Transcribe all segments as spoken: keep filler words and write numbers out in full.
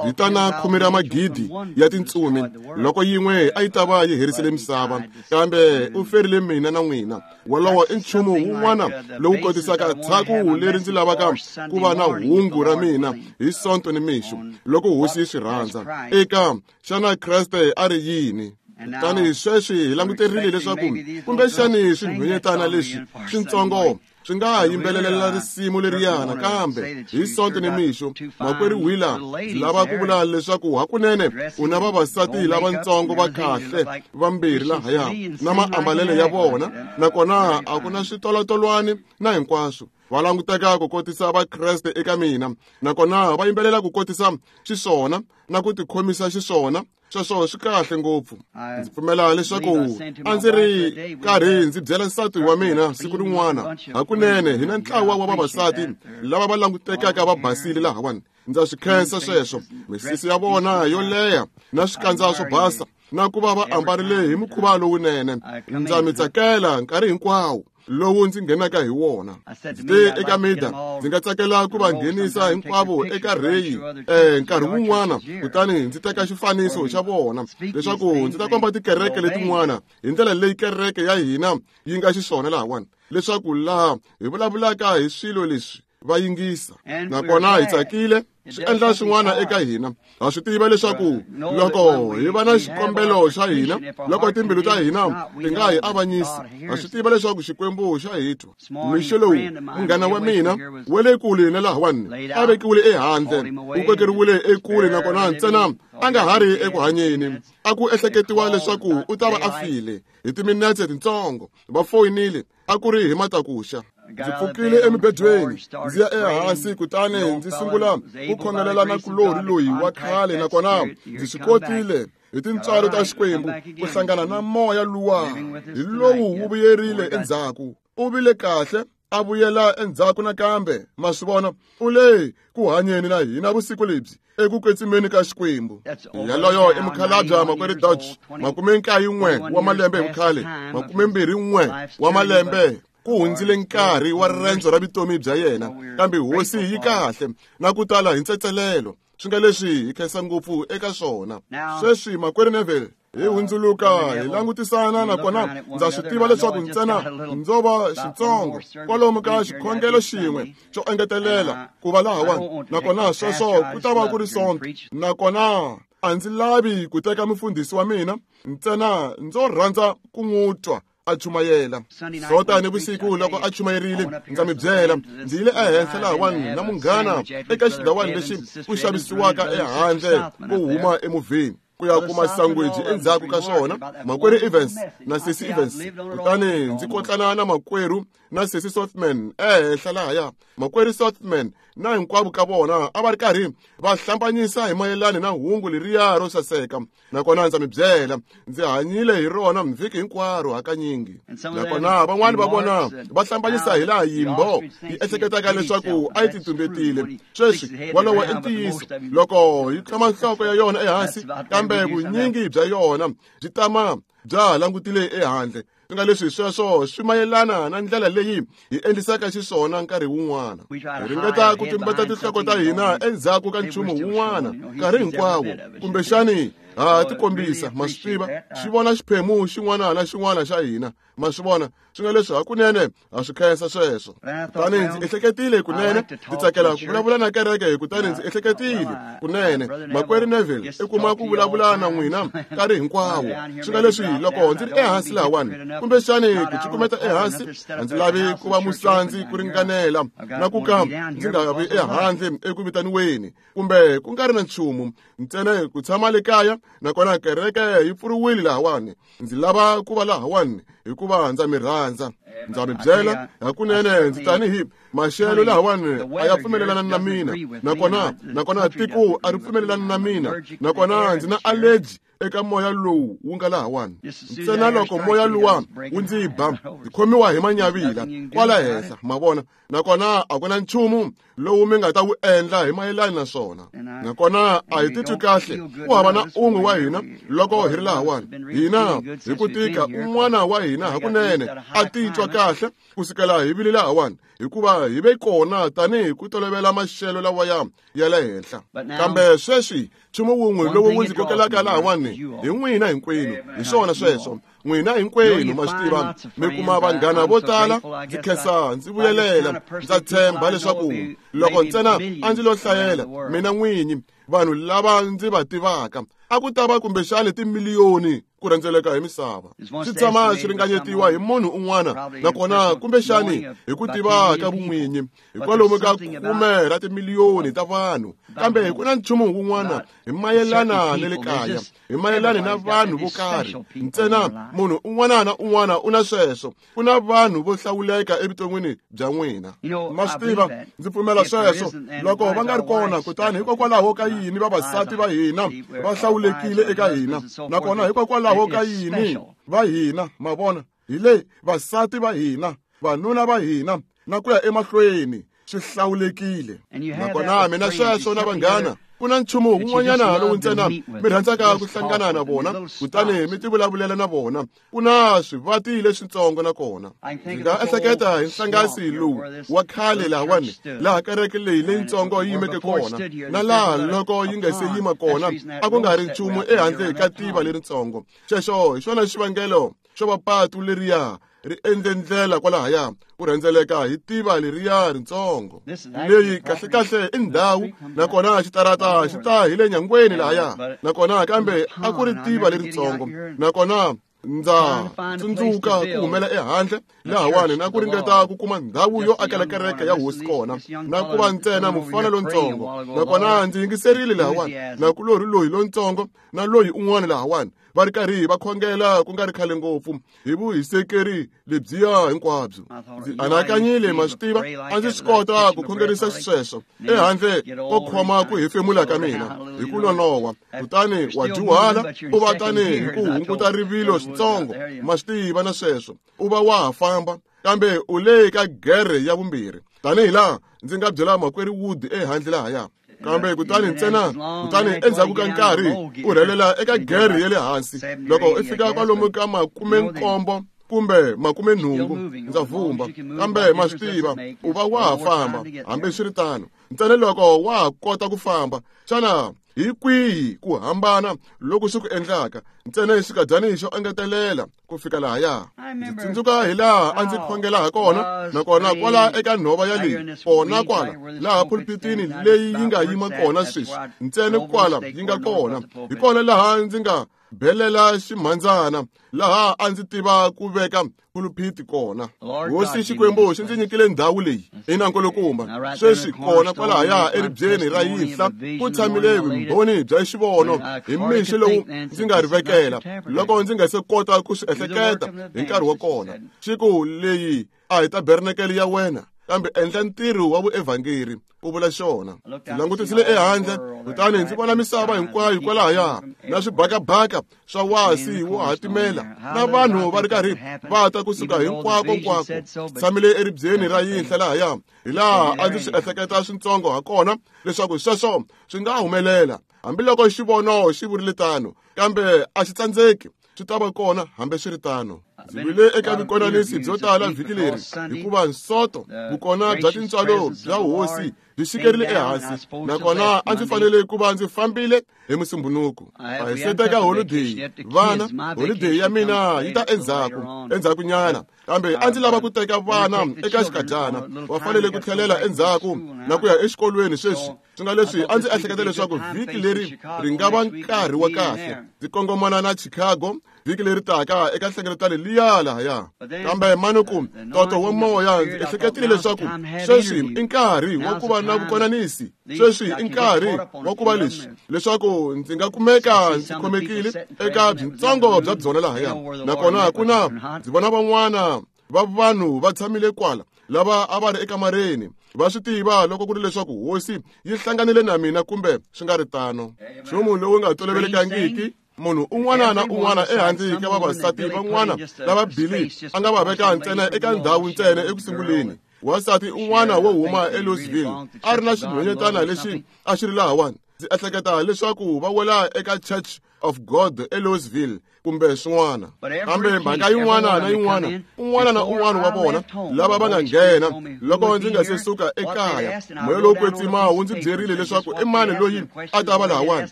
Vitana khume ra magidi ya tintsumi loko yin'we a yi ta va yi herisile misava, kambe u ferile mina na n'wina. Wolowo i nchumu wun'wana lowu kotisaka tshaku leri ndzi lavaka ku va na hungu ra mina hi Sonto ni mixo loko Hosi yi swi rhandza. Eka xana Kreste a ri yini? Kutani sweswi hi languterile leswaku kumbexani swinhwanyetana leswi swintsongo swi nga yimbelelela risimu leriyana, kambe hi Sonto ni mixo makwerhu Wheeler ndzi lava ku vula leswaku hakunene u na vavasati lavatsongo va kahle vambirhi lahaya na maambalelo ya vona, nakona a ku na switolotolwani na hinkwaswo. Va languteka ku kotisa Vakreste eka mina, nakona va yimbelela ku kotisa xiswona na ku tikhomisa xiswona. Sweswo swi kahle ngopfu. Ndzi pfumela leswaku a ndzi ri karhi ndzi byela nsati wa mina siku rin'wana, hakunene hi na ntlawa wa vavasati lava va langutekaka va basile lahawani. Ndza swi khensa sweswo, misisi ya vona yo leha na swikandza swo basa na ku va va ambarile hi mukhuva lowunene. Ndza mi tsakela nkarhi hinkwawo lowu ndzi nghenaka hi wona. Ndzi te eka Mida, ndzi nga tsakela ku va nghenisa hinkwavo eka rheyi eh nkarhi wun'wana, kutani ndzi teka xifaniso xa vona leswaku ndzi ta komba tikereke letin'wana hi ndlela leyi kereke ya hina yi nga xiswona lahawani, leswaku laha hi vulavulaka hi swilo leswi va yingisa. Nakona hi tsakile, swi endla swin'wana eka hina. Ha swi tiva leswaku loko hi va na xikombelo xa hina, loko timbilu ta hina ti nga hi avanyisi, ha swi tiva leswaku Xikwembu xa hi twa. Mixo lowu munghana wa mina wa le kule na lahawani a vekiwile ehandle, u kokeriwile ekule, nakona ntsena a nga ha ri eku hanyeni. A ku ehleketiwa leswaku u ta va a file hi timinetse tintsongo. Va foyinile, a ku ri hi matakuxa. Ndzi pfukile emibedweni ndzi ya ehansi, kutani ndzi sungula ku khongelela na kulorhi loyi wa khale, nakona ndzi swi kotile hi tintswalo ta Xikwembu ku hlangana na moya luwa. Hi lowu wu vuyerile endzhaku, u vile kahle, a vuyela endzhaku nakambe. Ma swi vona, u le ku hanyeni na hina vusiku lebyi eku kwetsimeni ka Xikwembu. Yaloyo i mukhalabye makwerhu Dodge, makume nkaye n'we wa malembe hi vukhale, makume mbirhi n'we wa malembe. Ku hundzile nkarhi wa riendzo ra vutomi bya yena, kambe Hosi yi kahle na ku tala hi ntsetselelo. Swi nga leswi hi khensa ngopfu eka swona. Sweswi makwerhu Neville hi hundzuluka hi langutisana, nakona ndza swi tiva leswaku ntsena ndzo va xitsongo kwalomu ka xikhongelo xin'we xo engetelela ku va lahawani, nakona sweswo ku ta va ku ri Sonto. Nakona a ndzi lavi ku teka mufundhisi wa mina, ntsena ndzo rhandza ku n'wi twa a chumayela. Sonta ni vusiku loko a chumayerile, ndza mi byela, ndzi yile ehenhla lahawani na munghana eka xindhawani lexi ku xavisiwaka ehandle ko huma emovheni ku ya kuma sangweji endzhaku ka swona, makwerhu Evans na sesi Evans. Kutani ndzi kotlana na makwerhu na sesi Sothman ehenhla lahaya. Makwerhu Sothman na hinkwavo ka vona a va ri karhi va hlambanyisa hi mayelana na hungu leriya ro saseka, nakona ndza mi byela, ndzi hanyile hi rona vhiki hinkwaro hakanyingi. Nakona van'wani va vona va hlambanyisa hi laha yimbo yi ehleketaka leswaku a yi titumbetile. Sweswi wolowo i ntiyiso, loko yi tlhoma nhloko ya yona ehansi, kambe vunyingi bya yona byi tama bya ha langutile ehandle. Swi nga leswi sweswo swi mayelana na ndlela leyi hi endlisaka xiswona nkarhi wun'wana. Hi ringeta ku tumbeta tinhloko ta hina endzhaku ka nchumu wun'wana nkarhi hinkwawo, kumbexani ha tikombisa. Ma swi tiva, xi vona xiphemu xin'wana na xin'wana xa hina. Ma swi vona, swi nga leswi hakunene ha swi khensa sweswo. Kutani ndzi ehleketile kunene, ndzi tsakela ku vulavula na kereke, kutani ndzi ehleketile kunene makwerhu Neville i kuma ku vulavula na n'wina nkarhi hinkwawo. Swi nga leswi loko ndzi ri ehansi lahawani, kumbexani ku cukumeta ehansi, a ndzi lavi ku va musandzi ku ringanela na ku ka ndzi nga vi ehandle eku vitaniweni kumbe ku nga ri na nchumu, ntsena ku tshama le kaya. Nakona kereke yi pfuriwile lahawani, ndzi lava ku va lahawani hikuva ndza mi rhandza. Ndza mi byela hakunene, ndzi tanihi maxelo lahawani a ya pfumelelana na mina, nakona nakona tiko a ri pfumelelani na mina, nakona ndzi na allergy eka moya lowu wu nga lahawani. Ntsena loko moya luwa wu ndzi ba, ndzi khomiwa hi manyavila kwala henhla, ma vona. Nakona a ku na nchumu lowu mi nga ta wu endla hi mayelana na swona. Nakona a hi titwi kahle ku hava na un'we wa hina loko hi ri lahawani. Hina hi ku tika un'wana wa hina hakunene a titwa titwa kahle kusukela hi vile lahawani hikuva hi ve kona tanihi ku tolovela maxelo lawaya ya le henhla. Kambe sweswi nchumu wun'we lowu wu ndzi kokelaka lahawani hi n'wina hinkwenu, hi swona sweswo. N'wina hinkwenu ma swi tiva mi kuma vanghana vo tala. Ndzi khensa ndzi vuyelela, ndza tshemba leswaku loko ntsena a ndzi lo hlayela mina n'winyi vanhu lava ndzi va tivaka a ku ta va kumbexani timiliyoni ku rhendzeleka hi misava. Swi tshama swi ringanyetiwa hi munhu un'wana, nakona kumbexani hi ku tiva ka vun'winyi hi kwalomu ka khume ra timiliyoni ta vanhu. Kambe ku na nchumu wun'wana hi mayelana na le kaya, hi mayelana na vanhu vo karhi. Ntsena munhu un'wana na un'wana u na sweswo, ku na vanhu vo hlawuleka evuton'wini bya n'wina. Ma swi tiva, ndzi pfumela sweswo. Loko va nga ri kona, kutani hikokwalaho ka yini vavasati va hina va hlawulekile eka hina, nakona hikokwalaho ka yini va hina, ma vona, hi le vasati va hina, vanuna va hina, na ku ya emahlweni swi hlawulekile. Nakona mina sweswo na vanghana, ku na nchumu wun'wanyana lowu ntsena mi rhandzaka ku hlangana na vona, kutani mi tivulavulela na vona. Ku na swivati leswitsongo nakona. Ndzi nga ehleketa hi nhlangasi lowu wa khale lahawani, laha kereke leyi leyitsongo yi yimeke kona, na laha loko yi nga se yima kona a ku nga ri nchumu ehandle ka tiva leritsongo. Xexo hi xona xivangelo xo va patu leriya ri endle ndlela kwalahaya ku rhendzeleka hi tiva leriya ritsongo. Leyi kahlekahle i ndhawu, nakona xitarata xi ta hi le nyangweni lahaya, nakona kambe a ku ri tiva leritsongo. Nakona ndza tsundzuka ku humela ehandle lahawani na ku ringeta ku kuma ndhawu yo akela kereke ya hosi kona, na ku va ntsena mufana lontsongo. Nakona ndzi yingiserile lahawani na ku lori loyi lontsongo na loyi un'wana lahawani va ri karhi va khongela ku nga ri khale ngopfu hi vuhisekeri lebyiya hinkwabyo. Ndzi anakanyile, ma swi tiva, a ndzi swi kota ku khongerisa xisweswo ehandle ko khoma ku hefemula ka mina hi ku nonoha. Kutani wa dyuhala u va tani hi ku hunguta rivilo switsongo, ma swi tiva, na sweswo u va wa ha famba, kambe u le ka gere ya vumbirhi, tanihi laha ndzi nga byela makwerhu Wood ehandle lahaya. Kambe kutani ntsena kutani endzhaku ka nkarhi u rhelela eka gere ya le hansi. Loko i fika kwalomu ka makumenkombo kumbe makumenhungu, ndza vumba, kambe ma swi tiva u va wa ha famba hambiswiritano. Ntsena loko wa ha kota ku famba, xana hi kwihi ku hambana loku swi ku endlaka? Ntsena xikadyani xo engetelela ku fika lahaya. Ndzi tsundzuka hi laha a ndzi khongela ha kona, nakona kwala eka nhova ya leyi kona kwala laha pulpitini leyi yi nga yima kona sweswi, ntsena kwala yi nga kona, hi kona laha ndzi nga belela ximhandzana, laha a ndzi tiva ku veka pulpiti kona. Hosi Xikwembu xi ndzi nyikile ndhawu leyi ina nkulukumba. Sweswi kona kwalahaya eribyeni ra yinhla ku tshamile vumbhoni bya xivono hi mixo lowu ndzi nga ri vekela loko ndzi nga se kota ku swi ehleketa hi nkarhi wa kona. Xi ku, leyi a hi tabernakele ya wena, kambe endla ntirho wa vuevhangeri, ku vula xona. Ndzi langutisile ehandle, kutani ndzi vona misava hinkwayo kwalahaya, na swibakabaka swa wasi wo hatimela, na vanhu va ri karhi va ta kusuka hinkwako-nkwako. Tshamile eribyeni ra yinhla lahaya, hi laha a ndzi swi ehleketa switsongo ha kona leswaku sweswo swi nga humelela, hambiloko xivono xi vurile tano, kambe a xi tsandzeki, swi ta va kona hambiswiritano. Ndzi vile eka vukonanisi byo tala vhiki leri, hikuva nsoto vukona bya tintswalo bya hosi byi xikerile ehansi, nakona a ndzi fanele ku va ndzi fambile hi Musumbhunuku. A hi se teka holideyi, vana, holideyi ya mina yi ta endzhaku endzhakunyana, kambe a ndzi lava ku teka vana eka xikadyana, va fanele ku tlhelela endzhaku na ku ya exikolweni sweswi. Swi nga leswi a ndzi ehleketa leswaku vhiki leri ri nga va nkarhi wa kahle ndzi kongomana na Chicago vhiki leri taka eka nhlengeletano liya lahaya. Kambe manuku toto wa moya ndzi ehleketile leswaku sweswi i nkarhi wa ku va na vukonanisi, sweswi i nkarhi wa ku va leswi, leswaku ndzi nga kumeka ndzi khomekile eka byintsongo bya byona lahaya. Nakona ku na ndzi vona van'wana va vanhu va tshamile kwala lava a va ri ekamareni, va swi tiva loko ku ri leswaku hosi yi hlanganile na mina kumbe swi nga ri tano. Nchumu lowu nga tolovelekangiki, munhu un'wana na un'wana ehandle ka vavasati van'wana lava Billy a nga va veka ntsena eka ndhawu ntsena ekusunguleni. Wansati un'wana wo huma eLouisville a ri na xinhwanyetana lexi a xi ri lahawani. Ndzi ehleketa leswaku va wela eka Church of God eLouisville kumbe swin'wana. Kambe mhaka yin'wana na yin'wana, un'wana na un'wana wa vona lava va nga nghena loko ndzi nga se suka ekaya, moya lowo kwetsima wu ndzi byerile leswaku i mani loyi a ta va lahawani,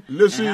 leswi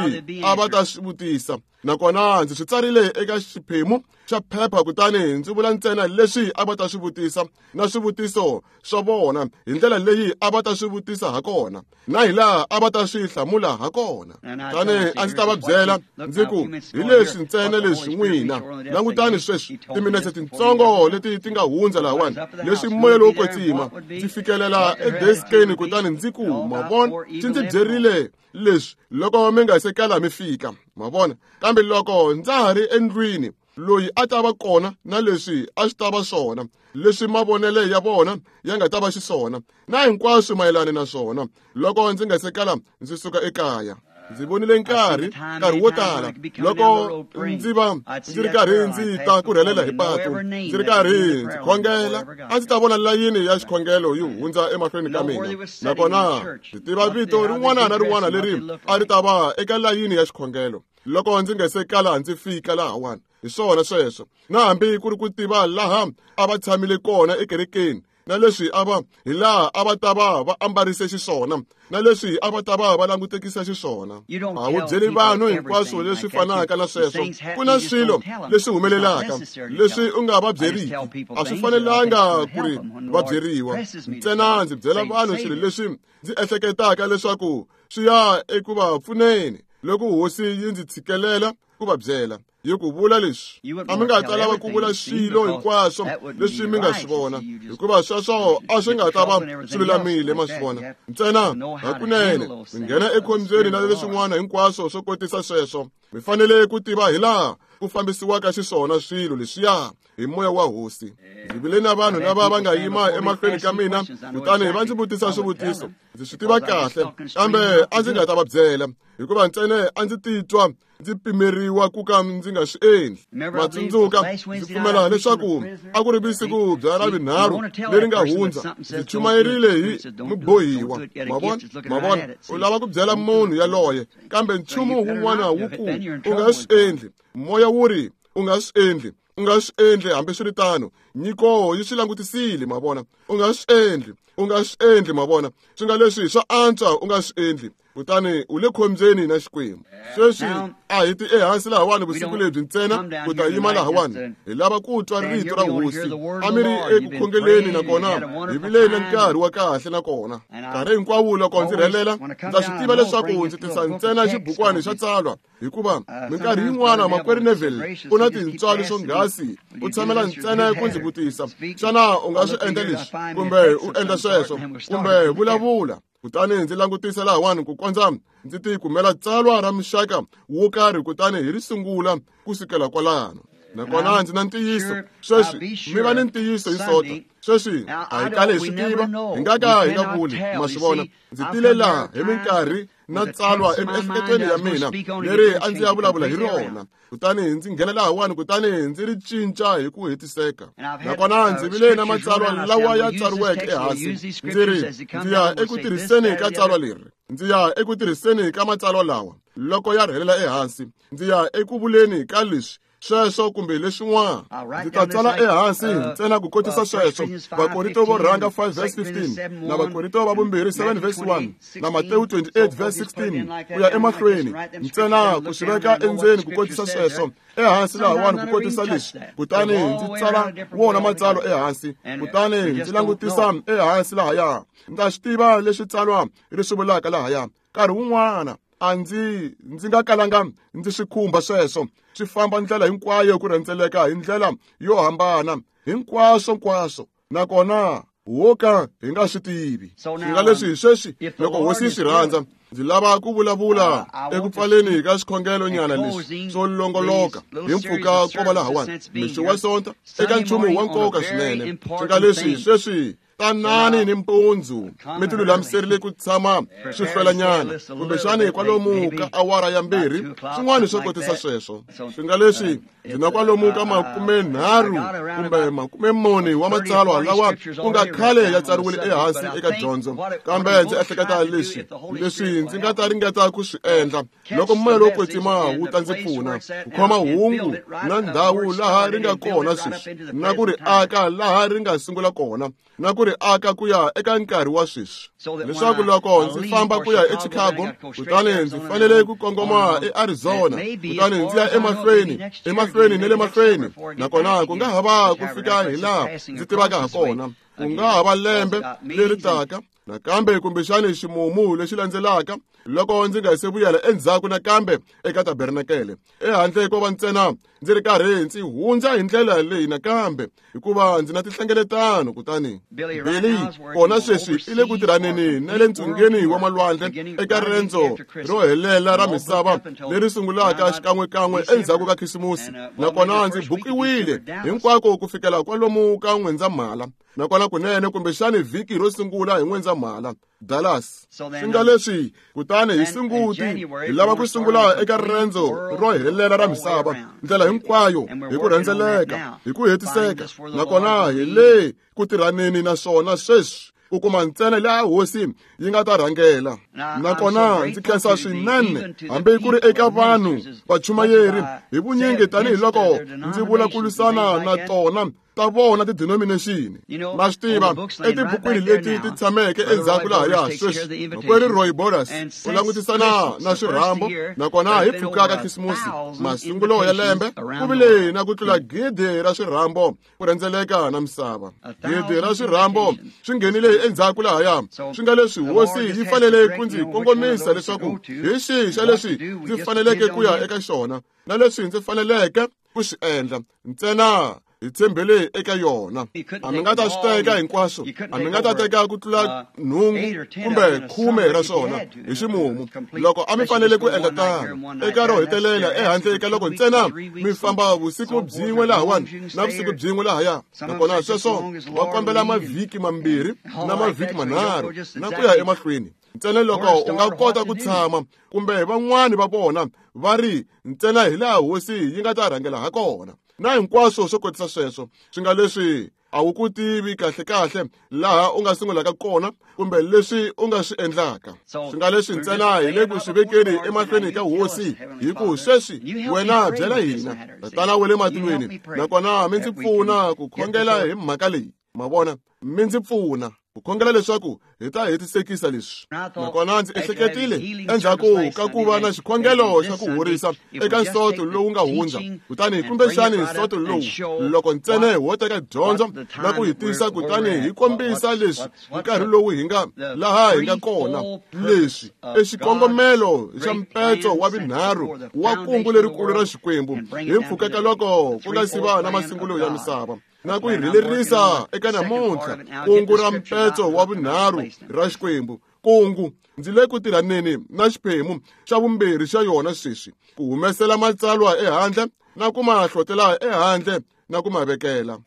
a va ta swi vutisa. Nakona ndzi swi tsarile eka xiphemu xa phepha, kutani ndzi vula ntsena leswi a va ta swi vutisa na swivutiso swa vona hi ndlela leyi a va ta swi vutisa ha kona na hi laha a va ta swi hlamula ha kona. Kutani a ndzi ta va byela ndzi ku, hi leswi ntsena leswi n'wina langutani sweswi timinetse tintsongo leti ti nga hundza lahawani, leswi moya lowo kwetsima ndzi fikelela edeskeni, kutani ndzi ku, ma vona, xi ndzi byerile leswi loko mi nga se kala mi fika, ma vona. Kambe loko ndza ha ri endlwini, loyi a ta va kona na leswi a swi ta va swona, leswi mavonele ya vona ya nga ta va xiswona, na hinkwaswo mayelana na swona, loko ndzi nga se kala ndzi suka ekaya. Ndzi vonile nkarhi nkarhi wo tala loko ndzi va ndzi ri karhi ndzi ta ku rhelela hi patu, ndzi ri karhi ndzi khongela, a ndzi ta vona layini ya xikhongelo yi hundza emahlweni ka mina. Nakona ndzi tiva vito rin'wana na rin'wana leri a ri ta va eka layini ya xikhongelo loko ndzi nga se kala ndzi fika lahawani. Hi swona sweswo, na hambi ku ri ku tiva laha a va tshamile kona ekerekeni, na leswi a va hi laha a va ta va va ambarise xiswona, na leswi a va ta va va langutekisa xiswona. A wu byeli vanhu hinkwaswo leswi fanaka na sweswo. Ku na swilo leswi humelelaka leswi u nga va byeriki, a swi fanelanga ku ri va byeriwa. Ntsena ndzi byela vanhu swilo leswi ndzi ehleketaka leswaku swi ya eku va pfuneni loko hosi yi ndzi tshikelela ku va byela. Yi ku vula leswi, a mi nga ta lava ku vula swilo hinkwaswo leswi mi nga swi vona, hikuva sweswo a swi nga ta va swi lulamile, ma swi vona. Ntsena hakunene mi nghena ekhombyeni na leswin'wana hinkwaswo swo kotisa sweswo. Mi fanele ku tiva hi laha ku fambisiwaka xiswona swilo leswiya hi moya wa hosi. Ndzi vile na vanhu lava va nga yima emahlweni ka mina, kutani va ndzi vutisa swivutiso. Ndzi swi tiva kahle, kambe a ndzi nga ta va byela, hikuva ntsena a ndzi titwa ndzi pimeriwa ku ka ndzi nga swi endli. Ma tsundzuka, ndzi pfumela leswaku a ku ri vusiku bya Ravunharhu leri nga hundza, ndzi chumayerile hi mubohiwa. Ma vona, ma vona, u lava ku byela munhu yaloye, kambe nchumu wun'wana wu ku u nga swi endli. Moya wu ri u nga swi endli, u nga swi endli. Hambiswiritano, nyiko yi swi langutisile, ma vona. U nga swi endli, u nga swi endli, ma vona. Swi nga leswi swa antswa u nga swi endli, kutani u le khombyeni na Xikwembu. Sweswi a hi ti ehansi lahawani vusiku lebyi ntsena ku ta yima lahawani, hi lava ku twa rito ra hosi. A mi ri eku khongeleni, nakona hi vile na nkarhi wa kahle. Nakona nkarhi hinkwawo loko ndzi rhelela, ndza swi tiva leswaku ndzi tisa ntsena xibukwani xa tsalwa, hikuva minkarhi yin'wana makwerhu Neville u na tintswalo swonghasi, u tshamela ntsena ku ndzi vutisa, xana u nga swi endla leswi kumbe u endla sweswo kumbe vulavula. Kutani ndzi langutisa lahawani ku kondza ndzi ti kumela tsalwa ra muxaka wo karhi, kutani hi ri sungula ku sukela kwalano. Nakona ndzi na ntiyiso sweswi, mi va ni ntiyiso hi Sonto. Sweswi a hi kale hi swi tiva, hi nga ka hi nga vuli, ma swi vona. Ndzi tile laha hi minkarhi na tsalwa emiehleketweni ya mina leri a ndzi ya vulavula hi rona, kutani ndzi nghena lahawani, kutani ndzi ri cinca hi ku hetiseka. Nakona ndzi vile na matsalwa lawa ya tsariweke ehansi, ndzi ri ndzi ya eku tirhiseni ka tsalwa leri, ndzi ya eku tirhiseni ka matsalwa lawa loko ya rhelela ehansi, ndzi ya eku vuleni ka leswi sweswo kumbe leswin'wana. Ndzi ta tsala ehansi ntsena ku kotisa sweswo. Vakorinto vo rhanga five verse fifteen, na Vakorinto va vumbirhi seven verse one, na Matewu twenty-eight verse sixteen, ku ya emahlweni, ntsena ku swi veka endzeni ku kotisa sweswo ehansi lahawani ku kotisa leswi. Kutani ndzi tsala wona matsalwa ehansi, kutani ndzi langutisa ehansi lahaya, ndza swi tiva leswi tsalwa ri swi vulaka lahaya. Nkarhi wun'wana a ndzi ndzi nga kalanga ndzi swi khumba sweswo, swi famba ndlela hinkwayo ku rhendzeleka hi ndlela yo hambana hinkwaswo nkwaswo, nakona wo ka hi nga swi tivi. Swi nga leswi sweswi loko hosi yi swi rhandza, ndzi lava ku vulavula eku pfaleni ka xikhongelo nyana leswi swo longoloka hi mpfhuka ko va lahawani mixo wa Sonto eka nchumu wa nkoka swinene. Swi nga leswi sweswi Tanani ni mpundzu mi ti lulamiserile ku tshama swi hlwelanyana kumbexani kwalomu ka awara ya mbirhi swin'wana swo kotisa sweswo. Swi nga leswi ndzi na kwalomu ka makumenharhu kumbe makumemune wa matsalwa lawa ku nga khale ya tsariwile ehansi eka dyondzo, kambe ndzi ehleketa leswi leswi ndzi nga ta ringeta ku swi endla loko moya lowo kwetsima wu ta ndzi pfuna ku khoma hungu na ndhawu laha ri nga kona sweswi na ku ri aka laha ri nga sungula kona na ku ri aka ku ya eka nkarhi wa sweswi, leswaku loko ndzi famba ku ya eChicago kutani ndzi fanele ku kongoma eArizona kutani ndzi ya emahlweni emahlweni ne le mahlweni, nakona ku nga ha va ku fika hi laha ndzi tivaka ha kona, ku nga ha va lembe leri taka nakambe kumbexani ximumu lexi landzelaka loko ndzi nga se vuyela endzhaku nakambe eka tabernakele ehandle ko va ntsena ndzi ri karhi ndzi hundza hi ndlela leyi nakambe hikuva ndzi na tinhlengeletano. Kutani Billy kona sweswi i le ku tirhaneni na le ntsungeni wa malwandle eka riendzo ro helela ra misava leri sungulaka xikan'wekan'we endzhaku ka Khisimusi, nakona ndzi bukiwile hinkwako ku fikela kwalomu ka N'wendzamhala, nakona kunene kumbexani vhiki ro sungula hi N'wendzamhala Dallas. Swi nga leswi kutani hi Sunguti hi lava ku sungula eka riendzo ro helela ra misava ndlela hinkwayo hi ku rhendzeleka hi ku hetiseka, nakona hi le ku tirhaneni na swona sweswi ku kuma ntsena laha hosi yi nga ta rhangela. Nakona ndzi khensa swinene hambi ku ri eka vanhu vachumayeri hi vunyingi tanihiloko ndzi vula ku lwisana na tona ta vona ti-denomination. Ma swi tiva etibukwini leti ti tshameke endzhaku lahaya sweswi makwerhu Roy Borders u langutisana na swirhambo, nakona hi pfuka ka Khisimusi masungulo ya lembe ku vile na ku tlula gidi ra swirhambo ku rhendzeleka na misava. Gidi ra swirhambo swi nghenile endzhaku lahaya. Swi nga leswi hosi yi fanele ku ndzi kongomisa leswaku hi xihi xa leswi ndzi faneleke ku ya eka xona na leswi ndzi faneleke ku swi endla ntsena hi tshembele eka yona. A mi nga ta swi teka hinkwaswo, a mi nga ta teka ku tlula nhungu kumbe khume ra swona hi ximumu loko a mi fanele ku endla tano eka ro hetelela ehandle ka loko ntsena mi famba vusiku byin'we lahawani na vusiku byin'we lahaya, nakona sweswo va kombela mavhiki mambirhi na mavhiki manharhu na ku ya emahlweni ntsena loko u nga kota ku tshama kumbe van'wani va vona va ri ntsena hi laha hosi yi nga ta rhangela ha kona na hinkwaswo swo kotisa sweswo. Swi nga leswi a wu ku tivi kahle kahle laha u nga sungulaka kona kumbe leswi u nga swi endlaka. Swi nga leswi ntsena hi le ku swi vekeni emahlweni ka hosi hi ku sweswi wena byela hina Tatana wa le matilweni, nakona mi ndzi pfuna ku khongela hi mhaka leyi. Ma vona, mi ndzi pfuna ku khongela leswaku hi ta hetisekisa leswi. Nakona ndzi ehleketile endzhaku ka ku va na xikhongelo xa ku horisa eka nsoto lowu nga hundza, kutani kumbexani nsoto lowu loko ntsena ho teka dyondzo na ku hi tisa kutani hi kombisa leswi nkarhi lowu hi nga laha hi nga kona, leswi i xikongomelo xa mpetso wa vunharhu wa kungu lerikulu ra Xikwembu hi mpfhuka ka loko ku nga si va na masungulo ya misava na ku yi rhelerisa eka namuntlha kungu ra mpetso wa vunharhu ra Xikwembu. Kungu ndzi le ku tirhaneni na xiphemu xa vumbirhi xa yona sweswi ku humesela matsalwa ehandle na ku ma hlotela ehandle na ku ma vekela.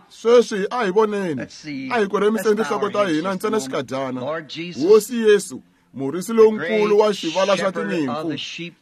Sweswi a hi voneni, a hi koremiseni tinhloko ta hina ntsena xikadyana. Hosi Yesu, murisi lonkulu wa xivala xa tinyimpfu,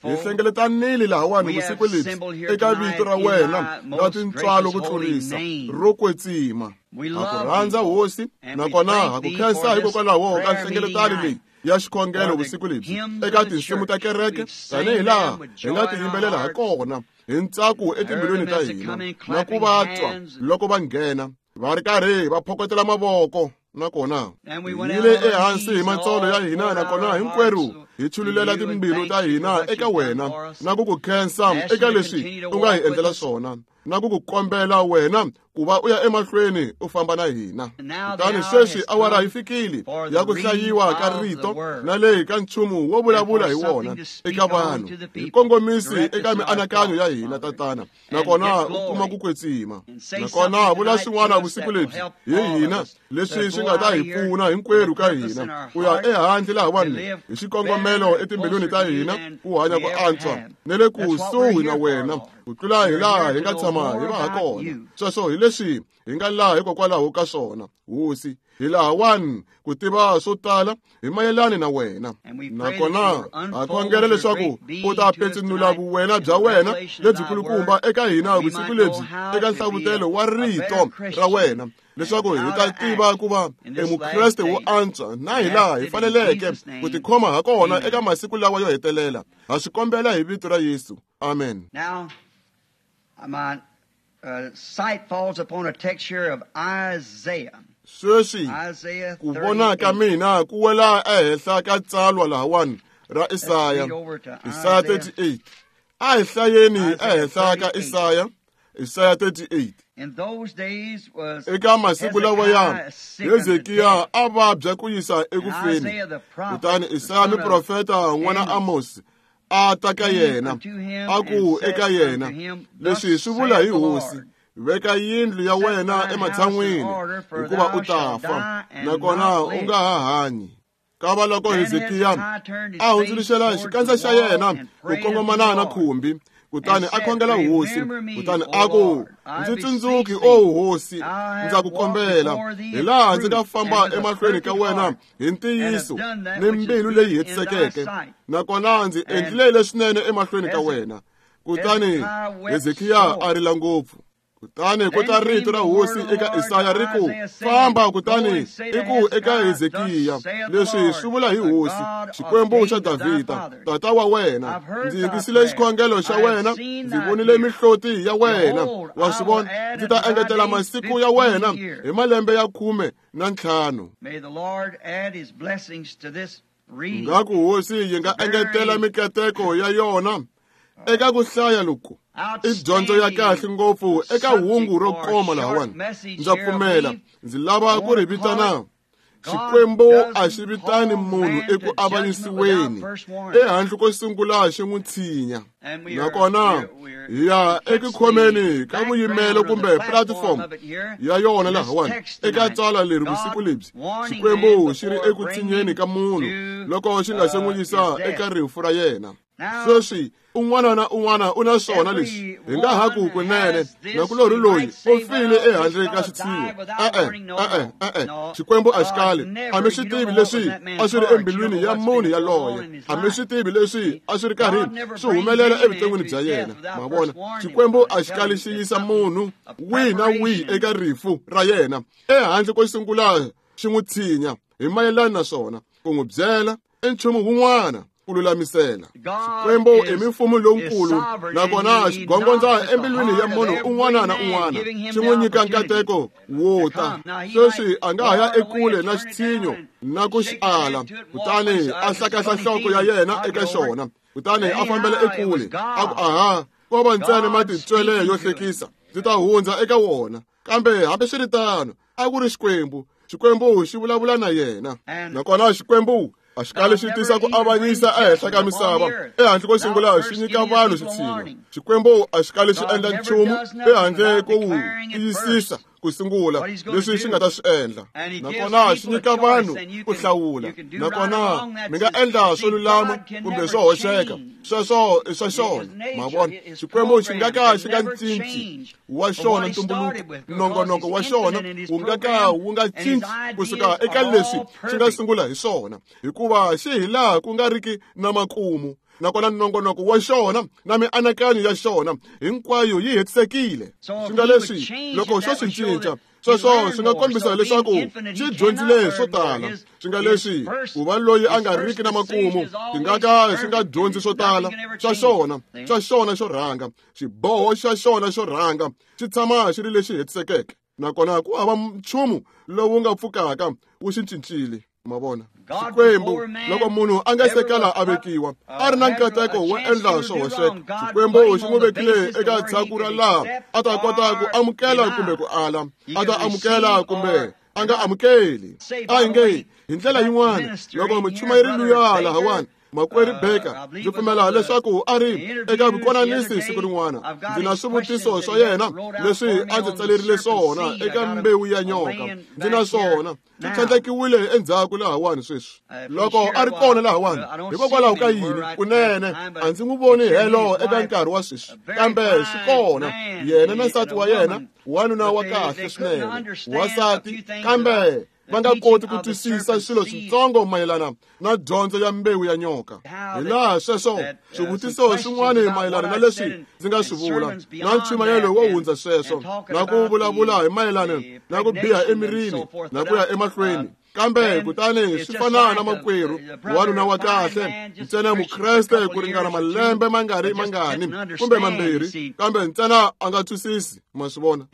hi hlengeletanile lahawani vusiku lebyi eka vito ra wena ra tintswalo ku tlurisa ro kwetsima. Ha ku rhandza hosi, nakona ha ku khensa hikokwalaho ka nhlengeletano leyi ya xikhongelo vusiku lebyi eka tinsimu ta kereke tanihi laha hi nga ti yimbelela ha kona hi ntsako etimbilwini ta hina na ku va twa loko va nghena va ri karhi va phokotela mavoko. Nakona hi le ehansi hi matsolo ya hina, nakona hinkwerhu hi chululela timbilu ta hina eka wena na ku ku khensa eka leswi u nga hi endlela swona na ku ku kombela wena ku va u ya emahlweni u famba na hina. Kutani sweswi awara yi fikile ya ku hlayiwa ka rito na leyi ka nchumu wo vulavula hi wona eka vanhu. Hi kongomisi eka mianakanyo ya hina Tatana, nakona u kuma ku kwetsima. Nakona vula swin'wana vusiku lebyi hi hina leswi swi nga ta hi pfuna hinkwerhu ka hina ku ya ehandle lahawani hi xikongomelo etimbilwini ta hina ku hanya ku antswa ne le kusuhi na wena ku tlula hi laha hi nga tshama hi va ha kona. Sweswo hi leswi hi nga laha hikokwalaho ka swona, hosi. Hi lahawani ku tiva swo tala hi mayelani na wena. Nakona ha khongela leswaku u ta petsinula vuwena bya wena lebyikulukumba eka hina vusiku lebyi eka nhlavutelo wa rito ra wena, leswaku hi ta tiva ku va emukreste wo antswa na hi laha hi faneleke ku tikhoma ha kona eka masiku lawa yo hetelela. Ha swi kombela hi vito ra Yesu. Amen. Now, my uh, sight falls upon a text here of Isaiah. Sweswi ku vona ka mina ku wela ehenhla ka tsalwa lahawani ra Isaya, Isaya thirty-eight. A hi hlayeni ehenhla ka Isaya, Isaya thirty-eight. In those days was eka masiku lawa ya Hezekiya a vabya ku yisa ekufeni. Kutani Isaya muprofeta n'wana Amos a ta ka yena, a ku eka yena, leswi swi vula hi Hosi, veka yindlu ya wena ematshan'wini, hikuva u ta fa, nakona u nga ha hanyi. Kava loko Hezekiya a hundzuluxela xikandza xa yena ku kongomana na khumbi, kutani a khongela Hosi, kutani a ku, ndzi tsundzuki, o Hosi, ndza ku kombela, hi laha ndzi nga famba emahlweni ka wena hi ntiyiso ni mbilu leyi hetisekeke, nakona ndzi endlile leswinene emahlweni ka wena. Kutani Hezekiya a rila ngopfu. Kutani ku ta rito ra Hosi eka Isaya ri ku, famba kutani i ku eka Hezekiya, leswi swi vula hi Hosi, Xikwembu xa Davhida, tata wa wena, ndzi yingisile xikhongelo xa wena, ndzi vonile mihloti ya wena. Wa swi vona, ndzi ta engetela masiku ya wena hi malembe ya khume na ntlhanu. Ngaku Hosi yi nga engetela mikateko ya yona eka ku hlaya loku. I dyondzo ya kahle ngopfu eka hungu ro koma lahawani. Ndza pfumela ndzi lava ku ri vitana Xikwembu a xi vitani munhu eku avanyisiweni ehandle ko sungula xi n'wi tshinya. Nakona hi ya eku khomeni ka vuyimelo kumbe platform ya yona lahawani eka tsala leri vusiku lebyi. Xikwembu xi ri eku tshinyeni ka munhu loko xi nga se n'wi yisa eka rifu ra yena. Sweswi un'wana na un'wana u na swona leswi hi nga ha ku kunene nakulorhi loyi u file ehandle ka xitshiwo. E-e, e-e, e-e, Xikwembu a xi kali. A mi swi tivi leswi a swi ri embilwini ya munhu yaloye. A mi swi tivi leswi a swi ri karhi swi humelela evuton'wini bya yena. Ma vona, Xikwembu a xi kali xi yisa munhu wihi na wihi eka rifu ra yena ehandle ko sungula xi n'wi tshinya hi mayelana na swona, ku n'wi byela i nchumu wun'wana ku lulamisela. Xikwembu i mimfumo lowukulu, nakona xi gongondza embilwini ya munhu un'wana na un'wana, xi n'wi nyika nkateko wo ta. Sweswi a nga ha ya ekule na xitshinyo na ku xi ala, kutani a hlakahla nhloko ya yena eka xona, kutani a fambela ekule, a ku, aha, ko va ntsena matitwele yo hlekisa, ndzi ta hundza eka wona. Kambe hambiswiritano a ku ri Xikwembu. Xikwembu xi vulavula na yena, nakona Xikwembu a xi kali xi tisa ku avanyisa ehenhla ka misava ehandle ko sungula xi nyika vanhu xitshinyo. Xikwembu a xi kali xi endla nchumu ehandle ko wu tiyisisa ku sungula leswi xi nga ta swi endla, nakona xi nyika vanhu ku hlawula, nakona mi nga endla swo lulama kumbe swo hoxeka. Sweswo i swa xona. Ma vona, Xikwembu xi nga ka xi nga cinci wa xona ntumbuluko, nongonoko wa xona wu nga ka wu nga cinci kusuka eka leswi xi nga sungula hi swona, hikuva xi hi laha ku nga riki na makumu. Nakona nongonoko wa xona na mianakanyo ya xona hinkwayo yi hetisekile. Swi nga leswi loko xo swi cinca, sweswo swi nga kombisa leswaku xi dyondzile swo tala. Swi nga leswi ku va loyi a nga riki na makumu xi nga ka xi nga dyondzi swo tala swa xona, swa xona xo rhanga, xiboho xa xona xo rhanga xi tshama xi ri lexi hetisekeke, nakona ku hava nchumu lowu nga pfukaka wu xi cincile. Ma vona, Xikwembu loko munhu a nga se kala a vekiwa a ri na nkateko wo endla swo hoxeka, Xikwembu xi n'wi vekile eka tshaku ra laha a ta kota ku amukela kumbe ku ala, a ta amukela kumbe a nga amukeli. A hi nge hi ndlela yin'wana, loko muchumayeri luya lahawani Makwerhu Baker, ndzi pfumela leswaku a ri eka vukonanisi siku rin'wana, ndzi na swivutiso swa yena leswi a ndzi tsalerile swona eka mbewu ya nyoka. Ndzi na swona swi tlhandlekiwile endzhaku lahawani sweswi. Loko a ri kona lahawani, hikokwalaho ka yini kunene a ndzi n'wi voni helo eka nkarhi wa sweswi, kambe swi kona yena na nsati wa yena, wanuna wa kahle swinene, wansati, kambe va nga koti ku twisisa swilo switsongo mayelana na dyondzo ya mbewu ya nyoka. Hi laha sweswo swivutiso swin'wana mayelana na leswi ndzi nga swi vula na nchumayelo wo hundza sweswo na ku vulavula hi mayelana na ku biha emirini na ku ya emahlweni. Kambe kutani swi fana na makwerhu wanuna wa kahle ntsena mukreste ku ringana malembe mangari mangani kumbe mambirhi, kambe ntsena a nga twisisi. Ma swi vona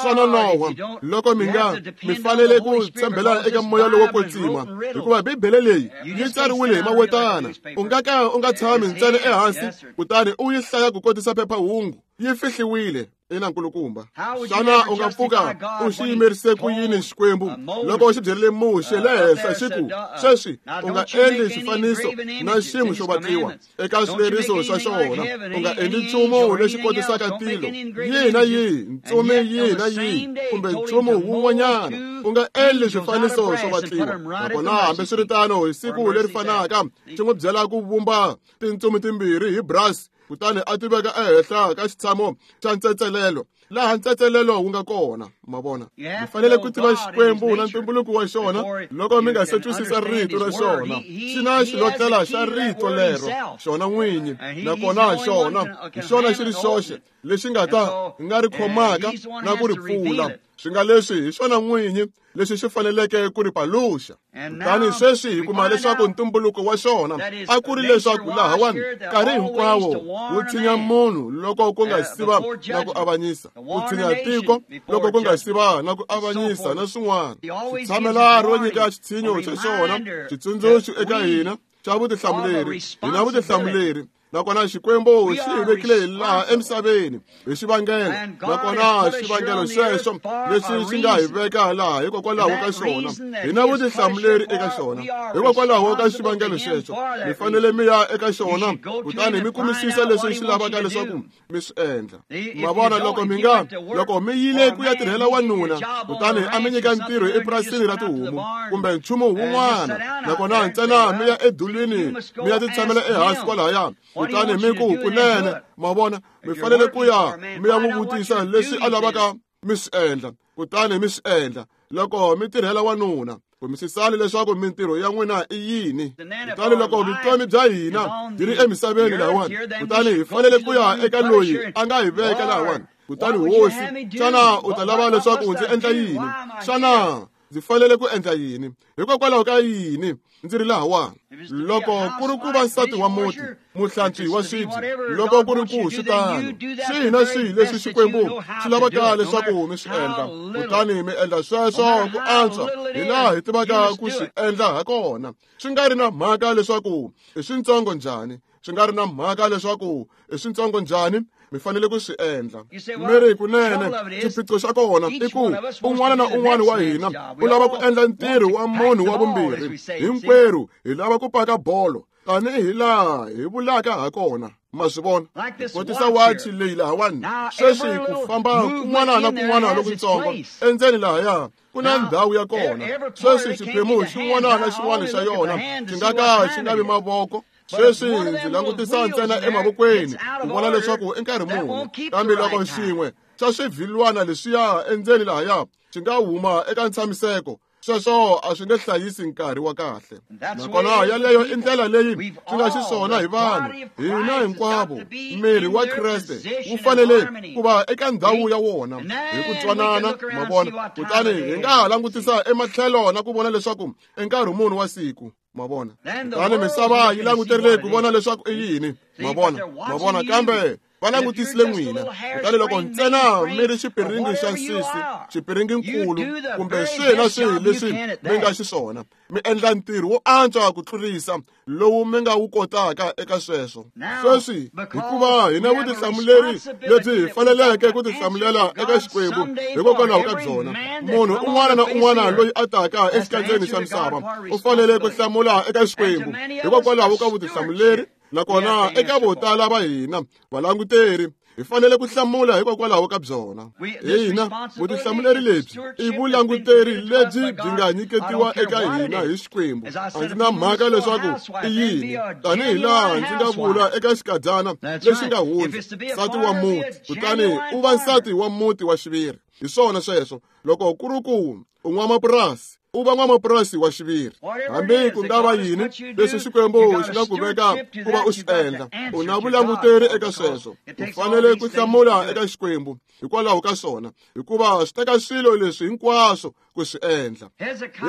swa nonoha loko mi nga mi fanele ku tshembela eka moya lowo kwetsima, hikuva Bibele leyi yi tsariwile hi mawetana. U nga ka u nga tshami ntsena ehansi kutani u yi hlaya ku kotisa phephahungu, yi fihliwile. Ina nkulukumba, xana u nga pfuka u xi yimerise ku yini Xikwembu loko xi byerile Muxe le henhla xi ku, sweswi u nga endli xifaniso na xin'we xo vatliwa eka swileriso swa xona, u nga endli nchumu lexi kotisaka tilo yihi na yihi, ntsumi yihi na yihi, kumbe nchumu wun'wanyana, u nga endli swifaniso swo vatliwa. Nakona hambiswiritano hi siku leri fanaka xi n'wi byela ku vumba tintsumi timbirhi hi brass, kutani a ti veka ehenhla ka xitshamo xa ntsetselelo laha ntsetselelo wu nga kona. Ma vona, mi fanele ku tiva Xikwembu na ntumbuluko wa xona loko mi nga se twisisa rito ra xona. Xi na xilotlela xa rito lero xona n'winyi, nakona xona hi xona xi ri xoxe lexi nga ta nga ri khomaka na ku ri pfula. Swi nga leswi hi xona n'winyi lexi xi faneleke ku ri paluxa. Kutani sweswi hi kuma leswaku ntumbuluko wa xona a ku ri leswaku lahawani nkarhi hinkwawo wu tshinya munhu loko ku nga siva na ku avanyisa, ku tshinya tiko loko ku nga siva na ku avanyisa na swin'wana. Xitshamela ro nyika xitshinyo xa xona, xitsundzuxo eka hina xa vutihlamuleri. Hi na vutihlamuleri, nakona Xikwembu xi hi vekile laha emisaveni hi xivangelo, nakona xivangelo xexo lexi xi nga hi veka laha hikokwalaho ka xona. Hi na vutihlamuleri eka xona hikokwalaho ka xivangelo xexo. Mi fanele mi ya eka xona kutani mi kumisisa leswi xi lavaka leswaku mi swi endla. Ma vona, loko mi nga loko mi yile ku ya tirhela wanuna kutani a mi nyika ntirho epurasini ra tihomu kumbe nchumu wun'wana, nakona ntsena mi ya edulwini mi ya titshamela ehansi kwalahaya, kutani mi ku kunene, ma vona, mi fanele ku ya mi ya n'wi vutisa leswi a lavaka mi swi endla, kutani mi swi endla. Loko mi tirhela wanuna, kumisisani leswaku mintirho ya n'wina i yini. Kutani loko vutomi bya hina byi ri emisaveni lahawani, kutani hi fanele ku ya eka loyi a nga hi veka lahawani. Kutani hosi, xana u ta lava leswaku ndzi endla yini? Xana ndzi fanele ku endla yini? Hikokwalaho ka yini ndzi ri lahawani? Loko ku ri ku va nsati wa muti, muhlantswi wa swibye, loko ku ri ku swi tano, swihi na swihi leswi Xikwembu xi lavaka leswaku mi swi endla, kutani mi endla sweswo ku antswa hi laha hi tivaka ku swi endla hakona. Swi nga ri na mhaka leswaku i swintsongo njhani, swi nga ri na mhaka leswaku i swintsongo njhani, mi fanele ku swi endla. Mi ri kunene, xiphiqo xa kona i ku un'wana na un'wana wa hina u lava ku endla ntirho wa munhu wa vumbirhi. Hinkwerhu hi lava ku paka bolo tanihi laha hi vulaka hakona. Ma swi vona, kotisa wachi leyi lahawani sweswi ku famba kun'wana na kun'wana lokutsongo endzeni lahaya ku na ndhawu ya kona. Sweswi xiphemu xin'wana na xin'wana xa yona xi nga ka xi nga vi mavoko. Sweswi ndzi langutisa ntsena emavokweni ku vona leswaku i nkarhi muni, kambe loko xin'we xa swivhilwana leswiya endzeni lahaya xi nga huma eka ntshamiseko, sweswo a swi nge hlayisi nkarhi wa kahle. Nakona yaleyo i ndlela leyi swi nga xiswona hi vanhu hina hinkwavo. Miri wa Kreste wu fanele ku va eka ndhawu ya wona hi ku twanana, ma vona. Kutani hi nga ha langutisa ematlhelo na ku vona leswaku i nkarhi muni wa siku, ma vona. Kutani misava yi languterile ku vona leswaku i yini, ma vona, ma vona, kambe va langutisile n'wina. Kutani loko ntsena mi ri xipiringi xa nsisi, xipiringinkulu, kumbe swihi na swihi leswi mi nga xiswona, mi endla ntirho wo antswa ku tlurisa lowu mi nga wu kotaka eka sweswo. Sweswi hikuva hi na vutihlamuleri lebyi hi faneleke ku tihlamulela eka Xikwembu hikokwalaho ka byona, munhu un'wana na un'wana loyi a taka exikandzeni xa misava u fanele ku hlamula eka Xikwembu hikokwalaho ka vutihlamuleri. Nakona eka vo tala va hina valanguteri hi fanele ku hlamula hikokwalaho ka byona. Hina vutihlamuleri lebyi i vulanguteri lebyi byi nga nyiketiwa eka hina hi Xikwembu. A ndzi na mhaka leswaku i yini, tanihi laha ndzi nga vula eka xikadyana lexi nga hundza, nsati wa muti, kutani u va nsati wa muti wa xiviri. Hi swona sweswo. Loko ku ri ku u n'wamapurasi, U va n'wamapurasi wa xiviri. Hambi ku nga va yini leswi Xikwembu xi nga ku veka ku va u swi endla, u na vulanguteri eka sweswo. U fanele ku hlamula eka Xikwembu hikwalaho ka swona, hikuva swi teka swilo leswi hinkwaswo ku swi endla.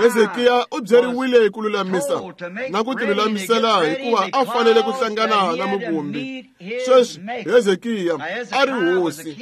Hezekiya u byeriwile ku lulamisa na ku tilulamisela hikuva a fanele ku hlangana na muvumbi. Sweswi Hezekiya a ri hosi,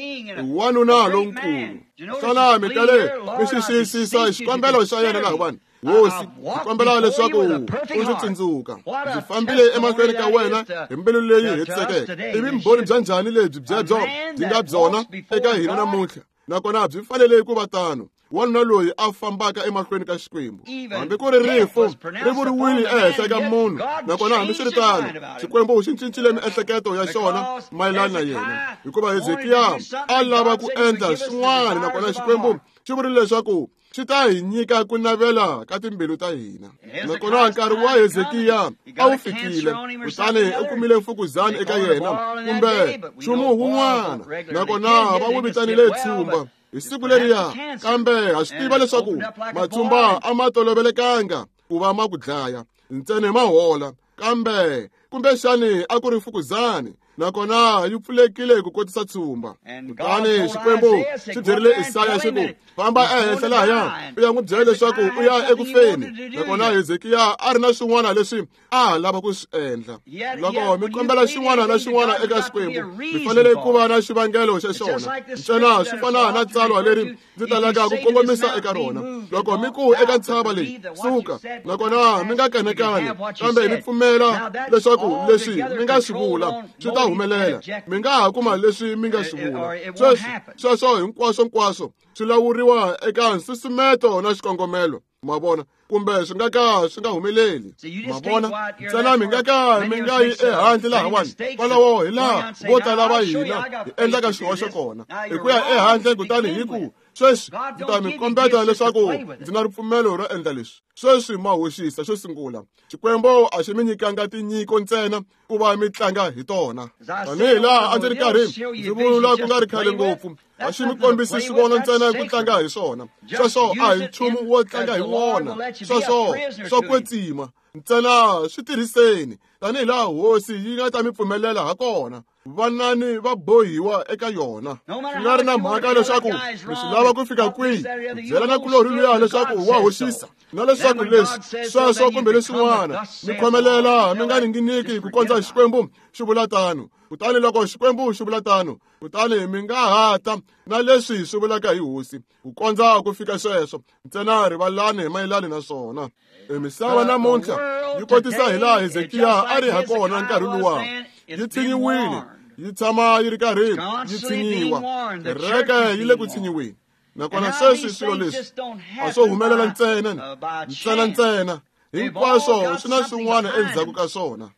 wanuna lonkulu. Xana mi tale mi xi xiyisisa xikombelo xa yena lahawani? Hosi, ndzi kombela leswaku u ndzi tsundzuka. Ndzi fambile emahlweni ka wena hi mbilu leyi hetisekeke. I vumbhoni bya njhani lebyi byebyo byi nga byona eka hina namuntlha? Nakona byi fanele ku va tano. Wanuna loyi a fambaka emahlweni ka Xikwembu, hambi ku ri rifu ri vuriwile ehenhla ka munhu, nakona hambiswiritano Xikwembu xi cincile miehleketo ya xona mayelana na yena, hikuva Hezekiya a lava ku endla swin'wana, nakona Xikwembu xi vurile leswaku xi ta hi nyika ku navela ka timbilu ta hina. Nakona nkarhi wa Hezekiya a wu fikile, kutani u kumile mfukuzana eka yena kumbe nchumu wun'wana, nakona va n'wi vitanile tshumba hi siku leriya. Kambe ha swi tiva leswaku matshumba a ma tolovelekanga ku va ma ku dlaya, ntsena ma hola. Kambe kumbexani a ku ri mfukuzani, nakona yi pfulekile ku kotisa tshumba. Kutani Xikwembu xi byerile Isaya xi ku, famba ehenhla lahaya u ya n'wi byela leswaku u ya eku feni. Nakona Hezekiya a ri na swin'wana leswi a ha lava ku swi endla. Loko mi kombela xin'wana na xin'wana eka Xikwembu, mi fanele ku va na xivangelo xa xona. Ntsena swi fana na tsalwa leri ndzi talaka ku kongomisa eka rona. Loko mi ku eka ntshava leyi, suka, nakona mi nga kanakani, kambe mi pfumela leswaku leswi mi nga swi vula swi ta humelela, mi nga ha kuma leswi mi nga swi vula. Sweswi sweswo hinkwaswo nkwaswo swi lawuriwa eka nsusumeto na xikongomelo, ma vona, kumbe swi nga ka swi nga humeleli, ma vona. Ntsena mi nga ka mi nga yi ehandle lahawani. Kwalaho hi laha vo tala va hina hi endlaka xihoxo kona, hi ku ya ehandle kutani hi ku, sweswi ndzi ta mi kombeta leswaku ndzi na ripfumelo ro endla leswi. Sweswi ma hoxisa. Xo sungula, Xikwembu a xi mi nyikanga tinyiko ntsena ku va mi tlanga hi tona. Tanihi laha a ndzi ri karhi ndzi vula ku nga ri khale ngopfu, a xi mi kombisi swivono ntsena ku tlanga hi swona. Sweswo a hi nchumu wo tlanga hi wona. Sweswo swa kwetsima. Ntsena swi tirhiseni tanihi laha hosi yi nga ta mi pfumelela ha kona. Vanani va bohiwa eka yona. Swi nga ri na mhaka leswaku mi swi lava ku fika kwihi, byela na kulorhi luya leswaku wa hoxisa, na leswaku leswi sweswo kumbe leswin'wana, mi khomelela mi nga ninginiki ku kondza Xikwembu xi vula tano. Kutani loko Xikwembu xi vula tano, kutani mi nga ha ta na leswi swi vulaka hi hosi ku kondza ku fika sweswo. Ntsena rivalani hi mayelani na swona. Emisava namuntlha yi kotisa hi laha Hezekiya a ri ha kona nkarhi luwa. Yi tshinyiwile, yi tshama yi ri karhi yi tshinyiwa. Kereke yi le ku tshinyiweni. Nakona sweswi swilo leswi a swo humelela ntsena ntsena ntsena, hinkwaswo swi na swin'wana endzhaku ka swona.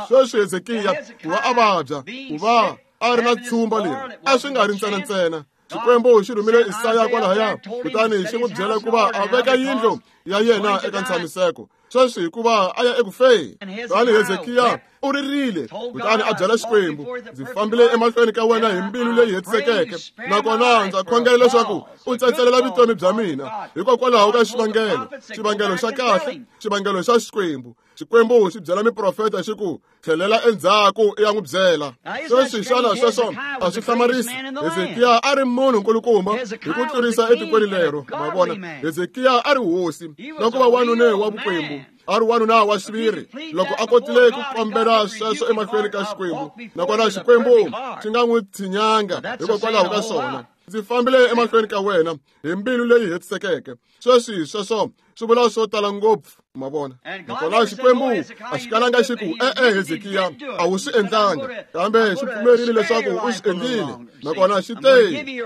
Sweswi Hezekiya ku va a vabya, ku va a ri na tshumba leri, a swi nga ri ntsena ntsena. Xikwembu xi rhumile Isaya kwalahaya, kutani xi n'wi byela ku va a veka yindlu ya yena eka ntshamiseko. Sweswi hikuva a ya eku feni. Kutani Hezekiya u ririle, kutani a byela Xikwembu, ndzi fambile emahlweni ka wena hi mbilu leyi hetisekeke, nakona ndza khongela leswaku u tsatselela vutomi bya mina hikokwalaho ka xivangelo, xivangelo xa kahle, xivangelo xa Xikwembu. Xikwembu xi byela miprofeta xi ku, tlhelela endzhaku i ya n'wi byela. Sweswi xana sweswo a swi hlamarisi? Hezekiya a ri munhu nkulukumba hi ku tlurisa etikweni lero, ma vona. Hezekiya a ri hosi, na ku va wanuna wa vukwembu, a ri wanuna wa xiviri. Loko a kotile ku kombela sweswo emahlweni ka Xikwembu, nakona Xikwembu xi nga n'wi tshinyanga hikokwalaho ka swona. Ndzi fambile emahlweni ka wena hi mbilu leyi hetisekeke. Sweswi sweswo swi vula swo tala ngopfu, ma vona. Nakona Xikwembu a xi kalanga xi ku, e-e Hezekiya, a wu swi endlanga, kambe xi pfumerile leswaku u swi endlile. Nakona xi te,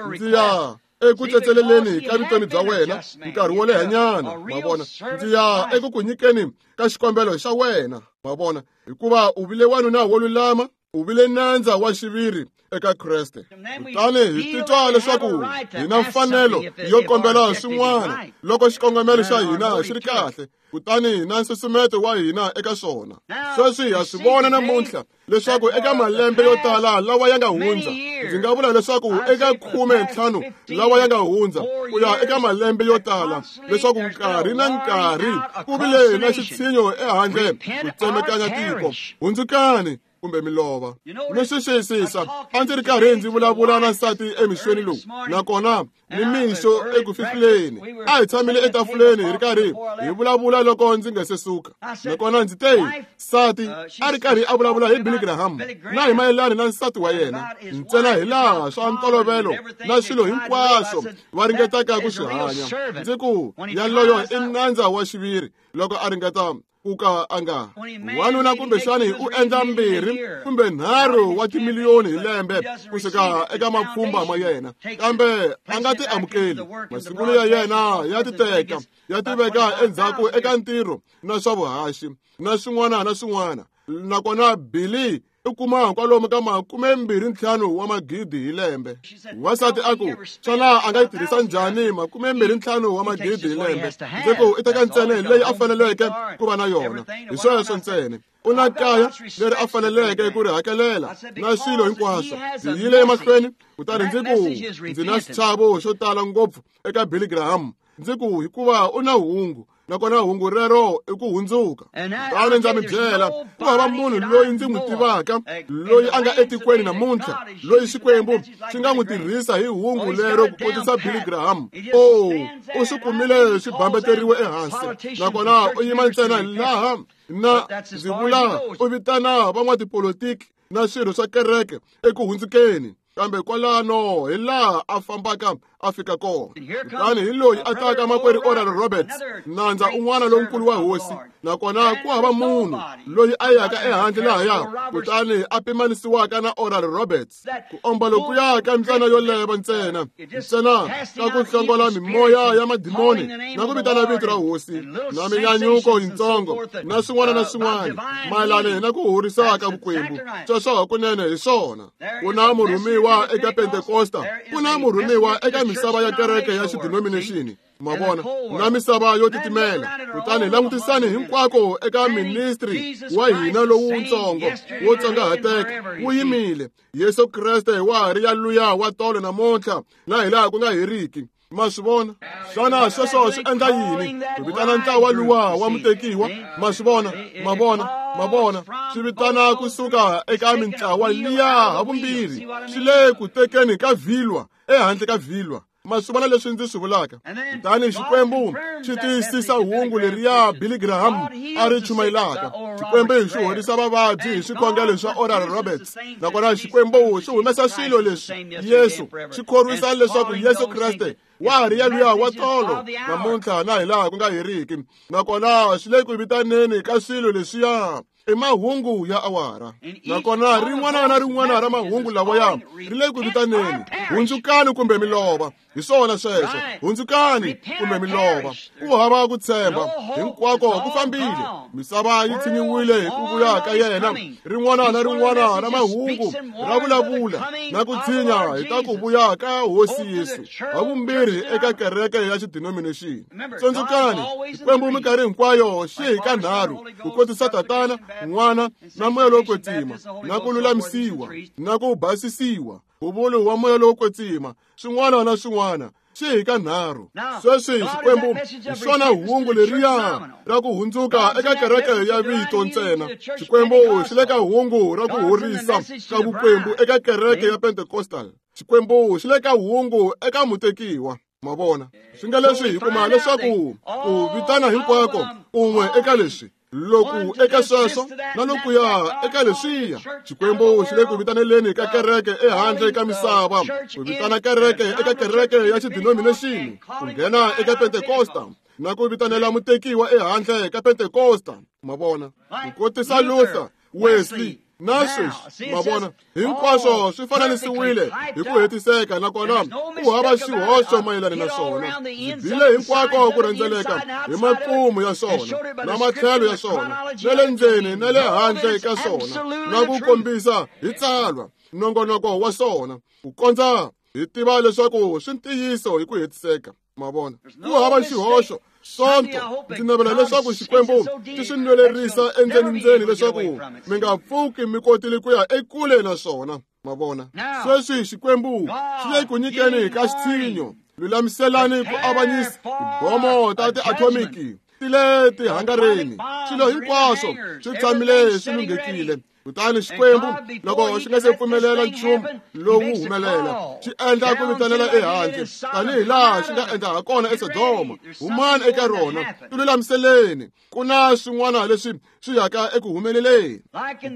ndzi ya eku tsetseleleni ka vutomi bya wena nkarhi wo lehanyana, ma vona. Ndzi ya eku ku nyikeni ka xikombelo xa wena, ma vona, hikuva u vile wanuna wo lulama. U vile nandza wa xiviri eka Kreste. Kutani hi titwa leswaku hi na mfanelo yo kombela swin'wana loko xikongomelo xa hina xi ri kahle, kutani na nsusumeto wa hina eka swona. Sweswi ha swi vona namuntlha leswaku eka malembe yo tala lawa ya nga hundza, ndzi nga vula leswaku eka khume ntlhanu lawa ya nga hundza ku ya eka malembe yo tala, leswaku nkarhi na nkarhi ku vile na xitshinyo ehandle ku tsemekanya tiko. Hundzukani kumbe milova. Mi swi xiyisisa, a ndzi ri karhi ndzi vulavula na nsati emixweni lowu, nakona ni mixo eku fihleni. A hi tshamile etafuleni hi ri karhi hi vulavula loko ndzi nga se suka. Nakona ndzi te, nsati a ri karhi a vulavula hi Billy Graham na hi mayelana na nsati wa yena, ntsena hi laha swa ntolovelo na swilo hinkwaswo va ringetaka ku swi hanya. Ndzi ku, yaloyo i nandza wa xiviri loko a ringeta ku ka a nga wanuna kumbexani u endla mbirhi kumbe nharhu wa timiliyoni hi lembe kusuka eka mapfhumba ma yena, kambe a nga ti amukeli. Masungulo ya yena ya ti teka ya ti veka endzhaku eka ntirho na swa vuhaxi na swin'wana na swin'wana. Nakona Billy u kuma kwalomu ka makume mbirhi ntlhanu wa magidi hi lembe. Wansati a ku, xana a nga yi tirhisa njhani makume mbirhi ntlhanu wa magidi hi lembe? Ndzi ku, i teka ntsena leyi a faneleke ku va na yona. Hi sweswo ntsena. U na kaya leri a faneleke ku ri hakelela na swilo hinkwaswo. Ndzi yile emahlweni, kutani ndzi ku, ndzi na xichavo xo tala ngopfu eka Billy Graham. Ndzi ku, hikuva u na hungu, nakona hungu rero i ku hundzuka. Kutani ndza mi byela, ku hava munhu loyi ndzi n'wi tivaka loyi a nga etikweni namuntlha loyi Xikwembu xi nga n'wi tirhisa hi hungu lero ku kotisa Billy Graham. Oh, u swi kumile swi bambeteriwe ehansi, nakona u yima ntsena laha na ndzi vula u vitana van'watipolitiki na swirho swa kereke eku hundzukeni, kambe kwalano hi laha a fambaka a fika kona. Kutani hi loyi a taka makwerhu Oral Roberts, nandza un'wana lonkulu wa hosi, nakona ku hava munhu loyi a yaka ehandle lahaya kutani a pimanisiwaka na Oral Roberts. Ku omba lokuya ka mbyana yo leva ntsena ntsena ka ku hlongola mimoya ya madimoni na ku vitana vito ra hosi na minyanyuko yintsongo na swin'wana na swin'wana mayelana na ku horisa ka vukwembu. Sweswo hakunene hi swona. Ku na murhumiwa eka Pentekosta, ku na murhumiwa eka misava ya kereke ya xidenomination, ma vona, na misava yo titimela. Kutani langutisani hinkwako eka ministry wa hina lowutsongo wo tsongahateka wu yimile. Yesu Kreste wa ha ri yaluya wa tolo namuntlha na hi laha ku nga heriki. Ma swi vona? Xana sweswo swi endla yini? Ku vitana ntlawa luwa wa mutekiwa. Ma swi vona? Ma vona? Ma vona? Swi vitana kusuka eka mintlawa liya havumbirhi. Swi le ku tekeni ka vhilwa, ehandle ka vhilwa. Ma swi vona leswi ndzi swi vulaka? Kutani Xikwembu xi tiyisisa hungu leriya Billy Graham a ri chumayelaka. Xikwembu xi horisa vavabyi hi swikhongelo swa Oral Roberts. Nakona Xikwembu xi humesa swilo leswi Yesu xi khorwisa leswaku Yesu Kreste wa ha ri yaluya wa tolo namuntlha na hi laha ku nga heriki. Nakona swi le ku vitaneni ka swilo leswiya i mahungu ya awara. Nakona rin'wana na rin'wana ra mahungu lawaya ri le ku vitaneni. Hundzukani kumbe milova. Hi swona sweswo. Hundzukani kumbe milova. Ku hava ku tshemba hinkwako ku fambile. Misava yi tshinyiwile hi ku vuya ka yena. Rin'wana na rin'wana ra mahungu ra vulavula na ku tshinya hi ta ku vuya ka hosi Yesu havumbirhi eka kereke ya xidenomination. Tsundzukani, Xikwembu minkarhi hinkwayo xi hi ka nharhu ku kotisa Tatana, N'wana na Moya lowo Kwetsima, na ku lulamisiwa na ku basisiwa, nkhuvulo wa Moya lowo Kwetsima, swin'wana na swin'wana xi hi ka nharhu. Sweswi Xikwembu hi xona hungu leriya ra ku hundzuka eka kereke ya vito ntsena. Xikwembu xi le ka hungu ra ku horisa ka vukwembu eka kereke ya Pentecostal. Xikwembu xi le ka hungu eka mutekiwa. Ma vona? Swi nga leswi hi kuma leswaku ku vitana hinkwako un'we eka leswi, loku eka sweswo na lokuya eka leswiya. Xikwembu xi le ku vitaneleni ka kereke ehandle ka misava, ku vitana kereke eka kereke ya xidenomination, ku nghena eka Pentekosta na ku vitanela mutekiwa ehandle ka Pentekosta. Ma vona? Ku kotisa Luther, Wesley, Na sweswi ma vona hinkwaswo swi fananisiwile hi ku hetiseka, nakona ku hava xihoxo mayelana na swona. Bile hinkwako ku rhendzeleka hi makumu ya swona na matlhelo ya swona, na le ndzeni na le handle ka swona, na ku kombisa hi tsalwa nongonoko wa swona, ku kondza hi tiva leswaku swi ntiyiso hi ku hetiseka. Ma vona, ku hava xihoxo. Sonto ndzi navela leswaku Xikwembu xi swi nwelerisa endzeni-ndzeni leswaku mi nga pfuki mi kotile ku ya ekule na swona. Ma vona, sweswi Xikwembu xi le ku nyikeni ka xitshinyo. Lulamiselani ku avanyisa tibomo ta tiathomiki ti le tihangareni. Swilo hinkwaswo swi tshamile swi lunghekile. Kutani Xikwembu loko xi nga se pfumelela nchumu lowu humelela, xi endla ku vitanela ehandle tanihi laha xi nga endla ha kona eSodoma. Humani eka rona, tilulamiseleni, ku na swin'wana leswi swi yaka eku humeleleni.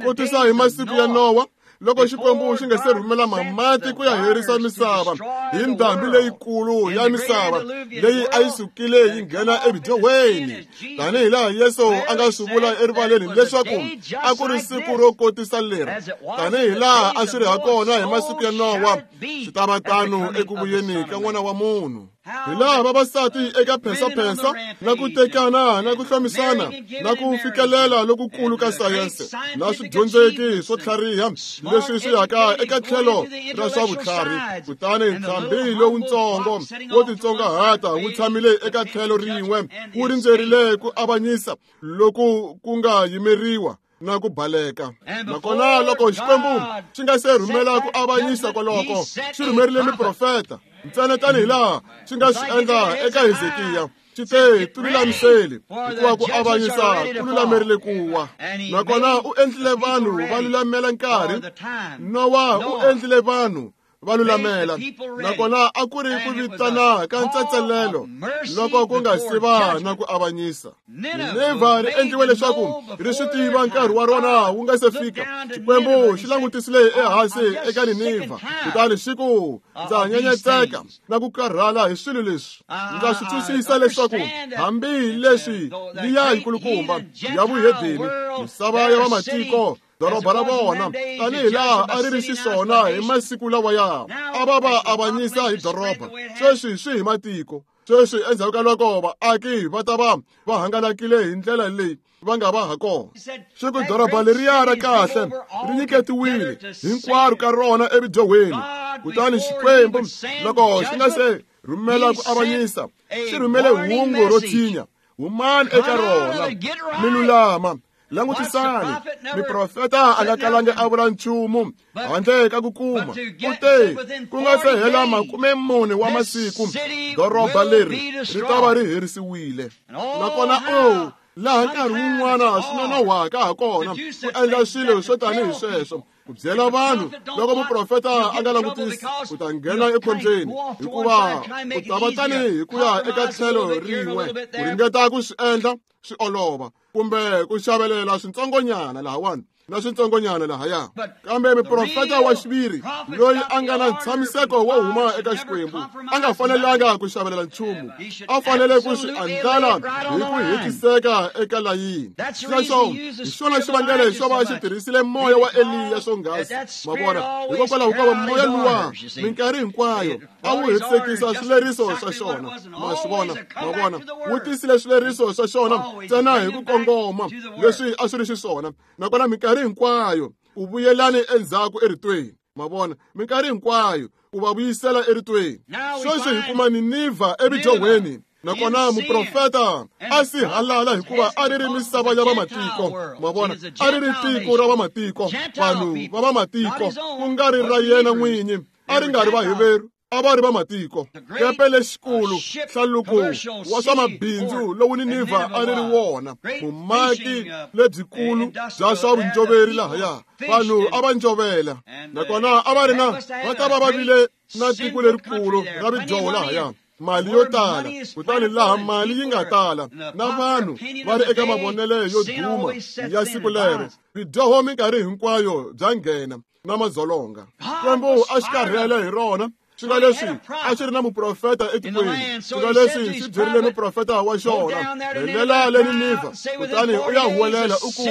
Kotisa hi masiku ya Nowa, loko Xikwembu xi nga se rhumela mamati ku ya herisa misava hi ndhambi leyikulu ya misava leyi a yi sukile yi nghena evidyohweni, tanihi laha Yesu a nga swi vula erivaleni leswaku a ku ri siku ro kotisa leri, tanihi laha a swi ri ha kona hi masiku ya Nowa, swi ta va tano eku vuyeni ka N'wana wa Munhu. Hi laha vavasati eka phensaphensa na ku tekana na ku hlomisana na ku fikelela lokukulu ka sayense na swidyondzeki swo tlhariha leswi swi yaka eka tlhelo ra swa vutlhari, kutani ntlhambi lowutsongo wo titsongahata wu tshamile eka tlhelo rin'we wu rindzerile ku avanyisa loku ku nga yimeriwa na ku baleka. Nakona loko Xikwembu xi nga se rhumela ku avanyisa koloko, xi rhumerile miprofeta ntsena tanihi laha xi nga swi endla eka Hezekiya. Xi te, tilulamiseli, hikuva ku avanyisa ku lulamerile ku wa. Nakona u endlile vanhu va lulamela nkarhi. Nowa u endlile vanhu va lulamela. Nakona a ku ri ku vitana ka ntsetselelo loko ku nga si va na ku avanyisa. Ninevha ri endliwe leswaku ri swi tiva nkarhi wa rona wu nga se fika. Xikwembu xi langutisile ehansi eka Ninevha, kutani xi ku, ndza nyenyetseka na ku karhala hi swilo leswi. Ndza swi twisisa leswaku hambi leswi liya yikulukumba ya vuhedeni, misava ya vamatiko, doroba ra vona tanihi laha a ri ri xiswona hi masiku lawaya, a va va avanyisa hi doroba. Sweswi swi hi matiko. Sweswi endzhaku ka loko vaaki va ta va va hangalakile hi ndlela leyi va nga va ha kona. Xi ku doroba leriya ra kahle ri nyiketiwile hinkwaro ka rona evidyohweni. Kutani Xikwembu loko xi nga se rhumela ku avanyisa, xi rhumele hungu ro tshinya. Humani eka rona mi lulama. Langutisani, miprofeta a nga kalangi a vula nchumu handle ka ku kuma. U te, ku nga se hela makume mune wa masiku, doroba leri ri ta va ri herisiwile. Nakona o laha nkarhi wun'wana swi nonohwaka ha kona ku endla swilo swo tanihi sweswo, ku byela vanhu loko muprofeta a nga langutisi, u ta nghena ekhombyeni, hikuva u ta va tanihi hi ku ya eka tlhelo rin'we ku ringeta ku swi endla swi olova, kumbe ku xavelela switsongonyana lahawani na switsongonyana lahaya. Kambe muprofeta wa xiviri loyi a nga na ntshamiseko wo huma eka Xikwembu a nga fanelanga ku xavelela nchumu, a fanele ku swi andlala hi ku hetiseka eka layini. Sweswo hi xona xivangelo xo va xi tirhisile moya wa Eliya swonghasi. Ma vona, hikokwalaho ka va moya luwa minkarhi hinkwayo a wu hetisekisa swileriso swa xona. Ma swi vona, ma vona, wu tisile swileriso swa xona ntsena hi ku kongoma leswi a swi ri xiswona. Nakona minkarhi hinkwayo u vuyelani endzhaku eritweni. Ma vona, minkarhi hinkwayo u va vuyisela eritweni. Sweswi hi kuma Ninevha evidyohweni. Nakona muprofeta a si halala hikuva a ri ri misava ya vamatiko. Ma vona, a ri ri tiko ra vamatiko, vanhu va vamatiko, ku nga ri ra yena n'winyi. A ri nga ri Vaheveru, a va ri vamatiko. Kepe lexikulu, hlaluko wa swa mabindzu lowu Ninevha a ri ri wona, vumaki lebyikulu bya swa vunjoveri lahaya, vanhu a va njovela. Nakona a va ri na va ta va va vile na tiko lerikulu ra vidyoho lahaya, mali yo tala. Kutani laha mali yi nga tala na vanhu va ri eka mavonelo yo duma ya siku lero, vidyoho minkarhi hinkwayo bya nghena na madzolonga. Xikwembu a xi karhele hi rona, Swi nga leswi a xi ri na muprofeta etikweni. Swi nga leswi xi byerile muprofeta wa xona, rhelela le Ninivha, kutani u ya huwelela u ku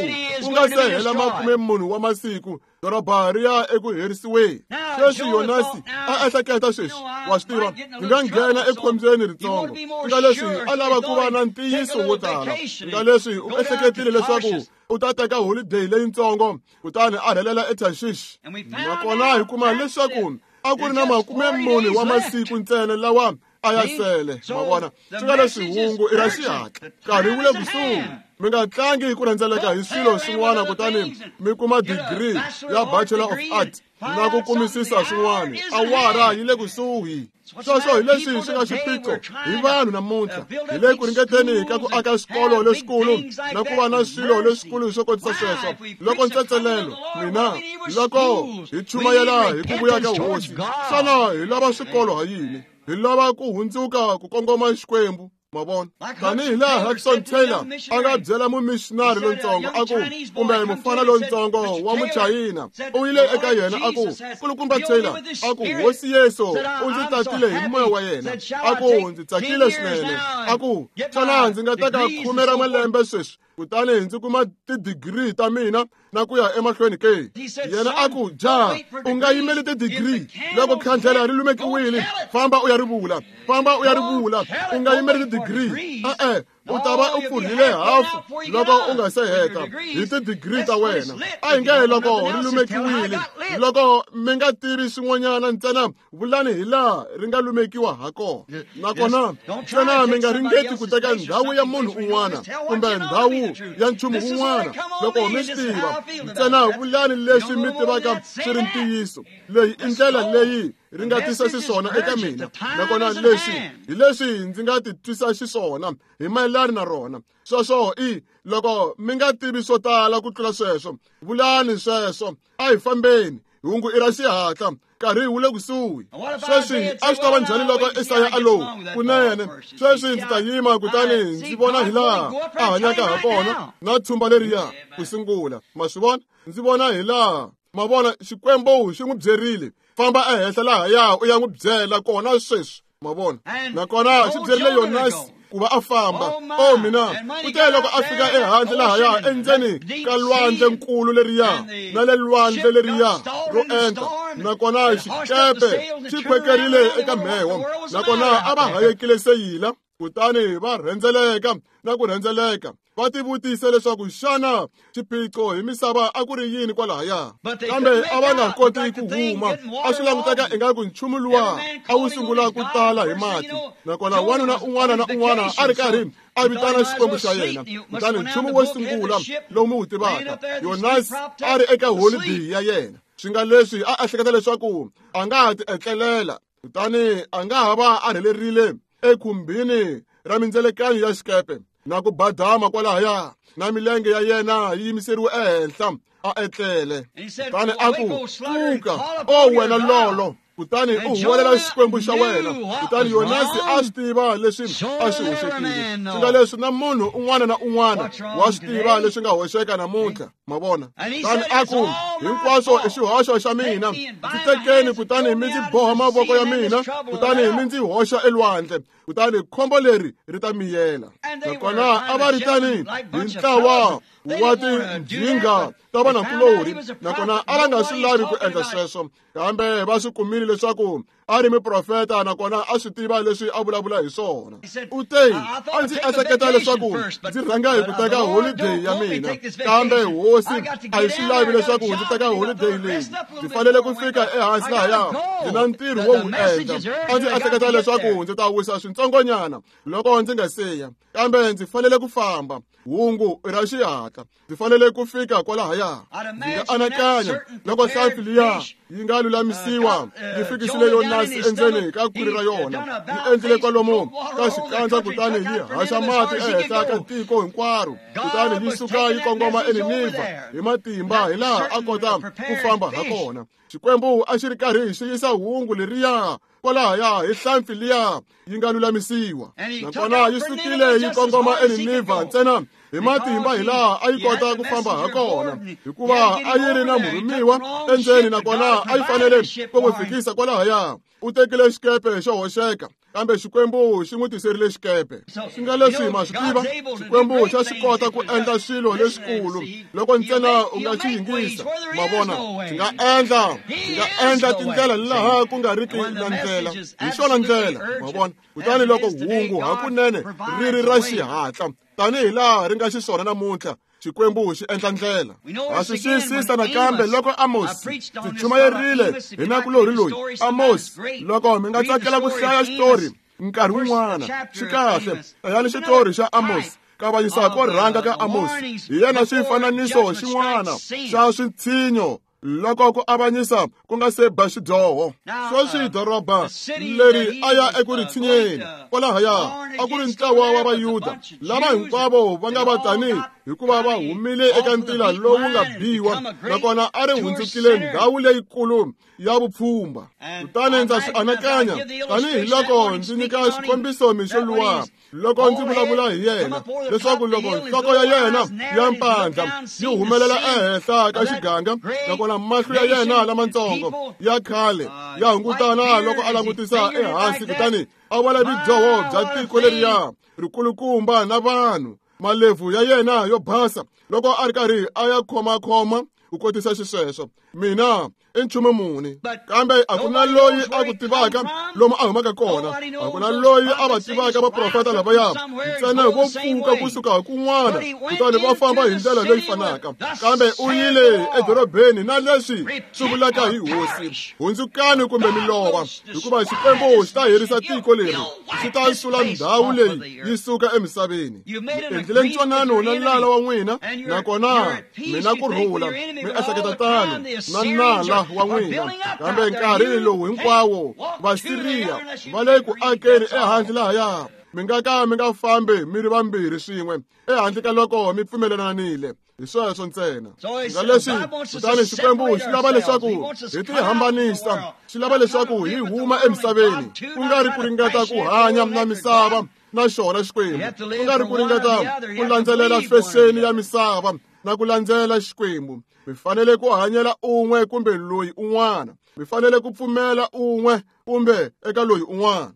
ku nga se hela makume mune wa masiku doroba ri ya eku herisiweni. Sweswi Yonasi a ehleketa sweswi, wa swi tiva, hi nga nghena ekhombyeni ritsongo. Swi nga leswi a lava ku va na ntiyiso wo tala. Swi nga leswi u ehleketile leswaku u ta teka holiday leyitsongo kutani a rhelela eTarshish. Nakona hi kuma leswaku a ku ri na makume mune wa masiku ntsena lawa a ya sele. Ma vona, swi nga leswi hungu i ra xihatla, nkarhi wu le kusuhi. Mi nga tlangi ku rhendzeleka hi swilo swin'wana kutani mi kuma degree ya Bachelor of Arts na ku kumisisa swin'wana. Awara yi le kusuhi. Sweswo hi leswi swi nga xiphiqo hi vanhu namuntlha. Hi le ku ringeteni ka ku aka swikolo leswikulu na ku va na swilo leswikulu swo kotisa sweswo. Loko ntsetselelo mina, loko hi chumayela hi ku vuya ka Hosi, xana hi lava swikolo ha yini? Hi lava ku hundzuka ku kongoma Xikwembu. Ma vona, tanihi laha Hudson Taylor a nga byela mumissionary lontsongo a ku, kumbe mufana lontsongo wa Muchayina, u yile eka yena a ku, Kulukumba Taylor, a ku, Hosi Yesu u ndzi tatile hi moya wa yena. A ku, ndzi tsakile swinene. A ku, xana ndzi nga teka khume ra malembe sweswi kutani ndzi kuma tidigiri ta mina na ku ya emahlweni ke? Yena a ku, ja, u nga yimeli tidigiri. Loko khandlela ri lumekiwile, famba u ya ri vula, famba u ya ri vula. U nga yimeli tidigiri. E-e, u ta va u pfurhile hafu loko u nga se heta hi tidigiri ta wena. A hi nge loko ri lumekiwile, loko mi nga tivi swin'wanyana ntsena vulani hi laha ri nga lumekiwa ha kona. Nakona ntsena mi nga ringeti ku teka ndhawu ya munhu un'wana kumbe ndhawu ya nchumu wun'wana. Loko mi swi tiva, ntsena vulani leswi mi tivaka swi ri ntiyiso. Leyi i ndlela leyi ri nga tisa xiswona eka mina, nakona leswi hi leswi ndzi nga ti twisa xiswona hi mayelana na rona. Sweswo i loko mi nga tivi swo tala ku tlula sweswo, vulani sweswo. A hi fambeni, hungu i ra xihatla, nkarhi wu le kusuhi. Sweswi a swi ta va njhani loko Esaya a lo kunene? Sweswi ndzi ta yima kutani ndzi vona hi laha a hanyaka ha kona na tshumba leriya ku sungula. Ma swi vona? Ndzi vona hi laha. Ma vona, Xikwembu xi n'wi byerile, famba ehenhla lahaya u ya n'wi byela kona sweswi. Ma vona, nakona xi byerile Yonasi ku va a famba. O mina, ku te loko a fika ehandle lahaya endzeni ka lwandle nkulu leriya na le lwandle leriya ro enta, nakona xikepe xi khwekerile eka mheho, nakona a va hayekile seyila, kutani va rhendzeleka na ku rhendzeleka. Va tivutise leswaku xana xiphiqo hi misava a ku ri yini kwalahaya, kambe a va nga koti ku huma. A swi languteka ingaku nchumu luwa a wu sungula ku tala hi mati, nakona wanuna un'wana na un'wana a ri karhi a vitana Xikwembu xa yena. Kutani nchumu wo sungula lowu mi wu tivaka, Yonasi a ri eka holiday ya yena. Swi nga leswi a ehleketa leswaku a nga ha ti etlelela, kutani a nga ha va a rhelerile ekhumbini ra mindzelekanyo ya xikepe na ku badama kwalahaya, na milenge ya yena yi yimiseriwe ehenhla, a etlele. Kutani a ku, pfuka, o wena lolo, kutani u huwelela Xikwembu xa wena. Kutani Yonasi a swi tiva leswi a swi hoxekile. Swi nga leswi na munhu un'wana na un'wana wa swi tiva leswi nga hoxeka namuntlha. Ma vona? Kutani a ku, hinkwaswo i xihoxo xa mina. Ndzi tekeni kutani mi ndzi boha mavoko ya mina, kutani mi ndzi hoxa elwandle, kutani khombo leri ri ta miyela. Nakona a va ri tani hi ntlawa wa tinjhinga ta vanakulorhi, nakona a va nga swi lavi ku endla sweswo, kambe va swi kumile leswaku a ri muprofeta, nakona a swi tiva leswi a vulavula hi swona. U te, a ndzi ehleketa leswaku ndzi rhanga hi ku teka holiday ya mina, kambe Hosi a yi swi lavi leswaku ndzi teka holiday leyi. Ndzi fanele ku fika ehansi lahaya, ndzi na ntirho wo wu endla. A ndzi ehleketa leswaku ndzi ta wisa swintsongonyana loko ndzi nga siya, kambe ndzi fanele ku famba. Hungu i ra xihatla, ndzi fanele ku fika kwalahaya. Ndzi nga anakanya loko hlampfi liya yi nga lulamisiwa yi fikisile Yonasi endzeni ka khwiri ra yona, yi endlile kwalomu ka xikandza, kutani yi haxa mati ehenhla ka tiko hinkwaro, kutani yi suka yi kongoma eNinivha hi matimba hi laha a kota ku famba ha kona. Xikwembu a xi ri karhi xi yisa hungu leriya kwalahaya hi hlampfi liya yi nga lulamisiwa, nakona yi sukile yi kongoma eNinivha ntsena hi matimba hi laha a yi kota ku famba ha kona, hikuva a yi ri na murhumiwa endzeni, nakona a yi fanele ku n'wi fikisa kwalahaya. U tekile xikepe xo hoxeka, kambe Xikwembu xi n'wi tiserile xikepe. Swi nga leswi ma swi tiva, Xikwembu xa swi kota ku endla swilo leswikulu loko ntsena u nga xi yingisa. Ma vona, xi nga endla, xi nga endla tindlela laha ku nga riki na ndlela. Hi xona ndlela, ma vona. Kutani loko hungu hakunene ri ri ra xihatla, tanihi laha ri nga xiswona namuntlha, Xikwembu xi endla ndlela. Ha swi xiyisisa nakambe loko Amos ndzi chumayerile hi nakulorhi loyi Amos. Loko mi nga tsakela ku hlaya xitori nkarhi wun'wana, xi kahle, hlayani xitori xa Amos. Kavanyisa ko rhanga ka Amos hi yena xifananiso xin'wana xa switshinyo loko ku avanyisa ku nga se ba xidyoho. Sweswi doroba leri a ya eku ri tshinyeni kwalahaya a ku ri ntlawa wa Vayuda lava hinkwavo va nga va tani hikuva va humile eka ntila lowu nga biwa, nakona a ri hundzukile ndhawu leyikulu ya vupfhumba. Kutani ndza swi anakanya tanihiloko ndzi nyika xikombiso mixo luwa loko ndzi vulavula hi yena, leswaku loko nhloko ya yena ya mpandla yi humelela ehenhla ka xiganga, nakona mahlo ya yena lamatsongo ya khale ya hungutana loko a langutisa ehansi, kutani a vona vudyoho bya tiko leriya rikulukumba na vanhu, malebvu ya yena yo basa loko a ri karhi a ya khomakhoma ku kotisa xisweswo. Mina i nchumu muni, kambe a ku na loyi a ku tivaka lomu a humaka kona, a ku na loyi a va tivaka vaprofeta lavaya, ntsena vo pfuka kusuka kun'wana kutani va famba hi ndlela leyi fanaka. Kambe u yile edorobeni na leswi swi vulaka hi hosi, hundzukani kumbe mi lova, hikuva Xikwembu xi ta herisa tiko leri, xi ta sula ndhawu leyi yi suka emisaveni. Mi endlile ntwanano na nala wa n'wina, nakona mina ku rhula, mi ehleketa tano na nala wa n'wina, kambe nkarhi lowu hinkwawo Vasiriya va le ku akeni ehandle lahaya. Mi nga ka mi nga fambi mi ri vambirhi swin'we ehandle ka loko mi pfumelelanile. Hi sweswo ntsena. Nga leswi kutani Xikwembu xi lava leswaku hi tihambanisa, xi lava leswaku hi huma emisaveni, ku nga ri ku ringeta ku hanya na misava na xona Xikwembu, ku nga ri ku ringeta ku landzelela fexeni ya misava na ku landzela Xikwembu. Mi fanele ku hanyela un'we kumbe loyi un'wana, mi fanele ku pfumela un'we kumbe eka loyi un'wana.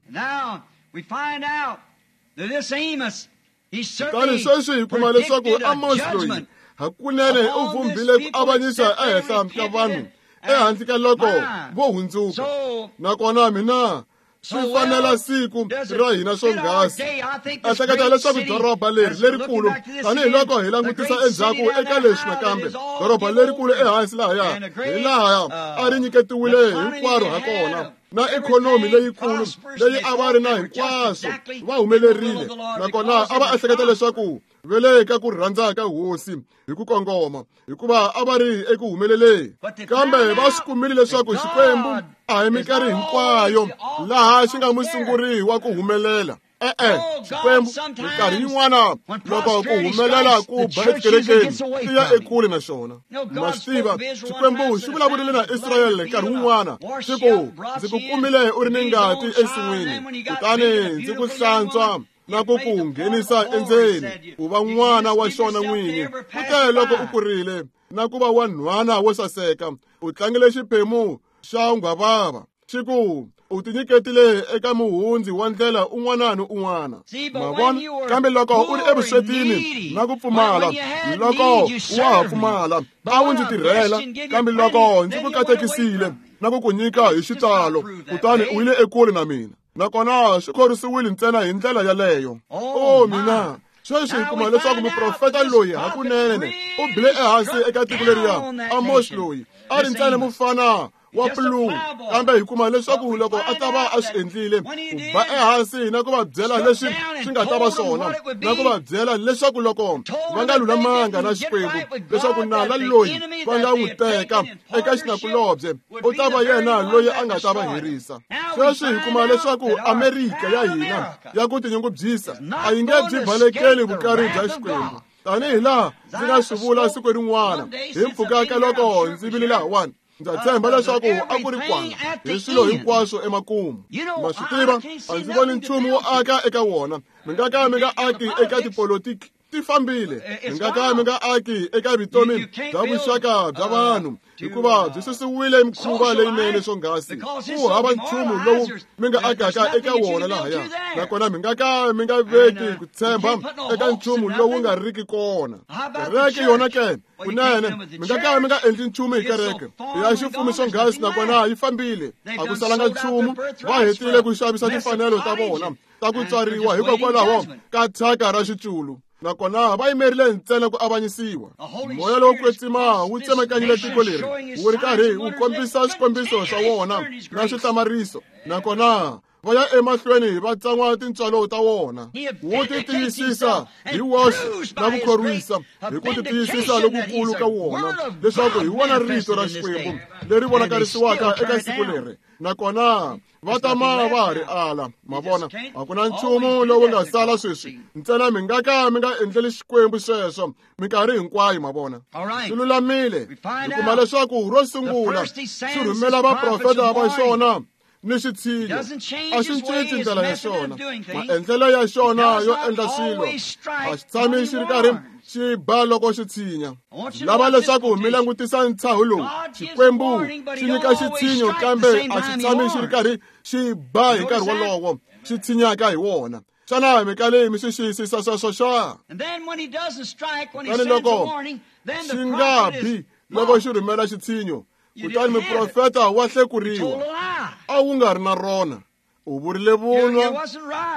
Kutani sweswi hi kuma leswaku Amos loyi hakunene u vumbile ku avanyisa ehenhla ka vanhu ehandle ka loko vo hundzuka. Nakona mina swi fanela siku ra hina swonghasi. Ehleketa leswaku doroba leri lerikulu, tanihiloko hi langutisa endzhaku eka leswi nakambe, doroba lerikulu ehansi lahaya hi laha a ri nyiketiwile hinkwaro ha kona, na ikhonomi leyikulu leyi a va ri na hinkwaswo, va humelerile, nakona a va ehleketa leswaku ve le ka ku rhandza ka hosi hi ku kongoma, hikuva a va ri eku humeleleni. Kambe va swi kumile leswaku Xikwembu a hi minkarhi hinkwayo laha xi nga musunguri wa ku humelela. E-e, Xikwembu minkarhi yin'wana loko ku humelela ku ba etikerekeni swi ya ekule na xona. Ma swi tiva, Xikwembu xi vulavurile na Israyele nkarhi wun'wana xi ku, ndzi ku kumile u ri ni ngati ensin'wini, kutani ndzi ku hlantswa na ku ku nghenisa endzeni ku va n'wana wa xona n'wini. Kute loko u kurile na ku va wanhwana wo saseka, u tlangile xiphemu xa nghwavava. Xi ku u tinyiketile eka muhundzi wa ndlela un'wana ni un'wana. Ma vona, kambe loko u ri evuswetini na ku pfumala, loko wa ha pfumala a wu ndzi tirhela, kambe loko ndzi ku katekisile na ku ku nyika hi xitalo, kutani u yile ekule na mina. Nakona swi khorwisiwile ntsena hi ndlela yaleyo. O mina, sweswi hi kuma leswaku muprofeta loyi hakunene u bile ehansi eka tiko leriya. Amos loyi a ri ntsena mufana wa puluhu, kambe hi kuma leswaku loko a ta va a swi endlile, ku ba ehansi na ku va byela leswi swi nga ta va swona, na ku va byela leswaku loko va nga lulamanga na Xikwembu, leswaku nala loyi va nga n'wi teka eka xinakulobye u ta va yena loyi a nga ta va herisa. Sweswi hi kuma leswaku Amerika ya hina ya ku tinyungubyisa a yi nge byi balekeli vukari bya Xikwembu, tanihi laha ndzi nga swi vula siku rin'wana hi mpfhuka ka loko ndzi vile lahawani. Ndza tshemba leswaku a ku ri kwana hi swilo hinkwaswo emakumu. Ma swi tiva, a ndzi voni nchumu wo aka eka wona. Mi nga ka mi nga aki eka tipolotiki Ti fambile. Mi nga ka mi nga aki eka vutomi bya vuxaka bya vanhu hikuva byi susiwile mikhuva leyinene swonghasi. Ku hava nchumu lowu mi nga akaka eka wona lahaya, nakona mi nga ka mi nga veki ku tshemba eka nchumu lowu nga riki kona. Kereke yona ke kunene mi nga ka mi nga endli nchumu hi kereke ya xifumi swonghasi, nakona yi fambile. A ku salanga nchumu. Va hetile ku xavisa timfanelo ta vona ta ku tswariwa hikokwalaho ka thyaka ra xiculu, nakona va yimerile ntsena ku avanyisiwa. Moya lowo kwetsima wu tsemakanyile tiko leri wu ri karhi wu kombisa swikombiso swa wona na swihlamariso, nakona va ya emahlweni va tsan'wa tintswalo ta wona. Wu ti tiyisisa hi woxe na ku khorwisa hi ku ti tiyisisa lokukulu ka wona leswaku hi wona rito ra Xikwembu leri vonakarisiwaka eka siku leri, nakona va tama va ha ri ala. Ma vona, a ku na nchumu lowu nga sala sweswi ntsena mi nga ka mi nga endleli Xikwembu sweswo minkarhi hinkwayo. Ma vona, swi lulamile. Hi kuma leswaku ro sungula xi rhumela vaprofeta va xona ni xitshinyo. A xi cinci ndlela ya xona, maendlelo ya xona yo endla swilo. A xi tshami xi ri karhi xi ba loko xi tshinya. Lava leswaku mi langutisa ntshaho lowu. Xikwembu xi nyika xitshinyo, kambe a xi tshami xi ri karhi xi ba hi nkarhi wolowo xi tshinyaka hi wona. Xana mi kale mi swi xiyisisa sweswo xa? Kutani loko xi nga bi loko xi rhumela xitshinyo, kutani muprofeta wa hlekuriwa. A wu nga ri na rona, u vurile vunwa,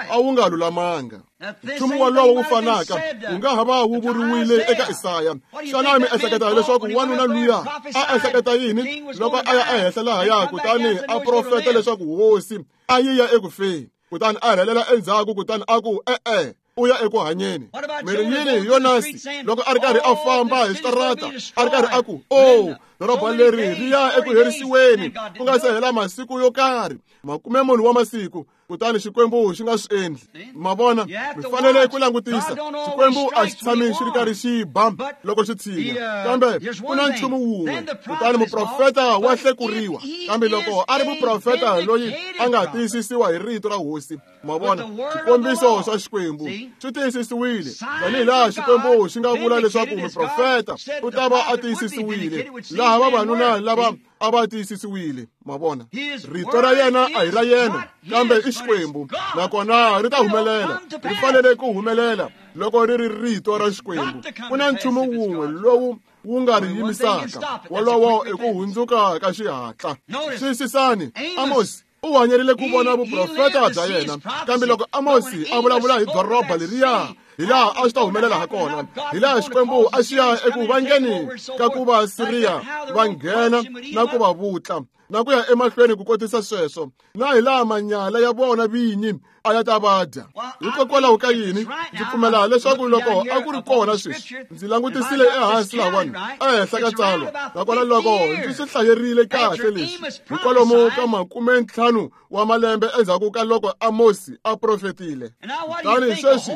a wu nga lulamanga. Nchumu wolowo wu fanaka wu nga ha va wu vuriwile eka Isaya. Xana mi ehleketa leswaku wanuna luya a ehleketa yini loko a ya ehenhla lahaya kutani a profeta leswaku hosi a yi ya eku feni, kutani a rhelela endzhaku kutani a ku e-e, u ya eku hanyeni? Mi ri yini hi Yonasi loko a ri karhi a famba hi switarata a ri karhi a ku, o doroba leri ri ya eku herisiweni ku nga se hela masiku yo karhi, makume munhu wa masiku, kutani Xikwembu xi nga swi endli? Ma vona, mi fanele ku langutisa. Xikwembu a xi tshami xi ri karhi xi ba loko xi tshinya, kambe ku na nchumu wun'we. Kutani muprofeta wa hlekuriwa, kambe loko a ri muprofeta loyi a nga tiyisisiwa hi rito ra hosi. Ma vona, swikombiso swa Xikwembu swi tiyisisiwile tanihi laha Xikwembu xi nga vula leswaku muprofeta u ta va a tiyisisiwile, laha vavanuna lava a va tiyisisiwile. Ma vona, rito ra yena a hi ra yena, kambe i Xikwembu, nakona ri ta humelela. Ri fanele ku humelela loko ri ri rito ra Xikwembu. Ku na nchumu wun'we lowu wu nga ri yimisaka, wolowo i ku hundzuka ka xihatla. Xiyisisani, Amosi u hanyerile ku vona vuprofeta bya yena, kambe loko Amosi a vulavula hi doroba leriya, hi laha a swi ta humelela ha kona, hi laha Xikwembu a xi ya eku vangeni ka ku va Siriya va nghena na ku va vutla na ku ya emahlweni ku kotisa sweswo, na hi laha manyala ya vona vinyi a ya ta va dya. Hikokwalaho ka yini ndzi pfumela leswaku loko a ku ri kona sweswi, ndzi langutisile ehansi lahawani ehenhla ka tsalwa, nakona loko ndzi swi hlayerile kahle leswi, hi kwalomu ka makume ntlhanu wa malembe endzhaku ka loko Amosi a profetile. Kutani sweswi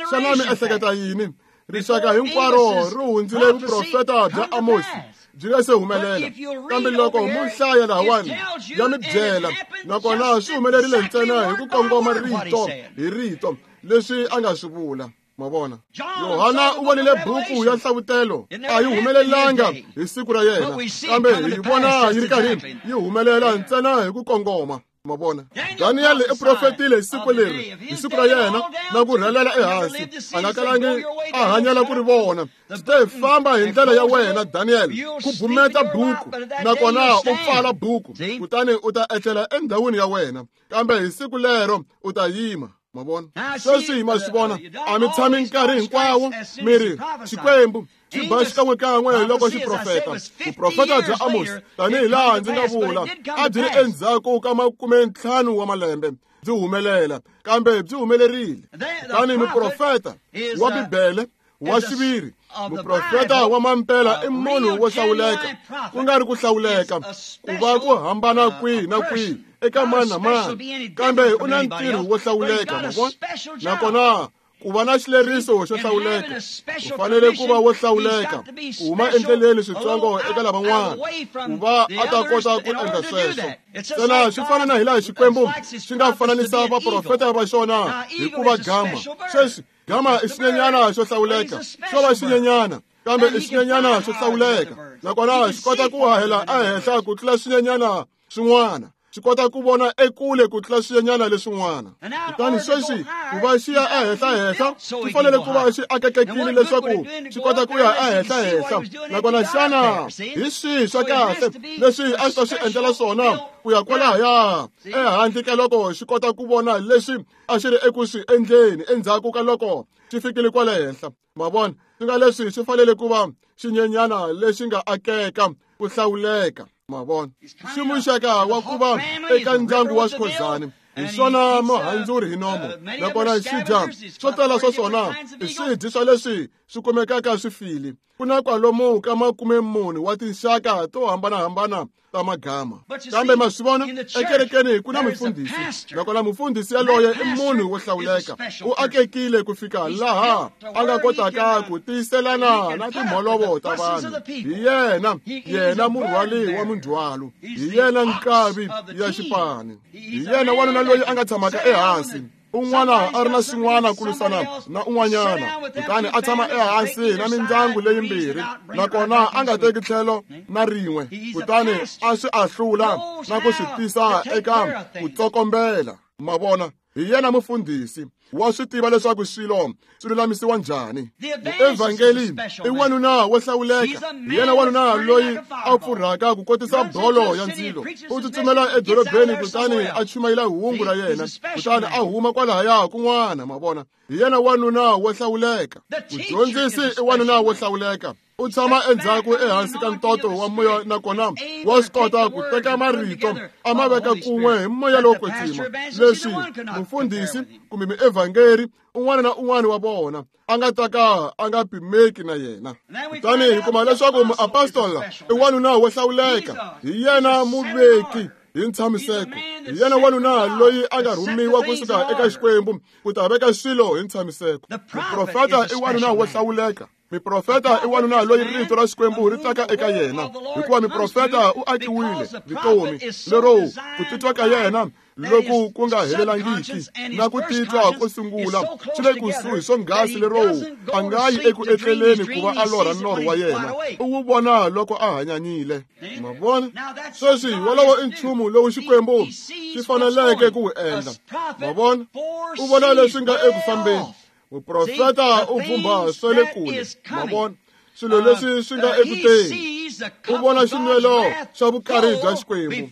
xana mi ehleketa yini? Rixaka hinkwaro ri hundzile vuprofeta bya Amosi byi nga se humelela, kambe loko mo hlaya lahawani ya mi byela, nakona swi humelerile ntsena hi ku kongoma rito hi rito leswi a nga swi vula. Ma vona, Yohana u vonile buku ya Nhlavutelo, a yi humelelanga hi siku ra yena, kambe hi vona yi ri karhi yi humelela ntsena hi ku kongoma. Ma vona, Daniel i profetile hi siku leri, hi siku ra yena, na ku rhelela ehansi, a nga kalangi a hanyela ku ri vona. Swi te famba hi ndlela ya wena Daniel, ku bumeta buku, nakona u pfala buku, kutani u ta etlela endhawini ya wena, kambe hi siku lero u ta yima. Ma vona, sweswi ma swi vona, a mi tshami nkarhi hinkwawo mi ri Xikwembu xi ba xikan'wekan'we loko xi profeta. Vuprofeta bya Amosi, tanihi laha ndzi nga vula, a byi ri endzhaku ka makume ntlhanu wa malembe byi humelela, kambe byi humelerile. Kutani muprofeta wa Bibele wa xiviri, muprofeta wa mampela i munhu wo hlawuleka, ku nga ri ku hlawuleka ku va ku hambana kwihi na kwihi eka mani na mani, kambe u na ntirho wo hlawuleka. Ma vona, nakona Ku va na xileriso xo hlawuleka, u fanele ku va wo hlawuleka, ku huma endleleni switsongo eka lavan'wana, ku va a ta kota ku endla sweswo. Ntsena swi fana na hilaha Xikwembu xi nga fananisa vaprofeta va xona hi ku va gama. Sweswi gama i xinyenyana xo hlawuleka, xo va xinyenyana, kambe i xinyenyana xo hlawuleka, nakona xi kota ku hahela ehenhla ku tlula swinyenyana swin'wana. Xi kota ku vona ekule ku tlula swinyenyana leswin'wana. Kutani sweswi ku va xi ya ehenhla-henhla, xi fanele ku va xi akekekile leswaku xi kota ku ya ehenhla-henhla. Nakona xana hi swihi swa kahle leswi a xi ta swi endlela swona ku ya kwalahaya ehandle ka loko xi kota ku vona leswi a xi ri eku swi endleni endzhaku ka loko xi fikile kwale henhla? Ma vona, swi nga leswi swi fanele ku va xinyenyana lexi nga akeka ku hlawuleka. Ma vona, xi muxaka wa ku va eka ndyangu wa xikhozani, hi swona muhandzuri hi nomo, nakona xi dya swo tala swa swona i swidyi swa leswi swi kumekaka swi file. Ku na kwalomu ka makume mune wa tinxaka to hambanahambana ta magama. Kambe ma swi vona, ekerekeni ku na mufundhisi, nakona mufundhisi yaloye i munhu wo hlawuleka. U akekile ku fika laha a nga kotaka ku tiyiselana na timholovo ta vanhu. Hi yena, yena murhwali wa mindzhwalo, hi yena nkavi ya xipani, hi yena wanuna loyi a nga tshamaka ehansi. Un'wana a ri na xin'wana ku lwisana na un'wanyana, kutani a tshama ehansi na mindyangu leyimbirhi, nakona a nga teki tlhelo na rin'we, kutani a swi ahlula na ku swi tisa eka ku tsokombela. Ma vona, hi yena mufundhisi, wa swi tiva leswaku swilo swi lulamisiwa njhani. Muevhangeli i wanuna wo hlawuleka, hi yena wanuna loyi a pfurhaka ku kotisa bolo ya ndzilo. U tsutsumela edorobeni kutani a chumayela hungu ra yena, kutani a huma kwalahaya kun'wana. Ma vona, hi yena wanuna wo hlawuleka. Mudyondzisi i wanuna wo hlawuleka. U tshama endzhaku ehansi ka ntoto wa moya, nakona wa swi kota ku teka marito a ma veka kun'we hi moya lowo kwetsima. Leswi mufundhisi kumbe muevhangeri un'wana na un'wana wa vona a nga ta ka a nga pimeki na yena. Kutani hi kuma leswaku muapostola i wanuna wo hlawuleka, hi yena muveki hi ntshamiseko, hi yena wanuna loyi a nga rhumiwa kusuka eka Xikwembu ku ta veka swilo hi ntshamiseko. Muprofeta i wanuna wo hlawuleka. Miprofeta i wanuna loyi rito ra Xikwembu ri taka eka yena, hikuva miprofeta u akiwile vutomi lero ku titwa ka yena loku ku nga helelangiki na ku titwa ko sungula swi le kusuhi swonghasi lero a nga yi eku etleleni ku va a lorha norho wa yena, u wu vona loko a hanyanyile. Ma vona, sweswi wolowo i nchumu lowu Xikwembu xi faneleke ku wu endla. Ma vona, u vona leswi nga eku fambeni. Muprofeta u vhumbha swa le kule. Ma vona, swilo leswi swi nga eku teni. U vona xinwelo xa vukarhi bya Xikwembu